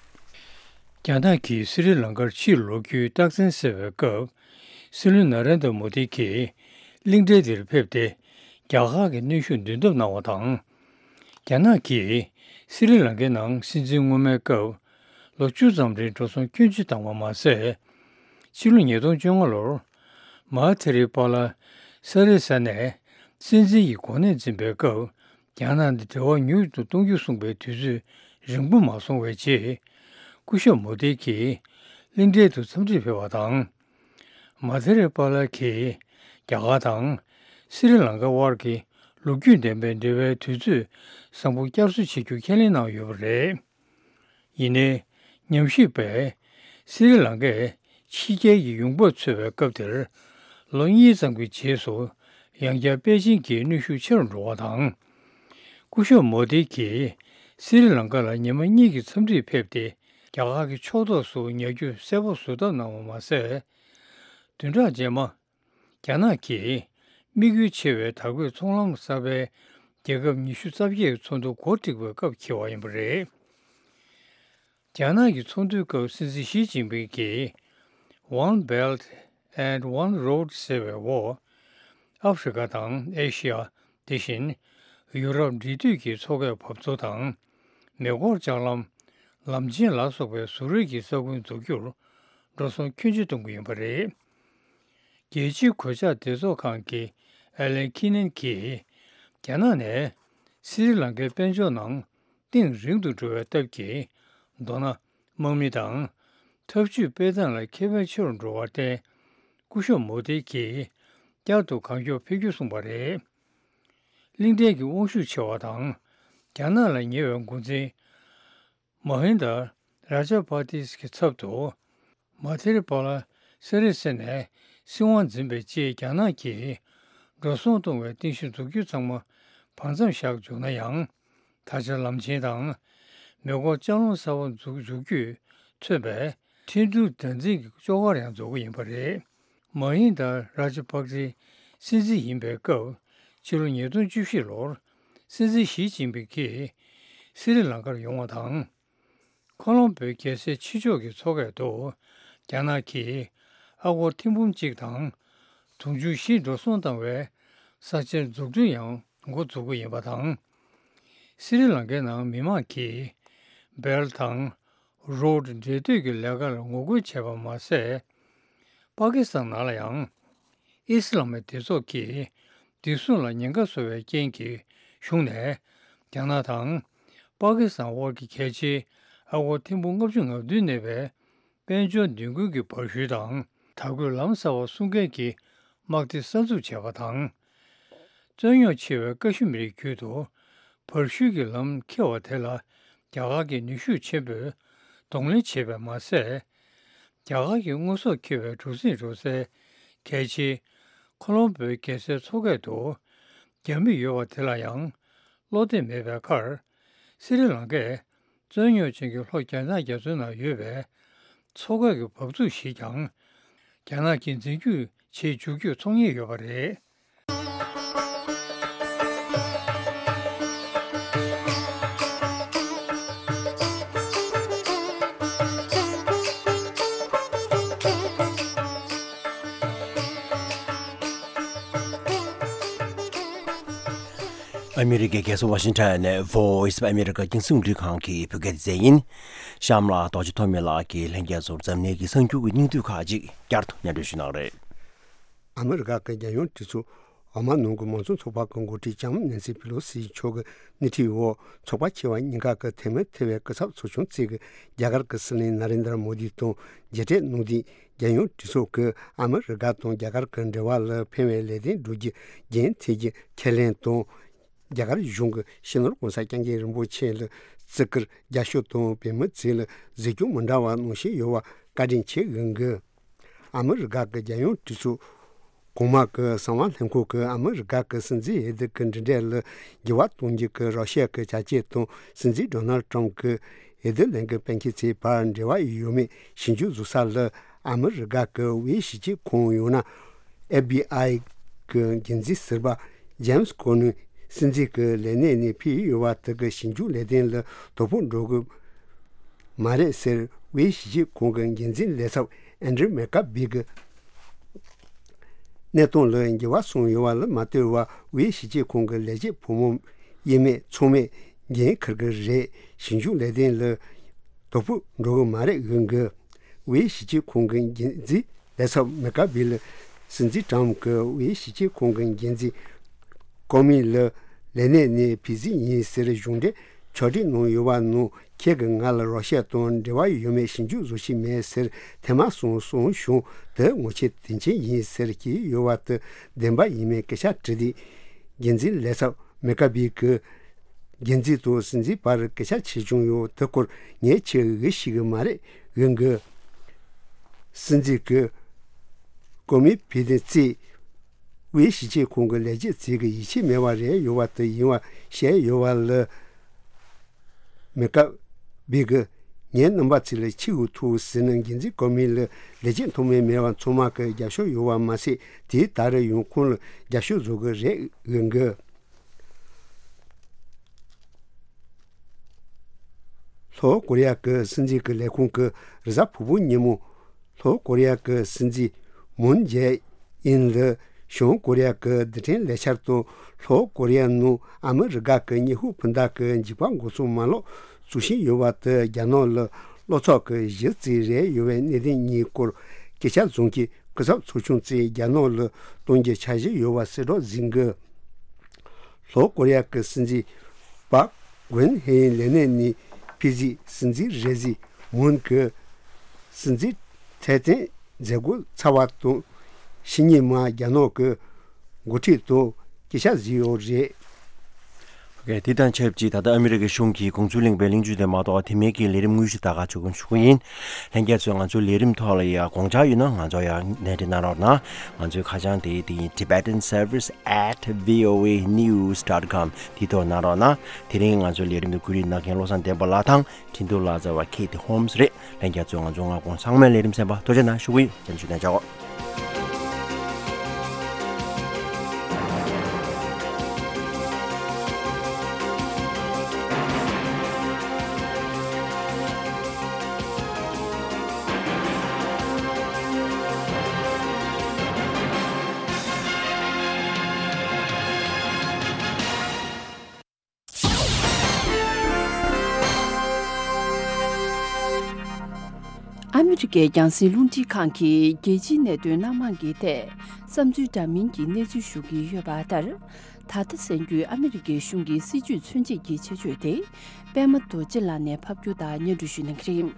རྒྱ་ནག་གིས་སི་རི་ལང་ཀར་ཕྱིར་ལོག་རྒྱུའི་རྟགས་མཚན་གསལ་བའི་སྐབས། སྲིད་བློན་ན་རེན་དྲ་མོ་དི་གིས་གླིང་ཕྲན་དེར་ཕེབས་ཏེ། རྒྱ་གར་གྱི་གནོན་ཤུགས་འདོན་ཐབས་གནང་བ་དང་། རྒྱ་ནག་གིས་སི་རི་ལང་ཀའི་ནང་སྲིད་འཛིན་སྔོན་མའི་སྐབས་ལོ་བཅུ་ཙམ་རིང་འགྲོ་སོང་སྐྱོན་ཅི་བཏང་བ་མ་ཟད། ཕྱི་ལོ་ཉིས་སྟོང་བཅོ་ལྔ་ལོར་མ་ཐེ་རི་པ་ལ་ས་རི་ས་ནས་སྲིད་འཛིན་གྱི་གོ་གནས་འཛིན་པའི་སྐབས། རྒྱ་ནག་དང་འབྲེལ་བ་མྱུར་དུ་གཏོང་རྒྱུ་གསུངས་པའི་དུས་ཚོད་རིང་པོ་མ་སོང་བའི་རྗེས། སྐུ་ཞབས་མོ་དྷི་གིས་གླིང་ཕྲན་དུ་འཚམས་འདྲིར་ཕེབས་པ་དང་། མ་ཐེ་རེ་པཱ་ལགས་ཀྱིས་རྒྱ་གར་དང་སི་རི་ལང་ཀ་དབར་གྱི་ལོ་རྒྱུས་ལྡན་པའི་འབྲེལ་བའི་དུས་ཚོད་བཟང་པོ་བསྐྱར་གསོ་བྱེད་རྒྱུ་ཁས་ལེན་གནང་ཡོད་པ་རེད། ཡིན་ནའི། ཉམས་ཞིབ་པས་སི་རི་ལང་ཀས་ཕྱི་རྒྱལ་གྱི་ཡོང་འབབ་འཚོལ་བའི་སྐབས་དེར། ལོ་གཉིས་ཙམ་གྱི་རྗེས་སུ་ཡང་བསྐྱར་པེ་ཅིན་གྱི་གནོན་ཤུགས་ཆེ་རུ་འགྲོ་བ་དང་། སྐུ་ཞབས་མོ་དྷི་གིས་སི་རི་ལང་ཀ་ལ་ཉི་མ་གཉིས་ཀྱི་འཚམས་འདྲིར་ཕེབས་ཏེ། རྒྱ་གར་གྱི་ཕྱོགས་གཏོགས་སུ་ཉར་རྒྱུ་གསལ་པོ་བཟོ་ཐབས་གནང་བ་མ་ཟད། བདུན་ཕྲག་རྗེས་མ། རྒྱ་ནག་གིས་དམིགས་ཡུལ་ཆེ་བའི་དར་གོས་ཚོང་ལམ་གསར་པའི་རྒྱལ་ཁབ་ཉི་ཤུ་རྩ་བརྒྱད་ཀྱི་ཚོགས་འདུ་གོ་སྒྲིག་པའི་སྐབས་འཁེལ་བ་ཡིན་པ་རེད། རྒྱ་ནག་གི་ཚོགས་འདུའི་སྐབས་སྲིད་འཛིན་ཞི་ཅིན་ཕིང་གིས། One Belt and One Road ཟེར་བའི་འོག་ཨ་ཧྥེ་རི་ཁ་དང་ཨེ་ཤི་ཡ། དེ་བཞིན་ཡུ་རོབ་འབྲེལ་མཐུད་ཀྱི་མཚོ་ཁའི་བབས་ཚོ་དང་། མེ་འཁོར་ལྕགས་ལམ། ལམ་ཆེན་ལ་སོགས་པའི་བཟོ་རིག་གི་ས་ཁུལ་འཛུགས་རྒྱུར་འགྲོ་སོང་སྐྱོན་ཅི་གཏོང་གི་ཡིན་པ་རེད། རྒྱལ་སྤྱིའི་གོད་ཆག་སྡེ་ཚོགས་ཁང་གི་ཨེ་ལན་ཁི་ནན་གྱིས། རྒྱ་ནག་ནས་སི་རི་ལང་ཀའི་དཔལ་འབྱོར་ནང་གཏིང་རིང་དུ་འགྲོ་བའི་སྟབས་ཀྱིས། མདོར་ན་དམག་མི་དང་འཐབ་ཇུས་སྤེལ་སྟངས་ལ་ཁེ་ཕན་ཆེ་རུ་འགྲོ་བར་བརྟེན། སྐུ་ཞབས་མོ་དྷི་གིས་བསྐྱར་དུ་གང་མགྱོགས་ཕེབས་རྒྱུ་གསུངས་པ་རེད། གླིང་ཕྲན་གྱི་དབང་ཤུགས་ཆེ་བ་དང་། རྒྱ་ནག་ལ་ཉེ་བའི་འགོ་འཛིན་མ་ཧིན་ད་ར་ཇ་པ་ཏིས་ཀྱི་ཚབ་ཏུ། མ་ཐེ་རི་པ་ལ་སི་རི་ས་ནས་སྲིད་དབང་འཛིན་པའི་རྗེས། རྒྱ་ནག་གིས་འགྲོ་སོང་གཏོང་བའི་རྟེན་གཞི་འཛུགས་རྒྱུ་ཚང་མ་བར་མཚམས་བཞག་འཇུག་ན་ཡང་། ད་ཆ་ལམ་ཆེན་དང་མེ་འཁོར་ལྕགས་ལམ་གསར་པ་འཛུགས་འཇུག་རྒྱུས་མཚོན་པའི་འཕྲིན་སྒྲུང་སྡེ་ཚན་གྱི་ཅོག་ཁར་ཡང་འཛུལ་གྱི་ཡིན་པ་རེད། མ་ཧིན་ད་ར་ཇ་པག་སི་སྲིད་འཛིན་ཡིན་པའི་སྐབས། ཕྱི་ལོ་ཉིས་སྟོང་བཅུ་བཞི་ལོར་སྲིད་འཛིན་ཞི་ཅིན་ཕིང་གིས་སི་རི་ལང་ཀར་ཡོང་བ་དང་། ཁོ་ལོམ་བོའི་རྒྱལ་སའི་ཕྱི་ཕྱོགས་ཀྱི་མཚོ་ཁ་དུ་རྒྱ་ནག་གིས་ཨ་སྒོར་ཐེར་འབུམ་གཅིག་དང་དུང་ཕྱུར་བཞི་འགྲོ་སོང་བཏང་བའི་ས་ཆའི་འཛུགས་སྐྲུན་ཡང་འགོ་འཛུགས་ཀྱི་ཡིན་པ་དང་། སི་རི་ལང་ཀའི་ནང་མི་མང་གིས་སྦེལ་དང་རོཌ་འབྲེལ་མཐུད་ཀྱི་ལས་ཀར་ངོ་རྒོལ་བྱས་པ་མ་ཟད། པ་ཀི་སི་ཐན་ནང་ལ་ཡང་ཨི་སི་ལམ་མི་སྡེ་ཚོགས་ཀྱིས་བདེ་སྲུང་ལ་ཉེན་ཁ་བཟོ་བའི་རྐྱེན་གྱིས་གཞུང་ནས་རྒྱ་ནག་དང་པ་ཀི་སི་ཐན་དབར་གྱི་གལ་ཆེའི་ཨ་སྒོར་ཐེར་འབུམ་ལྔ་བཅུ་ང་བདུན་གནས་པའི་དཔལ་འབྱོར་མདུན་སྐྱོད་ཀྱི་བར་ཞུ་དང་དར་གོས་ལམ་གསར་པ་སྲུང་མཁན་གྱི་དམག་སྡེ་གསར་འཛུགས་བྱས་པ་དང་། རྩོད་རྙོག་ཆེ་བའི་ཀ་ཤི་མིར་བརྒྱུད་དུ་བར་ཞུ་གི་ལམ་འཁེལ་བ་དེ་ལ་རྒྱ་གར་གྱིས་ནུས་ཤུགས་ཆེན་པོས་གདོང་ལེན་བྱས་པས་མ་ཟད། རྒྱ་གར་གྱི་དངོས་ཟོག་འཁྱེར་བའི་གྲུ་གཟིངས་འགྲོ་སའི་གལ་ཆེའི་ཁོ་ལོམ་བོའི་རྒྱལ་སའི་མཚོ་ཁ་དུ་རྒྱ་མི་ཡོད་པ་དེ་ལ་ཡང་བློ་གཏད་མེད་པའི་ཁར། སི་རི་ལང་ཀས་རྩོད་རྙོག་ཅན་གྱི་ལྷོ་རྒྱ་ནག་རྒྱ་མཚོའི་ནང་ཡོད་པའི་མཚོ་ཁ་གི་འབབ་ཚུགས་ཞིག་ཀྱང་རྒྱ་ནག་གིས་འཛིན་སྐྱོང་བྱེད་འཇུག་རྒྱུ་ཚོང་ཉེས་ཡོད་པ་རེད། ཨ་མི་རི་ཀའི་རྒྱལ་ས་ཝ་ཤིང་ཊོན་ནས་Voice of America་རྒྱང་སྲིང་རླུང་འཕྲིན་ཁང་གི་བོད་སྐད་སྡེ་ཚན་ཡིན། གཤམ་ལ་རྡོ་རྗེ་ཐོགས་མེད་ལགས་ཀྱིས་ལྷན་རྒྱས་ཚོར་འཛམ་གླིང་གི་གསར་འགྱུར་གྱི་སྙིང་བསྡུས་ཁག་ཅིག་བསྐྱར་དུ་སྙན་སྒྲོན་ཞུ་གནང་རེད། ཨ་མི་རི་ཀ་གི་རྒྱལ་ཡོངས་གྲོས་ཚོགས་འོག་མ་ནང་གི་མང་གཙོ་ཚོགས་པ་གི་འགོ་ཁྲིད་ལྕམ་ནན་སི་པི་ལོ་སི་མཆོག་གི་སྣེ་ཁྲིད་འོག་ཚོགས་པ་ཆེ་བ་གཉིས་ཀ་གི་འཐུས་མི་ཐེ་བའི་སྐུ་ཚབ་ཚོགས་ཆུང་བཅས་ཀྱིས་རྒྱ་གར་གྱི་སྲིད་བློན་ན་རེན་དར་མོ་དི་དང་མཇལ་འཕྲད་གནང་དུས། རྒྱལ་ཡོངས་གྲོས་ཚོགས་ཀྱིས་ཨ་མི་རི་ཀ་དང་རྒྱ་གར་གྱི་འབྲེལ་བ་ལ་ཕན་པའི་ལས་དོན་བསྒྲུབ་རྒྱུ་རྒྱུན་མཐུད་རྒྱུ་ཁས་ལེན་དང་། རྒྱ་གར་གཞུང་གིས་སྤྱི་ནོར་༸གོང་ས་༸སྐྱབས་མགོན་རིན་པོ་ཆེ་ལ་བརྩི་བཀུར་རྒྱབ་སྐྱོར་དང་བོད་མི་ཚོ་ལ་གཟིགས་སྐྱོང་མི་འདྲ་བ་གནང་བཞིན་ཡོད་པ་བཀའ་དྲིན་ཆེ་ཞུ་གི། ཨ་མི་རི་ཀ་གི་རྒྱལ་ཡོངས་གྲོས་ཚོགས་གོང་མ་གི་གསང་བ་ལྷན་ཁང་གིས་ཨ་མི་རི་ཀ་གི་སྲིད་འཛིན་འོས་བསྡུ་གི་འགྲན་བསྡུར་ལ་འགྱུར་བ་གཏོང་རྒྱུ་གི་རོ་ཤི་ཡ་གི་བྱ་སྤྱོད་དང་། སྲིད་འཛིན་ཌོ་ནལ་ཊམ་གྱི་འོས་བསྡུ་ལས་འགུལ་སྤེལ་མཁན་ཚོའི་བར་འབྲེལ་བ་ཡོད་མེད་ཞིབ་འཇུག་བཟོ་ས་ལ། ཨ་མི་རི་ཀ་གི་དབུས་ཞིབ་དཔྱོད་ཁང་ཡང་ན་ཨེཕ་བྷི་ཨའི་གི་འགན་འཛིན་ཟུར་པ་ཇེམ་སི་ཀོ་ནི་སྲིད་འཛིན་གྱི་ལས་གནས་ནས་ཕུད་ཡོད་པ་དེ་གིས་ཞིབ་འཇུག་ལས་དོན་ལ་དོ་ཕོག་འགྲོ་གི་མ་རེད་ཟེར། དབུས་ཞིབ་དཔྱོད་ཁང་གི་འགན་འཛིན་ལས་ཚབ་ཨན་ཌྲི་མེ་ཀ་བྷི་གི་གནས་སྟངས་ལ་འགྱུར་བ་སོང་ཡོད་པ་ལ་མ་ལྟོས་པར། དབུས་ཞིབ་དཔྱོད་ཁང་གི་ལས་བྱེད་ཕོ་མོ་དབྱེར་མེད་ཚང་མས་འགན་འཁུར་གྱི་རེད། ཞིབ་འཇུག་ལས་དོན་ལ་དོ་ཕོག་འགྲོ་གི་མ་རེད་ཞུ་གི། དབུས་ཞིབ་དཔྱོད་ཁང་གི་འགན་འཛིན་ལས་ཚབ་མེ་ཀ་བྷི་ལ་སྲིད་འཛིན་ཊམ་གྱིས་དབུས་ཞིབ་དཔྱོད་ཁང་གི་འགན་འཛིན་ཀོ་མི་ལ་ལས་གནས་ནས་ཕུད་རྩིས་ཡིན་ཟེར་གཞུང་འབྲེལ་ཕྱོགས་སྒྲིག་གནང་ཡོད་པ་ནང་། ཁྱེད་ཀྱིས་ང་ལ་རོ་ཤི་ཡ་དང་འབྲེལ་བ་ཡོད་མེད་ཞིབ་འཇུག་བཟོ་ཤེས་མེད་ཟེར་ཐེངས་མ་གསུམ་གསུངས་བྱུང་། དེ་ངོ་ཤེས་དོན་ཆེན་ཡིན་ཟེར་གྱི་ཡོད་པ་དེ་བདེན་པ་ཡིན་མིན་སྐད་ཆ་དྲིས་དུས། འགན་འཛིན་ལས་ཚབ་མེ་ཀ་བྷི་གིས་འགན་འཛིན་དང་སྲིད་འཛིན་བར་སྐད་ཆ་བྱས་བྱུང་ཡོད། དེ་སྐོར་ངས་ཁྱེད་ལ་ཞུ་གི་མ་རེད་ཞུ་གི། སྲིད་འཛིན་གྱིས་ཀོ་མི་ཕུད་དེ་བརྩིས། དབུས་ཞིབ་དཔྱོད་ཁང་གི་ལས་བྱེད་ཚོས་ཀྱི་ཡིད་ཆེས་མེད་པ་རེད་ཡོད་པ་དེ་ཡིན་པ་བཤད་ཡོད་པ་ལ། མེ་ཀ་བྷི་གིས་ངའི་རྣམ་པ་ཚོ་ལ་ཆེས་ཐུགས་ཟིན་ན། འགན་འཛིན་ཀོ་མི་ལ་ལས་བྱེད་མཐོ་དམན་མེད་པ་ཚང་མ་གི་རྒྱབ་སྐྱོར་ཡོད་པ་མ་ཟད། དེས་ད་རེས་ཡང་ཁོང་ལ་རྒྱབ་སྐྱོར་བཟོ་གི་རེད་ཞུ་གི། ལྷོ་ཀོ་རི་ཡ་གི་སྲིད་འཛིན་གྱི་ལས་ཁུངས་ཀྱིས་རེས་གཟའ་ཕུར་བུ་ཉིན་མོ། ལྷོ་ཀོ་རི་ཡ་གི་སྲིད་འཛིན་མུན་ཇེ་ཨིན་ལ་བྱང་ཀོ་རི་ཡ་གི་རྡུལ་ཕྲན་ལས་འཆར་དང་། ལྷོ་ཀོ་རི་ཡ་ནང་ཨ་མི་རི་ཀ་གི་ཉི་ཧོང་སྤུན་ཟླ་གི་འཇིགས་པ་འགོག་སྲུང་མ་ལག་བཙུགས་བཞིན་ཡོད་པ་དེ། རྒྱ་ནག་ལ་བློ་འཚབ་ཀྱི་གཞི་རྩ་རེད་ཡོད་པའི་གནད་དོན་གཉིས་སྐོར་སྐད་ཆ་བཟུང་གིས། སྐུ་ཚབ་ཚོགས་ཆུང་ཚོས་རྒྱ་ནག་ལ་གཏོང་རྒྱུའི་འཆར་གཞི་ཡོད་པ་གསལ་བསྒྲགས་ཟིན་གི། ལྷོ་ཀོ་རི་ཡ་གི་སྲིད་འཛིན་པཱག་ཝུན་ཧེ་ལས་གནས་ནས་ཕུད་རྗེས། སྲིད་འཛིན་རེས་གཟའ་མུན་གྱིས་སྲིད་འཛིན་ཐེ་ཏན་མཛད་སྒོ་ཚར་བ་དང་། ཕྱི་ཉིན་མ་རྒྱ་ནག་གི་འགོ་ཁྲིད་དང་སྐད་ཆ་བཟོས་ཡོད་རེད། ཨོ་ཁེ། དེ་དང་ཆབས་ཅིག་ད་ལྟ་ཨ་མི་རི་ཀའི་གཞུང་གིས་དགོངས་ཚུལ་གླེང་བའི་གླེང་བརྗོད་དེ་མ་གཏོགས་དེ་མིན་གྱི་ལས་རིམ་དངོས་གཞི་ད་ག་ཆོག་གི་ཞུ་གི་ཡིན། ལྷན་རྒྱས་ཚོས་ང་ཚོའི་ལས་རིམ་ཐོག་ལ་ཡ་དགོངས་འཆར་ཡོད་ན་ང་ཚོ་ཡ་གནས་འདྲི་གནང་རོགས་གནང་། ང་ཚོའི་ཁ་བྱང་དེ་དེ་ཡིན། Tibetan Service at V O A news dot com དེའི་ཐོག་གནང་རོགས་གནང་། དེ་རིང་ང་ཚོའི་ལས་རིམ་དུ་བཀོད་སྒྲིག་གནང་མཁན་བློ་བཟང་བསྟན་པ་ལགས་དང་། འཕྲིན་གཏོང་ལག་རྩལ་བ་Kate Holmes་རེད། ལྷན་རྒྱས་ཚོས་ང་ཚོ་སྔ་དགོང་ཚང་མའི་ལས་རིམ་གསན་པ་ཐུགས་རྗེ་གནང་ཞུ་གི་ཡོད། རྒྱབ་སྐྱོར་གནང་བྱའོ། ཨ་མི་རི་ཀའི་རྒྱང་སྲིང་རླུང་འཕྲིན་ཁང་གིས་རྒྱལ་སྤྱིའི་གནད་དོན་སྣ་མང་གི་ཐད་བསམ་ཚུལ་འདྲ་མིན་གྱི་གནས་ཚུལ་ཞུ་གི་ཡོད་པ་ལྟར། ད་ལྟ་གསན་རྒྱུའི་ཨ་མི་རི་ཀའི་གཞུང་གི་སྲིད་བྱུས་མཚོན་བྱེད་ཀྱི་ཆེད་བརྗོད་དེ། པད་མ་རྡོ་རྗེ་ལགས་ནས་ཕབ་སྒྱུར་དང་སྙན་སྒྲོན་ཞུ་གནང་གི་རེད།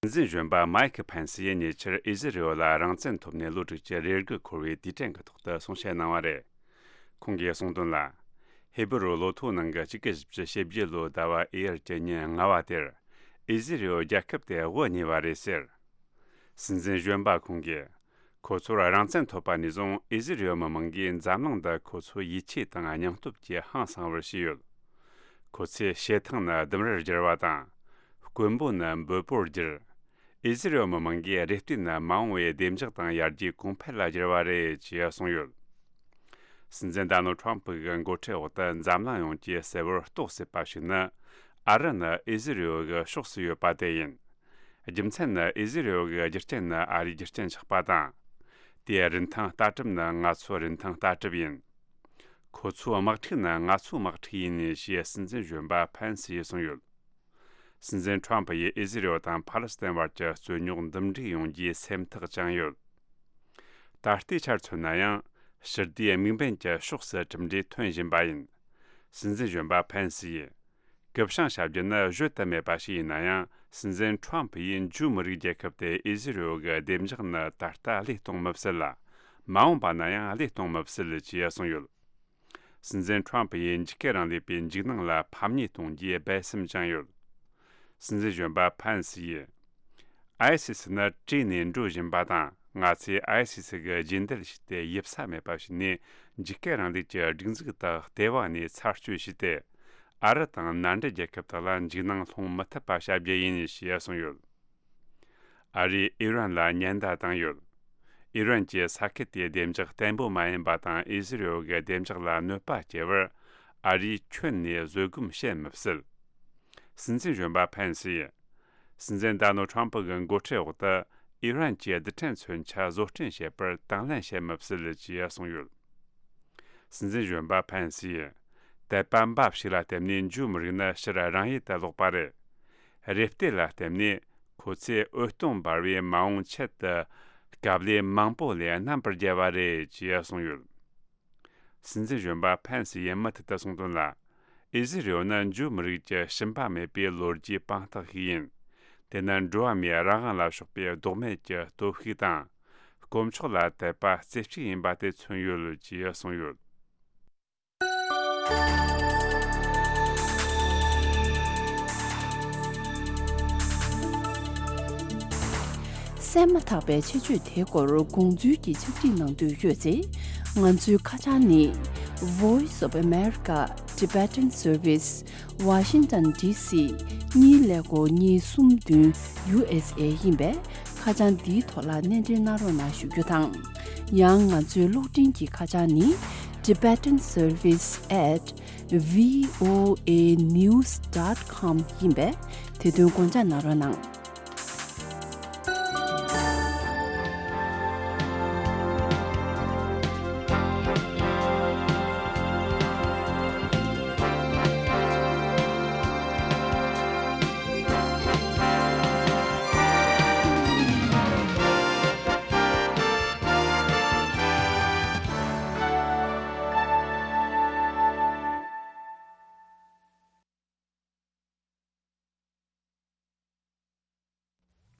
སྲིད་འཛིན་གཞོན་པ་མའེ་ཁི་ཕན་སི་ཡིས་ཉེ་ཆར་ཨི་ཟི་རེལ་ལ་རང་བཙན་ཐོབ་ནས་ལོ་དྲུག་ཅུ་རེ་དགུ་འཁོར་བའི་དུས་དྲན་གྱི་ཐོག་ཏུ་གསུང་བཤད་གནང་བ་རེད། ཁོང་གིས་གསུངས་དོན་ལ། ཧི་བུ་རུ་ལོ་ཐོའི་ནང་གི་ཆིག་སྟོང་དགུ་བརྒྱ་བཞི་བཅུ་ཞེ་བརྒྱད་ལོའི་ཟླ་བ་ཨེ་ཡར་གྱི་ཉིན་ལྔ་བ་དེར། ཨི་ཟི་རེལ་རྒྱལ་ཁབ་དེ་དབུ་བརྙེས་པ་རེད་ཟེར། སྲིད་འཛིན་གཞོན་པ་ཁོང་གིས། ཁོ་ཚོར་རང་བཙན་ཐོབ་པ་ནས་བཟུང་ཨི་ཟི་རེལ་མི་མང་གིས་འཛམ་གླིང་འདི་ཁོ་ཚོའི་ཡིད་ཆེས་དང་སྙིང་སྟོབས་ཀྱིས་ཧང་སངས་པར་བྱས་ཡོད། ཁོ་ཚོས་བྱེ་ཐང་ནི་ལྡུམ་རར་བསྒྱུར་བ་དང་། དཀོན་པོ་ནི་འབུར་པོར་བསྒྱུར། ཨི་ཟི་རེལ་མི་མང་གིས་རེ་ལྟོས་ནི་མ་འོངས་པའི་བདེ་འཇགས་དང་ཡར་རྒྱས་གོང་འཕེལ་ལ་བསྒྱུར་བ་རེད་ཅེས་གསུངས་ཡོད། སྲིད་འཛིན་ཌོ་ནལ་ཊྲམ་ཕི་གི་འགོ་ཁྲིད་འོག་ཏུ་འཛམ་གླིང་ཡོངས་ཀྱིས་གསལ་བོར་རྟོགས་སྲིད་པ་ཞིག་ནི། ཨ་རི་ནི་ཨི་ཟི་རེལ་གྱི་ཕྱོགས་སུ་ཡོད་པ་དེ་ཡིན། རྒྱུ་མཚན་ནི་ཨི་ཟི་རེལ་གྱི་རྒྱུ་རྐྱེན་ནི་ཨ་རིའི་རྒྱུ་རྐྱེན་ཆགས་པ་དང་། དེའི་རིན་ཐང་ལྟ་གྲུབ་ནི་ང་ཚོའི་རིན་ཐང་ལྟ་གྲུབ་ཡིན། ཁོ་ཚོའི་དམག་འཁྲུག་ནི་ང་ཚོའི་དམག་འཁྲུག་ཡིན་ཞེས་སྲིད་འཛིན་གཞོན་པ་ཕན་སི་ཡིས་གསུངས་ཡོད། སྲིད་འཛིན་ཁྲོམ་ཕུ་ཡིས་ཨི་ཟི་རེལ་དང་ཕཱ་ལེ་སི་ཐན་བར་གྱི་རྩོད་རྙོག་འདུམ་འགྲིག་ཡོང་རྒྱུའི་སེམས་ཐག་བཅངས་ཡོད། ད་ལྟའི་ཆར་མཚོན་ན་ཡང་ཕྱི་བལྟས་དམིགས་འབེན་གྱི་ཕྱོགས་སུ་གྲུབ་འབྲས་ཐོན་བཞིན་པ་ཡིན། སྲིད་འཛིན་གཞོན་པ་ཕན་སི་ཡིས། གུ་བཤངས་བྱ་རྒྱུ་ནི་བརྗོད་དུ་མེད་པ་ཞིག་ཡིན་ན་ཡང་། སྲིད་འཛིན་ཁྲོམ་ཕུ་ཡིས་འཇུའུ་མི་རིགས་རྒྱལ་ཁབ་དེ་ཨི་ཟི་རེལ་གྱི་བདེ་འཇགས་ནི་ད་ལྟ་བློས་གཏོང་མི་སྲིད་ལ། མ་འོངས་པ་ན་ཡང་བློས་གཏོང་མི་སྲིད་ཅེས་གསུངས་ཡོད། སྲིད་འཛིན་ཁྲོམ་ཕུ་ཡིས་འཇིགས་སྐུལ་རིང་ལུགས་པའི་འཇིགས་སྣང་ལ་ཕམ་ཉེས་གཏོང་རྒྱུའི་སྦས་སེམས་བཅངས་ཡོད། སྲིད་འཛིན་གཞོན་པ་ཕན་སི་ཡིས། ཨའི་སི་སི་ནི་བྲོས་ནས་འགྲོ་བཞིན་པ་དང་། ང་ཚོས་ཨའི་སི་སི་གི་རྗེས་འདེད་བྱས་ཏེ་ཡིབ་ས་མེད་པ་ཞིག་ནས་འཇིགས་སྐུལ་རིང་ལུགས་ཀྱི་སྒྲིག་འཛུགས་དག་ལྟེ་བ་ནས་ཚར་གཅོད་བྱས་ཏེ། ཨ་རི་དང་མནའ་འབྲེལ་རྒྱལ་ཁབ་དག་ལ་འཇིགས་སྣང་སློང་མི་ཐུབ་པ་བྱ་རྒྱུ་ཡིན་ཞེས་གསུངས་ཡོད། ཨ་རིས་ཨི་རན་ལ་ཉེན་བརྡ་བཏང་ཡོད། ཨི་རན་གྱིས་ས་ཁུལ་དེའི་བདེ་འཇགས་བརྟན་པོ་མ་ཡིན་པ་དང་ཨི་ཟི་རེལ་གྱི་བདེ་འཇགས་ལ་གནོད་པ་སྐྱེལ་བར་ཨ་རིས་ཁྱོན་ནས་བཟོད་སྒོམ་བྱེད་མི་སྲིད། སྲིད་འཛིན་གཞོན་པ་ཕན་སི་ཡིས། སྲིད་འཛིན་ཌོ་ནལ་ཊྲམ་ཕི་གི་འགོ་ཁྲིད་འོག་ཏུ་ཨི་རན་གྱི་རྡུལ་ཕྲན་མཚོན་ཆ་བཟོ་སྐྲུན་བྱེད་པར་དང་ལེན་བྱེད་མི་སྲིད་ཅེས་གསུངས་ཡོད། སྲིད་འཛིན་གཞོན་པ་ཕན་སིས། དད་པ་འབའ་ཞིག་ལ་བརྟེན་ནས་འཇུའུ་མི་རིགས་ནི་ཕྱིར་རང་ཡུལ་དུ་ལོག་པ་རེད། རེ་ལྟོས་ལ་བརྟེན་ནས་ཁོ་ཚོས་འོད་སྟོང་འབར་བའི་མ་འོངས་ཆེད་དུ་དཀའ་ལས་མང་པོ་ལས་རྣམ་པར་རྒྱལ་བ་རེད་ཅེས་གསུངས་ཡོད། སྲིད་འཛིན་གཞོན་པ་ཕན་སི་ཡིས་མུ་མཐུད་དུ་གསུངས་དོན་ལ། ཨི་ཟི་རེལ་ནི་འཇུའུ་མི་རིགས་ཀྱི་ཞུམ་པ་མེད་པའི་ལོ་རྒྱུས་དཔང་རྟགས་ཤིག་ཡིན། དེ་ནི་འགྲོ་བ་མིའི་རང་དབང་ལ་ཕྱོགས་པའི་ལྡོག་མེད་ཀྱི་སྟོབས་ཤུགས་དང་། དཀོན་མཆོག་ལ་དད་པ་རྩེ་གཅིག་ཡིན་པ་དེ་མཚོན་ཡོད་ཅེས་གསུངས་ཡོད། གསན་མ་ཐག་པའི་ཆེད་བརྗོད་དེའི་སྐོར་དགོངས་ཚུལ་གྱི་ཕྱག་བྲིས་གནང་འདོད་ཡོད་ཚེ། ང་ཚོའི་ཁ་བྱང་ནི། Voice of America Tibetan Service, Washington D C གཉིས་ཀླད་ཀོར་གཉིས་གསུམ་བདུན་U S A ཡིན་པས། ཁ་བྱང་འདིའི་ཐོག་ལ་གནས་འབྲེལ་གནང་རོགས་གནང་ཞུ་རྒྱུ་དང་། ཡང་ང་ཚོའི་གློག་འཕྲིན་གྱི་ཁ་བྱང་ནི། Tibetan Service at V O A news dot com ཡིན་པས། དེ་དོན་དགོངས་འཇགས་གནང་རོགས་གནང་།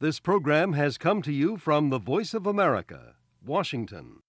This program has come to you from the Voice of America, Washington.